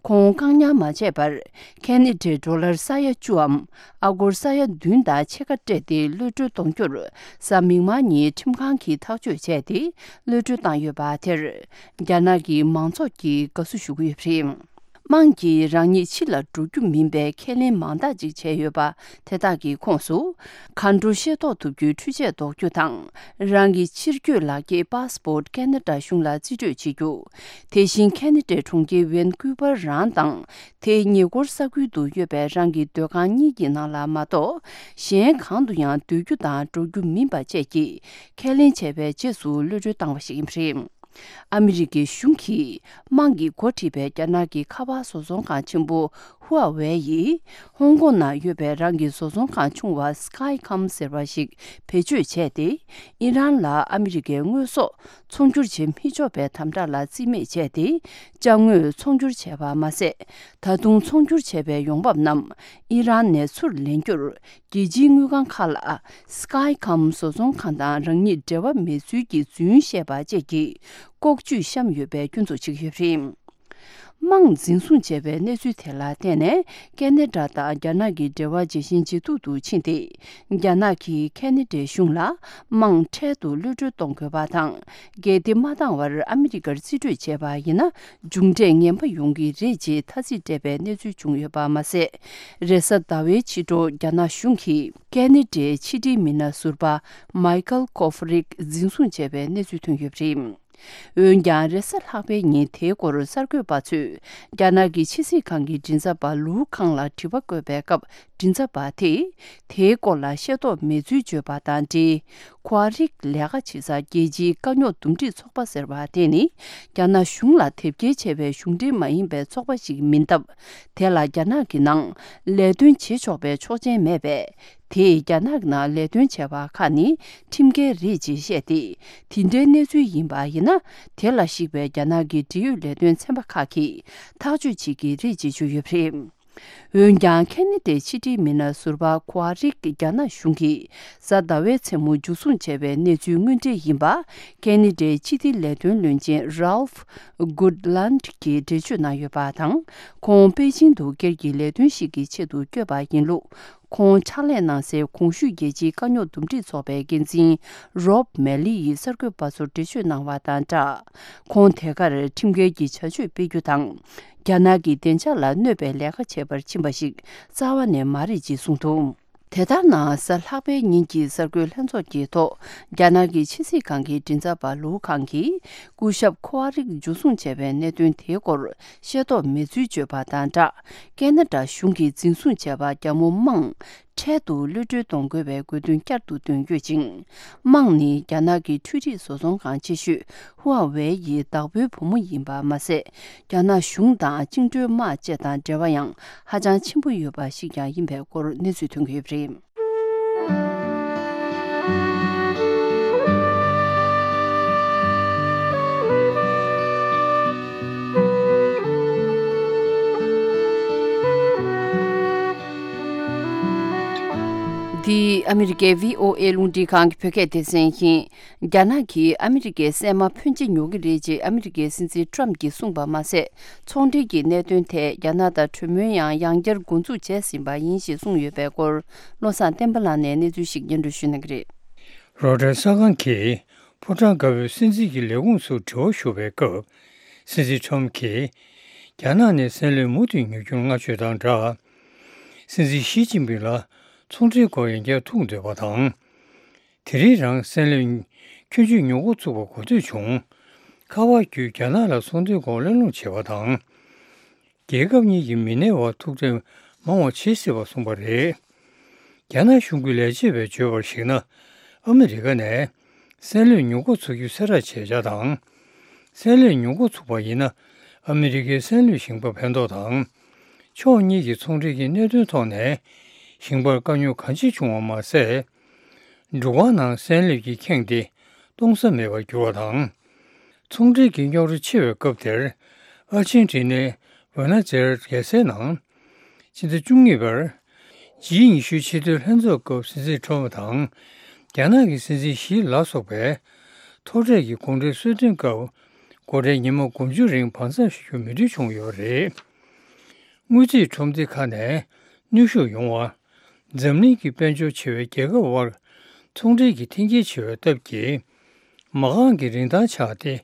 ཁོང་བཀག་ཉར་མ་བྱས་པར། ཁེ་ནེ་ཌའི་ཌོ་ལར་ས་ཡ་བཅུའམ་ཨ་སྒོར་ས་ཡ་བདུན་དང་ཕྱེད་ཀ་སྤྲད་དེ་གློད་གྲོལ་གཏོང་རྒྱུར། གཟའ་མིག་དམར་ཉིན་ཁྲིམས་ཁང་གིས་ཐག་གཅོད་བྱས་ཏེ་གློད་གྲོལ་བཏང་ཡོད་པ་དེར། རྒྱ་ནག་གི་མང་ཚོགས་ཀྱིས་དགའ་བསུ་ཞུ་གི་ཡོད་པ་རེད། དམངས་ཀྱིས་རང་ཉིད་ཕྱི་ལ་འགྲོ་རྒྱུ་མིན་པའི་ཁས་ལེན་མང་དག་ཅིག་བྱས་ཡོད་པ་དེ་དག་གི་ཁོངས་སུ། གར་འགྲོ་ཤེས་རྟོགས་ཐུབ་རྒྱུའི་འཕྲུལ་ཆས་འདོགས་རྒྱུ་དང་། རང་གི་ཕྱིར་སྐྱོད་ལག་འཁྱེར་པཱ་སི་པོར་ཊི་ཁེ་ན་ཌ་གཞུང་ལ་རྩིས་སྤྲོད་བྱེད་རྒྱུ། དེ་བཞིན་ཁེ་ན་ཌའི་གྲོང་ཁྱེར་ཝན་ཀུ་པར་རང་དང་། དེའི་ཉེ་འཁོར་ས་ཁུལ་དུ་ཡོད་པའི་རང་གི་སྡོད་ཁང་གཉིས་ཀྱི་ནང་ལ་མ་གཏོགས། གཞན་གང་དུ་ཡང་སྡོད་རྒྱུ་དང་འགྲོ་རྒྱུ་མིན་པ་བཅས་ཀྱི་ཁས་ལེན་བྱས་པའི་རྗེས་སུ་གློད་གྲོལ་བཏང་བ་ཞིག་ཡིན་པ་རེད། ཨ་མི་རི་ཀའི་གཞུང་གིས་དམངས་ཀྱིས་འགོ་ཁྲིད་པའི་རྒྱ་ནག་གི་ཁ་པར་བཟོ་ཚོང་ཁང་ཆེན་པོ་ཧུའེ་ཝེ་ཡིས་ཧོང་ཀོང་ནང་ཡོད་པའི་རང་གི་བཟོ་ཚོང་ཁང་ཆུང་བ་སི་ཀའི་ཀམ་ཟེར་བ་ཞིག་བེད་སྤྱོད་བྱས་ཏེ། ཨི་རན་ལ་ཨ་མི་རི་ཀའི་དངོས་ཟོག་ཚོང་སྒྱུར་བྱེད་མི་ཆོག་པའི་དམ་དྲག་ལ་རྩིས་མེད་བྱས་ཏེ། ཅ་དངོས་ཚོང་སྒྱུར་བྱས་པ་མ་ཟད། ད་དུང་ཚོང་སྒྱུར་བྱས་པའི་ཡོང་འབབ་རྣམས་ཨི་རན་ནས་ཚུར་ལེན་རྒྱུར། རྒྱལ་སྤྱིའི་དངུལ་ཁང་ཁག་ལ་སི་ཀའི་ཀམ་བཟོ་ཚོང་ཁང་དང་རང་ཉིད་འབྲེལ་བ་མེད་ཚུལ་གྱི་རྫུན་བཤད་པ་བཅས་ཀྱི་ལྐོག་ཇུས་བཤམས་ཡོད་པའི་སྐྱོན་འཛུགས་བྱེད་ཀྱི་ཡོད་པ་རེད། དམངས་འཛིན་བཟུང་བྱས་པའི་གནས་ཚུལ་དེ་ལ་བརྟེན་ནས། ཁེ་ན་ཌ་དང་རྒྱ་ནག་གི་འབྲེལ་བ་ཇེ་ཞན་ཇེ་སྡུག་ཏུ་ཕྱིན་ཏེ། རྒྱ་ནག་གིས་ཁེ་ན་ཌའི་གཞུང་ལ་དམངས་འཕྲལ་དུ་གློད་གྲོལ་གཏོང་དགོས་པ་དང་། གལ་ཏེ་མ་བཏང་བར་ཨ་མི་རི་ཀར་རྩིས་སྤྲོད་བྱས་པ་ཡིན་ན། མཇུག་འབྲས་ངན་པ་ཡོང་གི་རེད་ཅེས་ཐ་ཚིག་སྤྲད་པའི་གནས་ཚུལ་བྱུང་ཡོད་པ་མ་ཟད། རེས་གཟའ་ཟླ་བའི་ཕྱི་དྲོ་རྒྱ་ནག་གཞུང་གིས་ཁེ་ན་ཌའི་ཕྱི་འབྲེལ་མི་སྣ་ཟུར་པ་མའི་ཁལ་ཀོ་ཧྥ་རིག་འཛིན་བཟུང་བྱས་པའི་གནས་ཚུལ་ཐོན་ཡོད་པ་རེད། འོན་ཀྱང་། རེས་གཟའ་ལྷག་པའི་ཉིན་དེའི་སྐོར་གསར་འགོད་པ་ཚོས་རྒྱ་ནག་གི་ཕྱི་སྲིད་ཁང་གི་མགྲིན་ཚབ་པ་ལུའུ་ཁང་ལ་དྲི་བ་བཀོད་པའི་སྐབས། མགྲིན་ཚབ་པ་དེས་དེའི་སྐོར་ལ་ཤེས་རྟོགས་མེད་ཚུལ་བརྗོད་པ་དང་འབྲེལ། ཁོ་ཨ་རིག་ལས་ཀ་བྱེད་སར་རྒྱལ་སྤྱིའི་དཀའ་རྙོག་འདུམ་འགྲིག་ཚོགས་པ་ཟེར་བ་དེ་ནི། རྒྱ་ནག་གཞུང་ལ་དེབ་སྐྱེལ་བྱས་པའི་གཞུང་འབྲེལ་མ་ཡིན་པའི་ཚོགས་པ་ཞིག་མིན་སྟབས། དེ་ལ་རྒྱ་ནག་གི་ནང་ལས་དོན་བྱེད་ཆོག་པའི་ཆོག་མཆན་མེད་པས། དེས་རྒྱ་ནག་གི་ནང་ལས་དོན་བྱས་པ་ཁག་ནི་ཁྲིམས་འགལ་རེད་ཅེས་བཤད་དེ། དེ་འདྲའི་གནས་ཚུལ་ཡིན་པ་ཡིན་ན། དེ་ལ་གཞིགས་པའི་རྒྱ་ནག་གི་འབྲེལ་ཡོད་ལས་དོན་ཚན་པ་ཁག་གིས་ཐག་གཅོད་བྱེད་ཀྱི་རེད་ཅེས་བརྗོད་ཡོད་པ་རེད། འོན་ཀྱང་། ཁེ་ན་ཌའི་ཕྱི་འབྲེལ་མི་སྣ་ཟུར་པ་ཁོ་ཨ་རིག་རྒྱ་ནག་གཞུང་གིས་གཟའ་ཟླ་བའི་མཚན་མོ་མཇུག་བཟུང་བྱས་པའི་གནས་ཚུལ་དངོས་འབྲེལ་ཡིན་པ། ཁེ་ན་ཌའི་ཕྱི་དྲིལ་ལས་དོན་བློན་ཆེན་Ralph Goodland གྱིས་འགྲེལ་བརྗོད་གནང་ཡོད་པ་དང་། ཁོང་པེ་ཅིང་དུ་སྒེར་གྱི་ལས་དོན་ཞིག་གི་ཆེད་དུ་བསྐྱོད་པ་ཡིན་ལུགས། ཁོང་ཕྱག་ལས་གནང་སའི་གོང་ཞུས་རྒྱལ་སྤྱིའི་དཀའ་རྙོག་འདུམ་འགྲིག་ཚོགས་པའི་འགན་འཛིན་Rob Malley ཡིས་གསར་འགོད་པ་ཚོར་འགྲེལ་བརྗོད་གནང་བ་དང་སྦྲགས། ཁོང་དེ་གར་ཁྲིམས་འགལ་གྱི་བྱ་སྤྱོད་སྤེལ་རྒྱུ་དང་། རྒྱ་ནག་གི་བདེ་འཇགས་ལ་གནོད་པའི་ལས་ཀ་བྱེད་པར་ཕྱིན་པ་ཞིག་རྩ་བ་ནས་མ་རེད་ཅེས་གསུངས་འདུག་དེ་ལྟར་ན། གཟའ་ལྷག་པའི་ཉིན་གྱི་གསར་འགོད་ལྷན་ཚོགས་ཀྱི་ཐོག་རྒྱ་ནག་གི་ཕྱི་སྲིད་ཁང་གི་མགྲིན་ཚབ་པ་ལུའུ་ཁང་གིས། སྐུ་ཞབས་ཁོ་ཨ་རིག་འཇུ་བཟུང་བྱས་པའི་གནད་དོན་དེའི་སྐོར་ཤེས་རྟོགས་མེད་ཚུལ་བརྗོད་པ་དང་སྦྲགས། ཁེ་ན་ཌ་གཞུང་གིས་འཛིན་བཟུང་བྱས་པ་རྒྱ་མོ་དམངས་འཕྲལ་དུ་གློད་གྲོལ་གཏོང་དགོས་པའི་དགོས་འདུན་བསྐྱར་དུ་བཏོན་ཡོད་ཅིང་། དམངས་ནི་རྒྱ་ནག་གི་འཕྲུལ་རིག་བཟོ་ཚོང་ཁང་ཆེ་ཤོས་ཧུ་ཨ་ཝེ་ཡི་བདག་པོའི་བུ་མོ་ཡིན་པ་མ་ཟད། རྒྱ་ནག་གཞུང་དང་བཅིངས་འགྲོལ་དམག་བཅས་དང་འབྲེལ་བ་ཡང་ཧ་ཅང་ཆེན་པོ་ཡོད་པ་ཞིག་ཀྱང་ཡིན་པའི་སྐོར་གནས་ཚུལ་ཐོན་གྱི་ཡོད་པ་རེད། འདི་ཨ་མི་རི་ཀའི་བྷི་ཨོ་ཨེ་རླུང་འཕྲིན་ཁང་གི་བོད་སྐད་སྡེ་ཚན་ཡིན། རྒྱ་ནག་གིས་ཨ་མི་རི་ཀའི་སྲན་མ་ཕོན་ཆེ་ཉོ་གི་རེད་ཅེས་ཨ་མི་རི་ཀའི་སྲིད་འཛིན་ཊྲམ་གྱིས་གསུངས་པ་མ་ཟད། ཚོང་འབྲེལ་གྱི་གནད་དོན་ཐད་རྒྱ་ནག་དང་གྲོས་མོལ་ཡང་ཡང་བསྐྱར་འགོ་འཛུགས་བྱས་ཟིན་པ་ཡིན་ཞེས་གསུངས་ཡོད་པའི་སྐོར། བློ་བཟང་བསྟན་པ་ལགས་ནས་གནས་ཚུལ་ཞིག་སྙན་སྒྲོན་ཞུ་གནང་གི་རེད། རོའི་ཊར་གསར་ཁང་གིས་ཕོ་བྲང་དཀར་པོའི་སྲིད་འཛིན་གྱི་ལས་ཁུངས་སུ་དྲི་བ་ཞུ་བའི་སྐབས། སྲིད་འཛིན་ཊྲམ་གྱིས་རྒྱ་ནག་ནས་སྲན་ལུད་མུ་མཐུད་ཉོ་རྒྱུར་མངགས་བཅོལ་དང་སྦྲགས། སྲིད་འཛིན་ཞི་ཅིན་ཕིང་ལ་ཚོང་འབྲེལ་སྐོར་ཡང་བསྐྱར་ཐུག་འདོད་པ་དང་། དེ་རིང་རང་སྲན་ལུད་ཁྱོན་ཆུད་ཉོ་འགོ་ཚུགས་པ་གོ་ཐོས་བྱུང་། ཁ་པར་བརྒྱུད་རྒྱ་ནག་ལ་ཚོང་འབྲེལ་སྐོར་གླེང་སློང་བྱས་པ་དང་། རྒྱལ་ཁབ་གཉིས་ཀྱི་མི་སྣའི་བར་ཐུག་འཕྲད་མང་བ་བྱེད་སྲིད་པ་གསུངས་པ་རེད། རྒྱ་ནག་གཞུང་གི་ལས་བྱེད་པས་བརྗོད་པར་གཞིགས་ན། ཨ་མི་རི་ཀ་ནས་སྲན་ལུད་ཉོ་འགོ་ཚུགས་རྒྱུ་གསལ་བསྒྲགས་བྱས་འཆར་དང་། སྲན་ལུད་ཉོ་འགོ་ཚུགས་པ་ཡིན་ན། ཨ་མི་རི་ཀའི་སྲན་ལུད་ཞིང་པར་ཕན་ཐོགས་དང་། ཕྱོགས་གཉིས་ཀྱི་ཚོང་འབྲེལ་གྱི་གནད་དོན་ཐོག་ནས་ཞིང་པར་དཀའ་རྙོག་གང་ཆེ་བྱུང་བ་མ་ཟད། འབྲུག་པ་ནང་སྲན་ལུད་ཀྱིས་ཁེངས་ཏེ་གཏོང་ས་མེད་པར་གྱུར་བ་དང་། ཚོང་འབྲེལ་གྱི་རྙོག་དྲ་ཆེ་བའི་སྐབས་དེར། ཨར་ཅན་ཊི་ནའི་བྷུ་ནོས་ཨེ་རེས་རྒྱལ་སའི་ནང་། ཕྱི་ཟླ་བཅུ་གཉིས་པར། ཇི་ཉི་ཤུའི་ཕྱི་དྲོའི་ལྷན་ཚོགས་སྐབས་སྲིད་འཛིན་ཊྲམ་དང་། རྒྱ་ནག་གི་སྲིད་འཛིན་ཞི་ལ་སོགས་པས། ཐོག་འཕྲད་ཀྱི་གོང་འཕྲལ་གསོལ་སྟོན་སྐབས། སྒོ་ཁྲལ་ཉི་མ་དགུ་བཅུ་རིང་བར་མཚམས་བཞག་རྒྱུ་མོས་མཐུན་བྱུང་ཡོད་པ་རེད། དངུལ་རྩིས་ཁྲོམ་སྡེ་ཁག་ནས་ནུས་ཤུགས་ཡོང་བ། འཛམ་གླིང་གི་དཔལ་འབྱོར་ཆེ་བའི་རྒྱལ་ཁབ་དབར་ཚོང་འབྲེལ་གྱི་འཐེན་འཁྱེར་ཆེ་བའི་སྟབས་ཀྱིས། མ་རྐང་གི་རིན་ཐང་ཆག་སྟེ།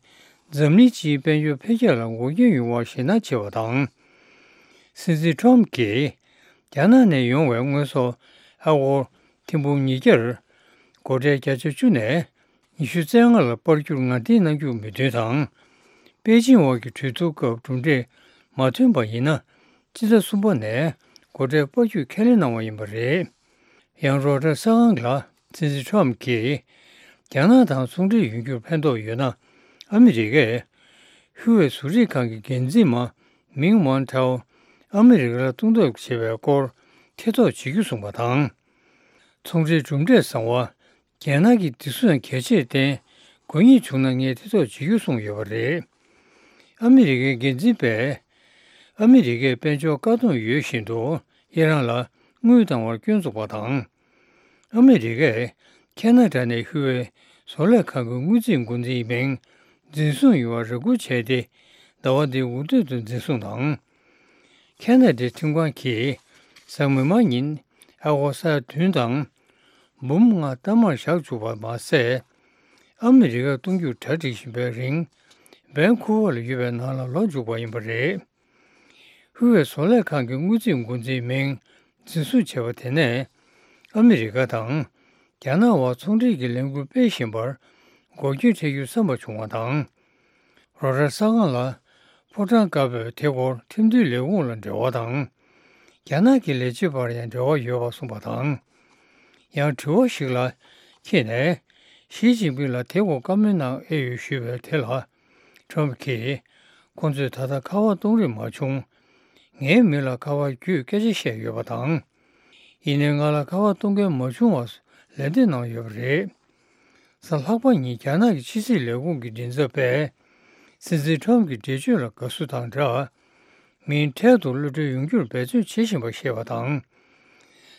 འཛམ་གླིང་སྤྱིའི་དཔལ་འབྱོར་འཕེལ་རྒྱས་ལ་འགོག་རྐྱེན་ཡོང་བར་ཞེད་སྣང་ཆེ་བ་དང་། སྲིད་འཛིན་ཊྲམ་གྱིས། རྒྱ་ནག་ནས་ཡོང་བའི་དངོས་ཟོག་ཨ་སྒོར་ཐེར་འབུམ་ཉིས་བརྒྱར། སྒོ་ཁྲལ་བརྒྱ་ཆ་བཅུ་ནས། ཉི་ཤུ་རྩ་ལྔ་ལ་སྤར་རྒྱུར་ངར་འདེགས་གནང་རྒྱུ་མོས་མཐུན་དང་། པེ་ཅིང་དབར་གྱི་གྲོས་བསྡུར་སྐབས་གྲུབ་འབྲས་མ་ཐོན་པ་ཡིན་ན། སྤྱི་ཟླ་གསུམ་པ་ནས་སྒོ་ཁྲལ་སྤར་རྒྱུའི་ཁས་ལེན་གནང་བ་ཡིན་པ་རེད། ཡང་རོའི་ཊར་གསར་ཁང་ལ་སྲིད་འཛིན་ཊྲམ་གྱིས། རྒྱ་ནག་དང་ཚོང་འབྲེལ་ཡོང་རྒྱུར་ཕན་ཐོགས་ཡོད་ན། ཨ་མི་རི་ཀས་ཧུའུ་ཝེ་བཟོ་རིག་ཁང་གི་འགན་འཛིན་མ་མིང་ཝན་ཐའོ་ཨ་མི་རི་ཀ་ལ་གཏོང་ཐབས་བྱེད་པའི་སྐོར་ཐེ་གཏོགས་བྱེད་རྒྱུ་གསུངས་པ་དང་། ཚོང་འབྲེལ་གྲུབ་འབྲས་བཟང་བ། རྒྱལ་ནང་གི་བདེ་སྲུང་གལ་ཆེར་བརྟེན། དགོས་ངེས་བྱུང་ན་ངས་ཐེ་གཏོགས་བྱེད་རྒྱུ་གསུངས་ཡོད་པ་རེད། ཨ་མི་རི་ཀའི་འགན་འཛིན་པས། ཨ་མི་རི་ཀས་དཔལ་འབྱོར་བཀག་སྡོམ་ཡོད་བཞིན་དུ་ཨི་རན་ལ་དངུལ་བཏང་བར་སྐྱོན་བཙུགས་པ་དང་། ཨ་མི་རི་ཀས་ཁེ་ན་ཌ་ནས་ཧུའུ་ཝེ་བཟོ་ལས་ཁང་གི་དངུལ་རྩིས་འགོ་འཛིན་མིང་འཛིན་བཟུང་ཡོང་བར་རེ་སྐུལ་བྱས་ཏེ། ཟླ་བ་འདིའི་འོས་བསྡུ་དུ་འཛིན་བཟུང་དང་། ཁེ་ན་ཌའི་ཁྲིམས་ཁང་གིས་གཟའ་མིག་དམར་ཉིན་ཨ་སྒོར་ས་ཡ་བདུན་དང་། འབུམ་ལྔ་གཏའ་མར་བཞག་བཅུག་པ་མ་ཟད། ཨ་མི་རི་ཀར་གཏོང་རྒྱུར་གྲ་སྒྲིག་བཞིན་པའི་རིང་། ཝན་ཁུ་ཝར་ལ་ཡོད་པའི་ནང་ལ་ལོག་འཇུག་པ་ཡིན་པ་རེད། ཧུའུ་ཝེ་བཟོ་ལས་ཁང་གི་དངུལ་རྩིས་འགོ་འཛིན་མིང་འཛིན་བཟུང་བྱས་པ་དེ་ནས། ཨ་མི་རི་ཀ་དང་རྒྱ་ནག་དབར་ཚོང་འབྲེལ་གྱི་ལས་འགུལ་སྤེལ་བཞིན་པར་འགོག་རྐྱེན་འཕྲད་རྒྱུའི་བསམ་པ་བྱུང་བ་དང་། རོའི་ཊར་གསར་ཁང་ལ། ཕོ་བྲང་དཀར་པོས་དེ་སྐོར་ཁྲིམས་མཐུན་ལས་ཁུངས་ལ་འབྲེལ་བ་དང་། རྒྱ་ནག་གི་ལས་བྱེད་པར་ཡང་འབྲེལ་བ་ཡོད་པ་གསུངས་པ་དང་། ཡང་དྲི་བ་ཞིག་ལ་འཁྱེར་ནས། ཞི་ཅིན་ཕིང་ལ་དེ་སྐོར་བཀའ་མོལ་གནང་ཨེ་ཡོད་ཞུས་པའི་དེ་ལ། ཁྲོམ་གྱིས། ཁོང་ཚོས་ད་ལྟ་ཁ་པར་གཏོང་རིན་མ་བྱུང་། ངའི་མི་ལ་ཁ་པར་བརྒྱུད་སྐད་ཆ་བཤད་ཡོད་པ་དང་། ཡིན་ནའི་ང་ལ་ཁ་པར་གཏོང་མཁན་མ་བྱུང་བར་ལན་འདེབས་གནང་ཡོད་པ་རེད། གཟའ་ལྷག་པ་ཉིན་རྒྱ་ནག་གི་ཕྱི་སྲིད་ལས་ཁུངས་ཀྱི་མགྲིན་ཚབ་པས། སྲིད་འཛིན་ཁྲོམ་གྱི་འགྲེལ་བརྗོད་ལ་དགའ་བསུ་དང་སྦྲགས། མིང་འཕྲལ་དུ་གློད་གྲོལ་ཡོང་རྒྱུར་འབད་བརྩོན་བྱེད་བཞིན་པ་ཤེས་པ་དང་།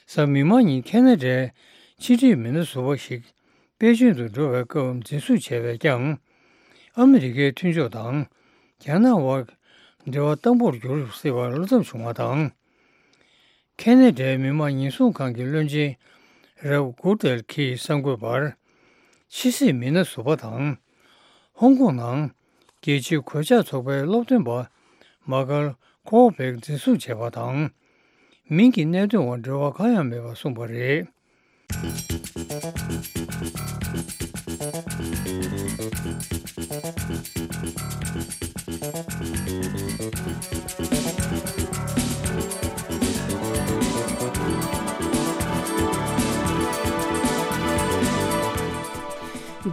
གཟའ་མིག་དམར་ཉིན་ཁེ་ན་ཌའི་ཕྱི་འབྲེལ་མི་སྣ་ཟུར་པ་ཞིག་པེ་ཅིན་དུ་འགྲོ་བའི་སྐབས་འཛིན་བཟུང་བྱས་པས་ཀྱང་། ཨ་མི་རི་ཀའི་མཐུན་ཕྱོགས་དང་རྒྱ་ནག་དབར་འབྲེལ་བ་བརྟན་པོར་གྱུར་སྲིད་པར་བློ་འཚབ་བྱུང་བ་དང་། ཁེ་ན་ཌའི་མི་དམངས་ཉེན་སྲུང་ཁང་གི་བློན་ཆེན་རབ་གུར་ཏེལ་གྱིས་གསར་འགོད་པར། ཕྱི་སྲིད་མི་སྣ་ཟུར་པ་དང་། ཧོང་ཀོང་ནང་རྒྱལ་སྤྱིའི་གོད་ཆག་ཚོགས་པའི་སློབ་སྟོན་པ་མ་ཀལ་ཁོ་བེག་འཛིན་བཟུང་བྱས་པ་དང་། མིང་གི་གནད་དོན་འོག་འབྲེལ་བ་གང་ཡང་མེད་པར་གསུངས་པ་རེད།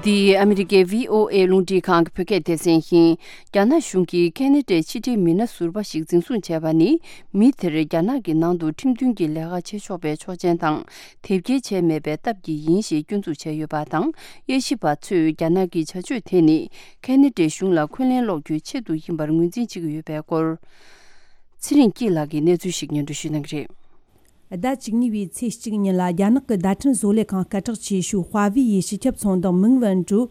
འདི་ཨ་མི་རི་ཀའི་བྷི་ཨོ་ཨེ་རླུང་འཕྲིན་ཁང་གི་བོད་སྐད་སྡེ་ཚན་ཡིན། རྒྱ་ནག་གཞུང་གིས་ཁེ་ན་ཌའི་ཕྱི་འབྲེལ་མི་སྣ་ཟུར་པ་ཞིག་འཛིན་བཟུང་བྱས་པ་ནི། མི་དེར་རྒྱ་ནག་གི་ནང་དུ་ཁྲིམས་མཐུན་གྱི་ལས་ཀ་བྱེད་ཆོག་པའི་ཆོག་མཆན་དང་། དེབ་སྐྱེལ་བྱས་མེད་པའི་སྟབས་ཀྱིས་ཡིན་ཞེས་སྐྱོན་འཛུགས་བྱས་ཡོད་པ་དང་། དབྱེ་ཞིབ་པ་ཚོས་རྒྱ་ནག་གི་བྱ་སྤྱོད་དེ་ནི། ཁེ་ན་ཌའི་གཞུང་ལ་འཁོན་ལན་སློག་རྒྱུའི་ཆེད་དུ་ཡིན་པར་ངོས་འཛིན་བྱེད་ཀྱི་ཡོད་པའི་སྐོར། ཚེ་རིང་སྐྱིད་ལགས་ཀྱིས་གནས་ཚུལ་ཞིག་སྙན་སྒྲོན་ཞུ་གནང་གི་རེད། ཟླ་བཅུ་གཉིས་པའི་ཚེས་གཅིག་ཉིན་ལ་རྒྱ་ནག་གི་བརྡ་འཕྲིན་བཟོ་ལས་ཁང་སྐད་གྲགས་ཆེ་ཤོས་ཧྭ་ཝེ་ཡི་སྤྱི་ཁྱབ་ཚོང་བདག་མིང་ཝན་ཀྲུའུ།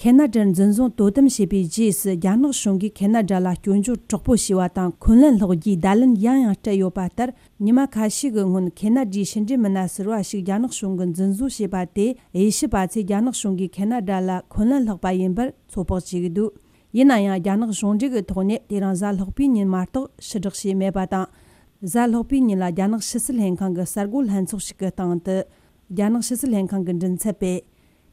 ཁེ་ན་ཌར་འཛིན་བཟུང་དོ་དམ་བྱས་པའི་རྗེས་སུ། རྒྱ་ནག་གཞུང་གིས་ཁེ་ན་ཌ་ལ་སྐྱོན་བརྗོད་དྲག་པོ་བྱས་པ་དང་། འཁོན་ལན་སློག་རྒྱུའི་བརྡ་ལན་ཡང་ཡང་སྤྲད་ཡོད་པ་ལྟར། ཉི་མ་ཁ་ཤས་ཀྱི་སྔོན། ཁེ་ན་ཌའི་ཕྱི་འབྲེལ་མི་སྣ་ཟུར་པ་ཞིག་རྒྱ་ནག་གཞུང་གིས་འཛིན་བཟུང་བྱས་པ་དེ། དབྱེ་ཞིབ་པ་ཚོས་རྒྱ་ནག་གཞུང་གིས་ཁེ་ན་ཌ་ལ་འཁོན་ལན་སློག་པ་ཡིན་པར་ཚོད་དཔག་བྱེད་ཀྱི་འདུག་ཡིན་ན་ཡང་། རྒྱ་ནག་གཞུང་འབྲེལ་གྱི་ཐོག་ནས་དེ་རིང་གཟའ་ལྷག་པའི་ཉིན་མ་གཏོགས་ཕྱིར་བསྒྲགས་བྱས་མེད་པ་དང་། གཟའ་ལྷག་པའི་ཉིན་ལ་རྒྱ་ནག་ཕྱི་སྲིད་ལྷན་ཁང་གི་གསར་འགོད་ལྷན་ཚོགས་ཤིག་གི་སྟེང་དུ། རྒྱ་ནག་ཕྱི་སྲིད་ལྷན་ཁང་གི་མགྲིན་ཚབ་པས།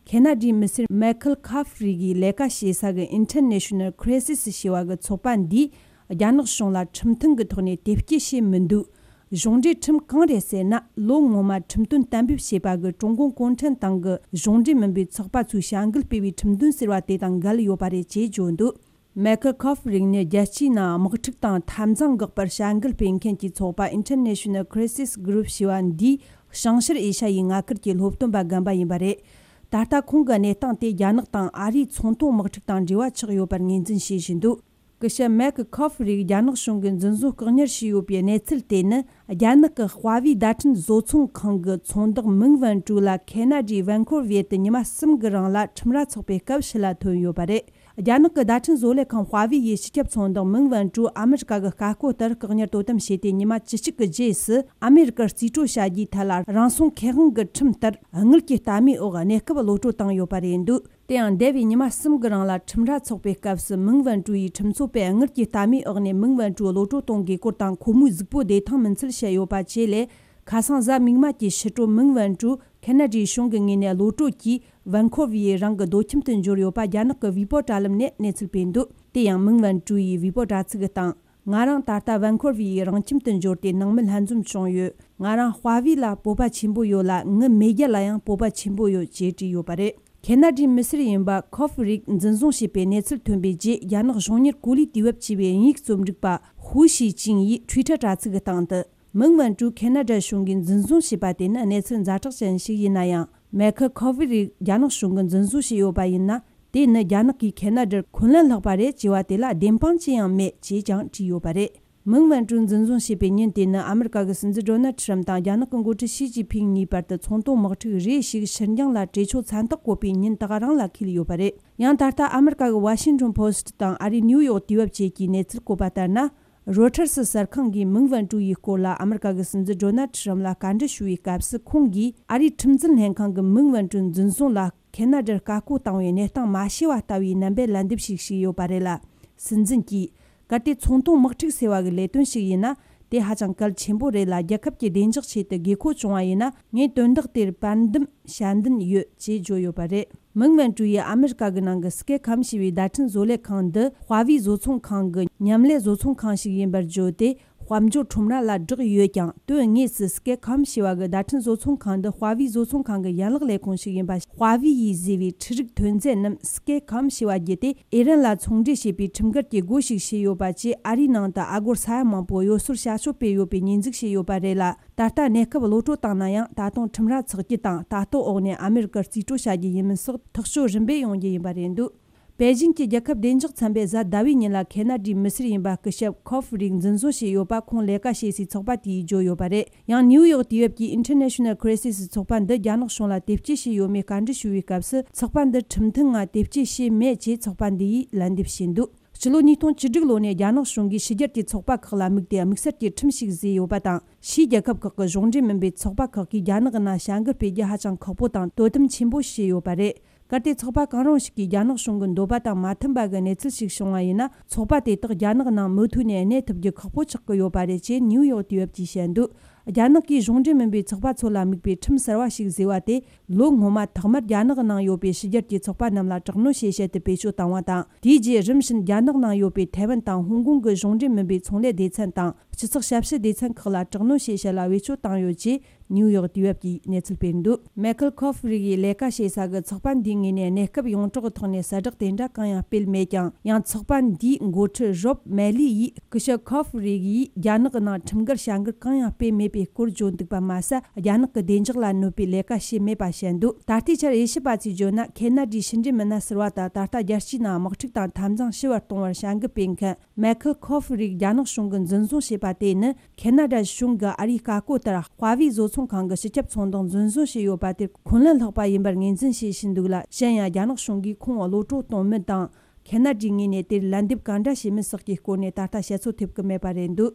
ཁེ་ན་ཌའི་མི་སེར་མའེ་ཁལ་ཁཱ་ཧྥི་རི་གིས་ལས་ཀ་བྱེད་ས་གི་International Crisis ཞེས་པ་གི་ཚོགས་པ་འདིས། རྒྱ་ནག་གཞུང་ལ་ཁྲིམས་མཐུན་གྱི་ཐོག་ནས་དེབ་སྐྱེལ་བྱས་མི་འདུག་གཞུང་འབྲེལ་ཁྲིམས་གང་རེད་ཟེར་ན། ལོ་སྔོན་མ་ཁྲིམས་དོན་གཏན་འབེབས་བྱས་པ་གི་ཀྲུང་གུང་གུང་ཁྲན་ཏང་གི་གཞུང་འབྲེལ་མིན་པའི་ཚོགས་པ་ཚོས་བྱ་འགུལ་སྤེལ་བའི་ཁྲིམས་དོན་ཟེར་བ་དེ་དང་འགལ་ཡོད་པ་རེད་ཅེས་བརྗོད་འདུག་མའེ་ཁལ་ཁཱ་ཧྥི་རི་ནི་རྒྱལ་སྤྱིའི་ནང་དམག་འཁྲུག་དང་འཐབ་འཛིང་འགག་པར་བྱ་འགུལ་སྤེལ་མཁན་གྱི་ཚོགས་པ་International Crisis Group ཞེས་པ་འདིའི་བྱང་ཤར་ཨེ་ཤ་ཡའི་མངའ་ཁུལ་གྱི་སློབ་སྟོན་པ་རྒན་པ་ཡིན་པ་རེད། ད་ལྟ་ཁོང་གི་གནས་སྟངས་དེ་རྒྱ་ནག་དང་ཨ་རིའི་ཚོང་དོན་དམག་འཁྲུག་དང་འབྲེལ་བ་ཆགས་ཡོད་པར་ངོས་འཛིན་བྱེད་བཞིན་འདུག་སྐུ་ཞབས་མའེ་ཁལ་ཁཱ་ཧྥི་རིས་རྒྱ་ནག་གཞུང་གིས་འཛིན་བཟུང་བཀག་ཉར་བྱས་ཡོད་པའི་གནས་ཚུལ་དེ་ནི། རྒྱ་ནག་གི་ཧྭ་ཝེ་བརྡ་འཕྲིན་བཟོ་ཚོང་ཁང་གི་ཚོང་བདག་མིང་ཝན་ཀྲུའུ་ལ་ཁེ་ན་ཌའི་ཝན་ཁོར་ཝེ་དུ་ཉི་མ་གསུམ་གྱི་རིང་ལ་ཁྲིམས་ར་ཚོགས་པའི་སྐབས་ཕྱི་ལ་ཐོན་ཡོད་པ་རེད། རྒྱ་ནག་གི་བརྡ་འཕྲིན་བཟོ་ལས་ཁང་ཧྭ་ཝེ་ཡི་སྤྱི་ཁྱབ་ཚོང་བདག་མིང་ཝན་ཀྲུའུ་ཨ་མི་རི་ཀ་གི་བཀའ་བཀོད་ལྟར་བཀག་ཉར་དོ་དམ་བྱས་ཏེ། ཉི་མ་བཅུ་གཅིག་གི་རྗེས་སུ་ཨ་མི་རི་ཀར་རྩིས་སྤྲོད་བྱ་རྒྱུའི་ཐད་ལ། རང་སྲུང་ཁེ་དབང་གི་ཁྲིམས་ལྟར་དངུལ་གྱི་ལྟ་རྨས་འོག་གནས་སྐབས་གློད་གྲོལ་བཏང་ཡོད་པ་རེད་འདུག་དེ་ཡང་། འདས་པའི་ཉི་མ་གསུམ་གྱི་རིང་ལ་ཁྲིམས་ར་ཚོགས་པའི་སྐབས་སུ་མིང་ཝན་ཀྲུའུ་ཡིས་ཁྲིམས་ཚོགས་པས་དངུལ་གྱི་ལྟ་རྨས་འོག་ནས་མིང་ཝན་ཀྲུའུ་གློད་གྲོལ་གཏོང་དགོས་སྐོར་དང་། ཁོ་མོའི་གཟུགས་པོ་བདེ་ཐང་མིན་ཚུལ་བཤད་ཡོད་པ་བཅས་ལས། ཁ་སང་གཟའ་མིག་དམར་གྱི་ཕྱི་དྲོ་མིང་ཝན་ཀྲུའུ་ཁེ་ན་ཌའི་གཞུང་གི་ངོས་ནས་གློད་གྲོལ་གྱིས་ཝན་ཁོར་ཝེ་ཡི་རང་གི་སྡོད་ཁྱིམ་དུ་འབྱོར་ཡོད་པ་རྒྱ་ནག་གི་བྷི་པོ་དྲ་ལམ་ནས་གནས་ཚུལ་སྤེལ་འདུག་དེ་ཡང་། མིང་ཝན་ཀྲུའུ་ཡིས་བྷི་པོ་དྲ་ཚིགས་སྟེང་། ང་རང་ད་ལྟ་ཝན་ཁོར་ཝེ་ཡི་རང་ཁྱིམ་དུ་འབྱོར་ཏེ་ནང་མི་ལྷན་འཛོམས་བྱུང་ཡོད། ང་རང་ཧྭ་ཝེ་ལ་སྤོབས་པ་ཆེན་པོ་ཡོད་ལ། ངའི་མེས་རྒྱལ་ལ་ཡང་སྤོབས་པ་ཆེན་པོ་ཡོད་ཅེས་བྲིས་ཡོད་པ་རེད། ཁེ་ན་ཌའི་མི་སེར་ཡིན་པ་ཁོ་ཧྥི་རིག་འཛིན་བཟུང་བྱས་པའི་གནས་ཚུལ་ཐོན་པའི་རྗེས། རྒྱ་ནག་གཞུང་གཉེར་གོ་ལའི་དུས་བབ་ཅེས་པའི་དབྱིན་ཡིག་རྩོམ་སྒྲིག་པ་ཧུའུ་ཞི་ཅིང་ཡིས་ཊུའི་ཊར་དྲ་ཚིགས་སྟེང་དུ། མིང་ཝན་ཀྲུའུ་ཁེ་ན་ཌ་གཞུང་གིས་འཛིན་བཟུང་བྱས་པ་དེ་ནི་གནས་ཚུལ་ཛ་དྲག་ཅན་ཞིག་ཡིན་ན་ཡང་། མེ་ཁེལ་ཁོ་ཧྥི་རིག་རྒྱ་ནག་གཞུང་གིས་འཛིན་བཟུང་བྱས་ཡོད་པ་ཡིན་ན། དེ་ནི་རྒྱ་ནག་གིས་ཁེ་ན་ཌར་འཁོན་ལན་སློག་པ་རེད་ཅེས་པ་དེ་ལ་བདེན་དཔང་ཅི་ཡང་མེད་ཅེས་ཀྱང་བྲིས་ཡོད་པ་རེད། མིང་ཝན་ཀྲུའུ་འཛིན་བཟུང་བྱས་པའི་ཉིན་དེ་ནི་ཨ་མི་རི་ཀ་གི་སྲིད་འཛིན་ཌོ་ནལ་ཁྲི་རམ་དང་རྒྱ་ནག་གི་འགོ་ཁྲིད་ཞི་ཅིན་ཕིང་གཉིས་བར་དུ་ཚོང་དོན་དམག་འཁྲུག་རེ་ཞིག་ཕྱིར་འགྱངས་ལ་གྲོས་ཆོད་མཚན་རྟགས་བཀོད་པའི་ཉིན་དག་རང་ལ་འཁེལ་ཡོད་པ་རེད། ཡང་ད་ལྟ་ཨ་མི་རི་ཀ་གི་ཝ་ཤིང་ཊོན་པོ་སི་ཊི་དང་ཨ་རིའི་ནིའུ་ཡོག་དུས་བབ་བཅས་ཀྱིས་གནས་ཚུལ་བཀོད་པ་ལྟར་ན། རོ་ཊར་སི་གསར་ཁང་གིས་མིང་ཝན་ཀྲུའུ་ཡི་སྐོར་ལ་ཨ་མི་རི་ཀ་གི་སྲིད་འཛིན་ཌོ་ནལ་ཁྲི་རམ་ལ་བཀའ་འདྲི་ཞུ་བའི་སྐབས་སུ། ཁོང་གིས་ཨ་རིའི་ཁྲིམས་འཛིན་ལྷན་ཁང་གིས་མིང་ཝན་ཀྲུའུ་འཛིན་བཟུང་ལ་ཁེ་ན་ཌར་བཀའ་བཀོད་བཏང་བའི་གནས་སྟངས་མ་ཤེས་པ་ལྟ་བུའི་རྣམ་པའི་ལན་འདེབས་ཤིག་བྱས་ཡོད་པ་རེད་ལ། སྲིད་འཛིན་གྱིས། གལ་ཏེ་ཚོང་དོན་དམག་འཁྲུག་ཟེར་བ་གི་ལས་དོན་ཞིག་ཡིན་ན། དེ་ཧ་ཅང་གལ་ཆེན་པོ་རེད་ལ། རྒྱལ་ཁབ་ཀྱི་བདེ་འཇགས་ཆེད་དུ་དགོས་མཁོ་བྱུང་བ་ཡིན་ན། ངས་དོན་དག་དེར་པར་འདེམས་ཞལ་འདོན་ཡོད་ཅེས་བརྗོད་ཡོད་པ་རེད། མིང་ཝན་ཀྲུའུ་ཡིས་ཨ་མི་རི་ཀ་གི་ནང་གི་སྐད་ཁམས་ཞེས་པའི་བརྡ་འཕྲིན་བཟོ་ལས་ཁང་འདི་ཧྭ་ཝེ་བཟོ་ཚོང་ཁང་གི་མཉམ་ལས་བཟོ་ཚོང་ཁང་ཞིག་ཡིན་པར་བརྗོད་དེ། དཔལ་འབྱོར་ཁྲོམ་ར་ལ་བསྒྲགས་ཡོད་ཀྱང་། དོན་དངོས་སུ་སྐེ་ཁམ་ཞེས་པ་གི་བརྡ་འཕྲིན་བཟོ་ཚོང་ཁང་འདི་ཧྭ་ཝེ་བཟོ་ཚོང་ཁང་གི་ཡན་ལག་ལས་ཁུངས་ཤིག་ཡིན་པ། ཧྭ་ཝེ་ཡིས་བཟོས་པའི་འཕྲུལ་རིག་ཐོན་རྫས་རྣམས་སྐེ་ཁམ་ཞེས་པ་བརྒྱུད་དེ་ཨི་རན་ལ་ཚོང་འབྲེལ་བྱས་པའི་ཁྲིམས་འགལ་གྱི་སྒོ་ཞིག་ཕྱེས་ཡོད་པ་བཅས། ཨ་རིའི་ནང་དུ་ཨ་སྒོར་ས་ཡ་མང་པོ་གཡོ་ཟོལ་བྱ་སྤྱོད་སྤེལ་ཡོད་པའི་ཉེས་འཛུགས་བྱས་ཡོད་པ་རེད་ལ། ད་ལྟ་གནས་སྐབས་གློད་གྲོལ་བཏང་ན་ཡང་། ད་དུང་ཁྲིམས་ར་ཚོགས་རྒྱུ་དང་། ལྟ་རྟོག་འོག་ནས་ཨ་མེ་རི་ཀར་རྩིས་སྤྲོད་བྱ་རྒྱུ་ཡིན་མིན་སོགས་ཐག་གཅོད་རིམ་པས་ཡོང་རྒྱུ་ཡིན་པ་རེད་འདུག་པེ་ཅིང་གི་རྒྱལ་ཁབ་བདེ་འཇགས་ཚན་པས་གཟའ་ཟླ་བའི་ཉིན་ལ་ཁེ་ན་ཌིའི་མི་སེར་ཡིན་པ་སྐུ་ཞབས་ཁོ་ཧྥི་རིག་འཛིན་བཟུང་བྱས་ཡོད་པ་ཁོང་ལས་ཀ་བྱེད་སའི་ཚོགས་པ་དེས་བརྗོད་ཡོད་པ་རེད། ཡང་ནིའུ་ཡོག་དུས་བབ་ཀྱིས་International Crisis ཚོགས་པ་འདི་རྒྱ་ནག་གཞུང་ལ་དེབ་སྐྱེལ་བྱས་ཡོད་མེད་བཀའ་འདྲི་ཞུ་བའི་སྐབས་སུ། ཚོགས་པ་འདི་ཁྲིམས་མཐུན་ངང་དེབ་སྐྱེལ་བྱས་མེད་ཅེས་ཚོགས་པ་འདི་ཡིས་ལན་འདེབས་བྱས་འདུག་སྤྱི་ལོ་ཉིས་སྟོང་བཅུ་དྲུག་ལོ་ནས་རྒྱ་ནག་གཞུང་གིས་ཕྱི་རྒྱལ་གྱི་ཚོགས་པ་ཁག་ལ་དམིགས་ཏེ་དམིགས་བསལ་གྱི་ཁྲིམས་ཤིག་བཟོས་ཡོད་པ་དང་། ཕྱིའི་རྒྱལ་ཁབ་ཁག་གི་གཞུང་འབྲེལ་མིན་པའི་ཚོགས་པ་ཁག་གིས་རྒྱ་ནག་གི་ནང་བྱ་འགུལ་སྤེལ་རྒྱུ་ཧ་ཅང་ཁག་པོ་དང་དོ་དམ་ཆེན་པོ་བྱས་ཡོད་པ་རེད། གལ་ཏེ་ཚོགས་པ་གང་རུང་ཞིག་གིས་རྒྱ་ནག་གཞུང་གི་འདོད་པ་དང་མ་མཐུན་པ་གི་གནས་ཚུལ་ཞིག་བྱུང་བ་ཡིན་ན། ཚོགས་པ་དེ་དག་རྒྱ་ནག་ནང་མུ་མཐུད་ནས་གནས་ཐུབ་རྒྱུ་ཁག་པོ་ཆགས་ཀྱི་ཡོད་པ་རེད་ཅེས་ནིའུ་ཡོག་དུས་བབ་ཀྱིས་བཤད་འདུག་རྒྱ་ནག་གིས་གཞུང་འབྲེལ་མིན་པའི་ཚོགས་པ་ཚོ་ལ་དམིགས་པའི་ཁྲིམས་གསར་བ་ཞིག་བཟོས་པ་དེ། ལོ་སྔོན་མ་ཐོག་མར་རྒྱ་ནག་ནང་ཡོད་པའི་ཕྱི་རྒྱལ་གྱི་ཚོགས་པ་རྣམས་ལ་དྲག་གནོན་བྱེད་ཆེད་དུ་བེད་སྤྱོད་བཏང་བ་དང་། དེའི་རྗེས་རིམ་བཞིན་རྒྱ་ནག་ནང་ཡོད་པའི་ཐའེ་ཝན་དང་ཧོང་ཀོང་གི་གཞུང་འབྲེལ་མིན་པའི་ཚོང་ལས་སྡེ་ཚན་དང་། སྤྱི་ཚོགས་ཞབས་ཞུ་སྡེ་ཚན་ཁག་ལ་དྲག་གནོན་བྱེད་ཆེད་ལ་བེད་སྤྱོད་བཏང་ཡོད་ཅེས་ནིའུ་ཡོག་དུས་བབ་ཀྱིས་གནས་ཚུལ་སྤེལ་འདུག་མའེ་ཁལ་ཁོ་ཧྥི་རིག་ཡིས་ལས་ཀ་བྱེད་ས་གི་ཚོགས་པ་འདིའི་ངོས་ནས་གནས་སྐབས་ཡོངས་གྲགས་ཀྱི་ཐོག་ནས་གསལ་བསྒྲགས་དེ་འདྲ་གང་ཡང་སྤེལ་མེད་ཀྱང་། ཡང་ཚོགས་པ་འདིའི་འགོ་ཁྲིད་རོབ་མེ་ལི་ཡིས། སྐུ་ཞབས་ཁོ་ཧྥི་རིག་ཡིས་རྒྱ་ནག་གི་ནང་ཁྲིམས་འགལ་བྱ་འགུལ་གང་ཡང་སྤེལ་མེད་པའི་སྐོར་བརྗོད་འདུག་པ་མ་ཟད། རྒྱ་ནག་གི་བདེ་འཇགས་ལ་གནོད་པའི་ལས་ཀ་བྱས་མེད་པ་བཤད་འདུག་ད་ལྟའི་ཆར་དབྱེ་ཞིབ་པ་ཚོས་བརྗོད་ན། ཁེ་ན་ཌིའི་ཕྱི་འབྲེལ་མི་སྣ་ཟུར་པ་དང་། ད་ལྟ་རྒྱལ་སྤྱིའི་ནང་དམག་འཁྲུག་དང་། འཐབ་འཛིང་ཞི་བར་གཏོང་བར་བྱ་འགུལ་སྤེལ་མཁན་མའེ་ཁལ་ཁོ་ཧྥི་རིག་རྒྱ་ནག་གཞུང་གིས་འཛིན་བཟུང་བྱས་པ་དེ་ནི། ཁེ་ན་ཌ་གཞུང་གིས་ཨ་རིའི་བཀའ་བཀོད་ལྟར་ཧྭ་ཝེ་བཟོ་ཚོང་ཁང་གི་སྤྱི་ཁྱབ་ཚོང་དོན་འཛིན་བཟུང་བྱས་ཡོད་པ་དེར་འཁོན་ལན་སློག་པ་ཡིན་པར་ངོས་འཛིན་བྱེད་བཞིན་འདུག་ལ། གཞན་ཡང་རྒྱ་ནག་གཞུང་གིས་ཁོང་གློད་གྲོལ་གཏོང་མིན་དང་། ཁེ་ན་ཌའི་ངོས་ནས་དེར་ལན་འདེབས་གང་འདྲ་བྱེད་མིན་སོགས་ཀྱི་སྐོར་ནས་ད་ལྟ་བཤད་ཚོད་ཐེབས་ཀྱི་མེད་པ་རེད་འདུག་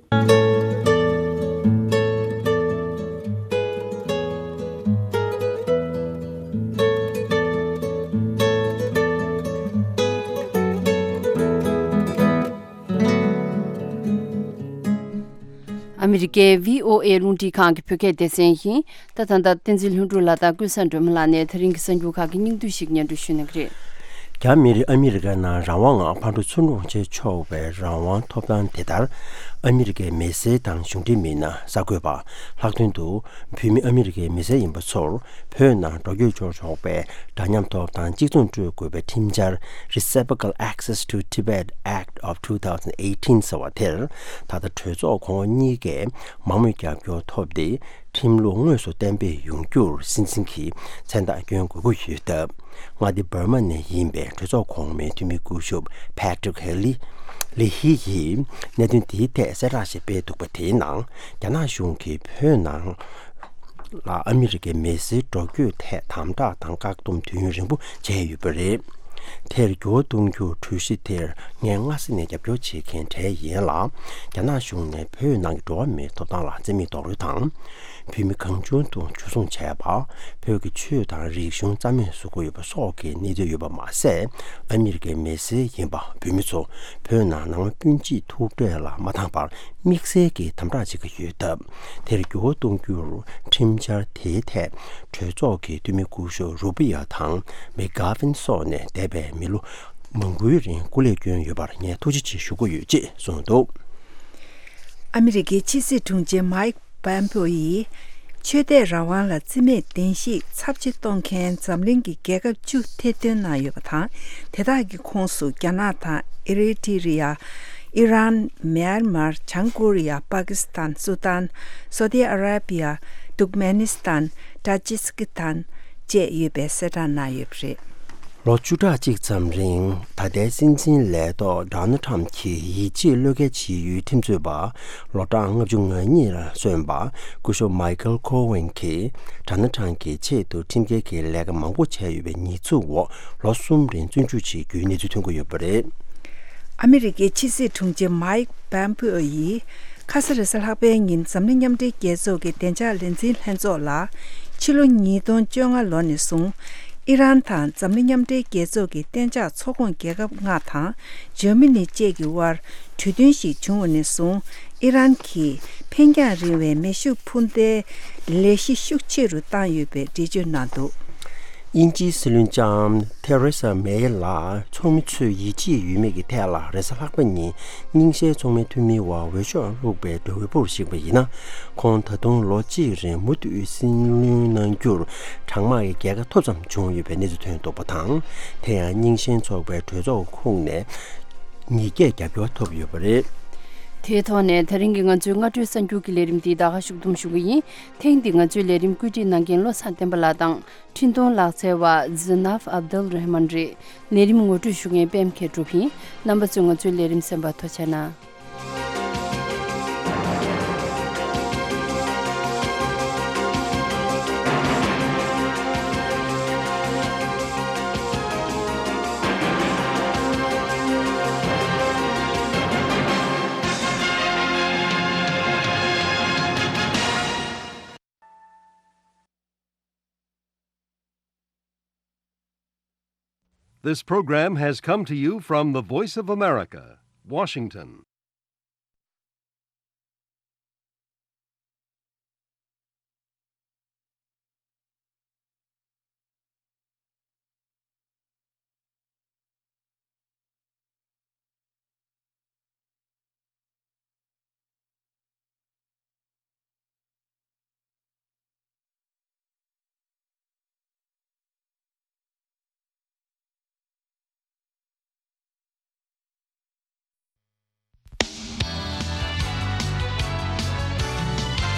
ཨ་མི་རི་ཀའི་བྷི་ཨོ་ཨེ་རླུང་འཕྲིན་ཁང་གི་བོད་སྐད་སྡེ་ཚན་ཡིན། ད་ད་ལྟ་བསྟན་འཛིན་ལྷུན་གྲུབ་ལགས་དང་ཀུན་བཟང་སྒྲོལ་མ་ལགས་ནས་དེ་རིང་གི་གསར་འགྱུར་ཁག་གི་སྙིང་བསྡུས་ཤིག་སྙན་སྒྲོན་ཞུ་གནང་གི་རེད། རྒྱ་མི་རིགས་ཨ་མི་རི་ཀའི་ནང་རང་དབང་ངང་ཕར་འགྲོ་ཚུར་འགྲོ་བྱེད་ཆོག་པའི་རང་དབང་ཐོབ་ཐང་དེ་ལྟར། ཨ་མི་རི་ཀའི་མི་སེར་དང་གཞུང་འབྲེལ་མི་སྣ། གསར་འགོད་པ། ལྷག་དོན་དུ། བོད་མི་ཨ་མི་རི་ཀའི་མི་སེར་ཡིན་པ་ཚོར་བོད་ནང་འགྲོ་སྐྱོད་འབྱོར་ཆོག་པའི་འདྲ་མཉམ་ཐོབ་ཐང་གཅིག་མཚུངས་སྤྲོད་དགོས་པའི་ཁྲིམས་འཆར། Reciprocal Access to Tibet Act of two thousand eighteen ཟེར་བ་དེར། ད་ལྟ་གྲོས་ཚོགས་གོང་འོག་གཉིས་ཀས་མང་མོས་རྒྱབ་སྐྱོར་ཐོབ་སྟེ། ཁྲིམས་ལུགས་དངོས་སུ་གཏན་འབེབས་ཡོང་རྒྱུར་སྲིད་འཛིན་གྱིས་མཚན་རྟགས་སྐྱོན་དགོས་ཀྱི་ཡོད་སྟབས། མངའ་སྡེ་འབར་མ་ནས་ཡིན་པའི་གྲོས་ཚོགས་གོང་མའི་འཐུས་མི་སྐུ་ཞབས་Patrick Healy། ལི་ཧི་ཡིས་གནད་དོན་དེའི་ཐད་གསལ་བསྒྲགས་ཤིག་སྤེལ་འདུག་པ། དེའི་ནང་རྒྱ་ནག་གཞུང་གིས་བོད་ནང་ལ་ཨ་མི་རི་ཀའི་མི་སེར་འགྲོ་སྐྱོད་ཐད་དམ་དྲག་དང་བཀག་སྡོམ་དུས་ཡུན་རིང་པོ་བྱས་ཡོད་པ་རེད། དེར་འགྱུར་བ་གཏོང་རྒྱུར་གྲོས་གཞི་དེར་ངས་སྔ་ས་ནས་རྒྱབ་སྐྱོར་བྱེད་མཁན་གྲས་ཡིན་ལ། རྒྱ་ནག་གཞུང་ནས་བོད་ནང་གི་འགྲོ་བ་མིའི་ཐོབ་ཐང་ལ་བརྩི་མེད་རྡོག་རོལ་དང་། བོད་མི་གང་བྱུང་དུ་འཇུ་བཟུང་བྱས་པ། བོད་ཀྱི་ཆོས་དང་རིག་གཞུང་རྩ་མེད་བཟོ་གི་ཡོད་པ་སོགས་ཀྱི་གནས་ཚུལ་ཡོད་པ་མ་ཟད། ཨ་མི་རི་ཀའི་མི་སེར་ཡིན་པ་བོད་མི་ཚོ་བོད་ནང་ནང་པ་སྤུན་མཆེད་ཐུག་འཕྲད་ལ་མ་འདང་བར་དམིགས་བསལ་གྱིས་དམ་དྲག་བྱེད་ཀྱི་ཡོད་སྟབས། དེར་འགྱུར་བ་གཏོང་རྒྱུར་ཁྲིམས་འཆར་དེའི་ཐད་གྲོས་ཚོགས་ཀྱི་འཐུས་མི་སྐུ་ཞབས་རུ་བི་ཡ་དང་མེག་གྷ་ཝིན་སོགས་ནས་འདས་པའི་མི་ལོ་མང་པོའི་རིང་སྐུ་ལས་བསྐྱོན་ཡོད་པར་ངས་ཐུགས་རྗེ་ཆེ་ཞུ་གི་ཡོད་ཅེས་གསུངས་འདུག་ཨ་མི་རི་ཀའི་ཕྱི་སྲིད་དྲུང་ཆེ་མའིག་པོམ་པེའོ་ཡིས། ཆོས་དད་རང་དབང་ལ་བརྩི་མེད་བདེན་བཞིའི་ཚབས་ཆེ་གཏོང་མཁན་འཛམ་གླིང་གི་རྒྱལ་ཁབ་བཅུ་ཐེར་འདོན་གནང་ཡོད་པ་དང་། དེ་དག་གི་ཁོངས་སུ་རྒྱ་ནག་དང་ཨི་རི་ཊི་རི་ཡ། ཨི་རན། མྱན་མར། བྱང་ཀོ་རི་ཡ། པ་ཀི་སི་ཐན། སུ་དཱན། སོ་ཏི་ཨ་ར་བི་ཡ། ཏུར་ཀ་མེ་ནི་སི་ཐན། ཏཱ་ཇི་སི་ཀི་སི་ཐན་བཅས་ཡོད་པའི་གསལ་བསྒྲགས་གནང་ཡོད་པ་རེད། ལོ་བཅུ་ཕྲག་གཅིག་ཙམ་རིང་ད་ལྟའི་སྲིད་འཛིན་ལས་ཐོག་ཌོ་ནལ་ཁྲམ་གྱི་ཡིད་ཆེས་བློས་འགེལ་བྱེད་ཡུལ་ཁྲིམས་རྩོད་པ་ལོ་གྲངས་ལྔ་བཅུ་ང་གཉིས་ལ་སོན་པ་སྐུ་ཞབས་མའི་ཁལ་ཁོ་ཝེན་གྱིས་ཌོ་ནལ་ཁྲམ་གྱི་ཆེད་དུ་ཁྲིམས་འགལ་གྱི་ལས་ཀ་མང་པོ་བྱས་ཡོད་པའི་ཉེས་འཛུགས་འོག་ལོ་གསུམ་རིང་བཙོན་འཇུག་བྱེད་རྒྱུའི་གནས་ཚུལ་ཐོན་གྱི་ཡོད་པ་རེད། ཨ་མི་རི་ཀའི་ཕྱི་སྲིད་དྲུང་ཆེ་མའིག་པོམ་པེའོ་ཡིས་ཁ་ས་རེས་གཟའ་ལྷག་པའི་ཉིན་འཛམ་གླིང་མཉམ་འབྲེལ་རྒྱལ་ཚོགས་ཀྱི་བདེ་འཇགས་ལས་འཛིན་ལྷན་ཚོགས་ལ། ཕྱི་ལོ་ཉིས་སྟོང་བཅོ་ལྔ་ལོ་ནས་བཟུང་ཨི་རན་དང་འཛམ་གླིང་མཉམ་འབྲེལ་རྒྱལ་ཚོགས་ཀྱི་གཏན་འཇགས་ཚོགས་ཁོངས་རྒྱལ་ཁབ་ལྔ་དང་འཇར་མ་ནི་བཅས་ཀྱི་དབར་གྲོས་མཐུན་ཞིག་བྱུང་བ་ནས་བཟུང་ཨི་རན་གྱིས་འཕེན་རྒྱང་རིང་བའི་མེ་ཤུགས་འཕུར་མདེལ་ལས་གཞི་ཤུགས་ཆེ་རུ་བཏང་ཡོད་པའི་འགྲེལ་བརྗོད་གནང་འདུག་དབྱིན་ཇིའི་སྲིད་བློན་ལྕམ་ཐེ་རེ་ས་མེ་ལ་ཚོགས་མི་ཚོས་ཡིད་ཆེས་ཡོད་མེད་ཀྱི་ཐད་ལ། རེས་གཟའ་ལྷག་པ་ཉིན་རྙིང་ཞེན་ཚོགས་མི་འཐུས་མིའི་འོག་འོས་ཤོག་བླུགས་པའི་འབྲས་བུ་ཞིག་པ་ཡིན་ན། ཁོང་ད་དུང་ལོ་གཅིག་རིང་མུ་མཐུད་སྲིད་བློན་གནང་རྒྱུར་གྲང་དམག་གི་རྒྱལ་ཁ་ཐོབ་ཙམ་བྱུང་ཡོད་པའི་གནས་ཚུལ་ཐོན་འདུག་པ་དང་། དེ་ཡང་རྙིང་ཞེན་ཚོགས་པའི་གྲོས་ཚོགས་ཁོངས་ནས་ཉིས་བརྒྱས་རྒྱབ་སྐྱོར་ཐོབ་ཡོད་པ་རེད། དེའི་ཐོག་ནས་ད་རིང་གི་ང་ཚོའི་སྔ་དྲོའི་གསར་འགྱུར་གྱི་ལས་རིམ་འདི་ད་ག་ཞུགས་གཏུམ་ཞུ་གི་ཡིན། ཐེངས་འདི་ང་ཚོའི་ལས་རིམ་བཀོད་སྒྲིག་གནང་མཁན་བློ་བཟང་བསྟན་པ་ལགས་དང་། འཕྲིན་གཏོང་ལག་རྩལ་བ་ཛི་ནབ་ཨབ་དུལ་རེ་མན་རེད། ལས་རིམ་ངོ་སྤྲོད་ཞུ་མཁན་པད་མ་མཁས་གྲུབ་ཡིན། རྣམ་པ་ཚོས་ང་ཚོའི་ལས་རིམ་གསན་པར་ཐུགས་རྗེ་གནང་། This program has come to you from the Voice of America, Washington.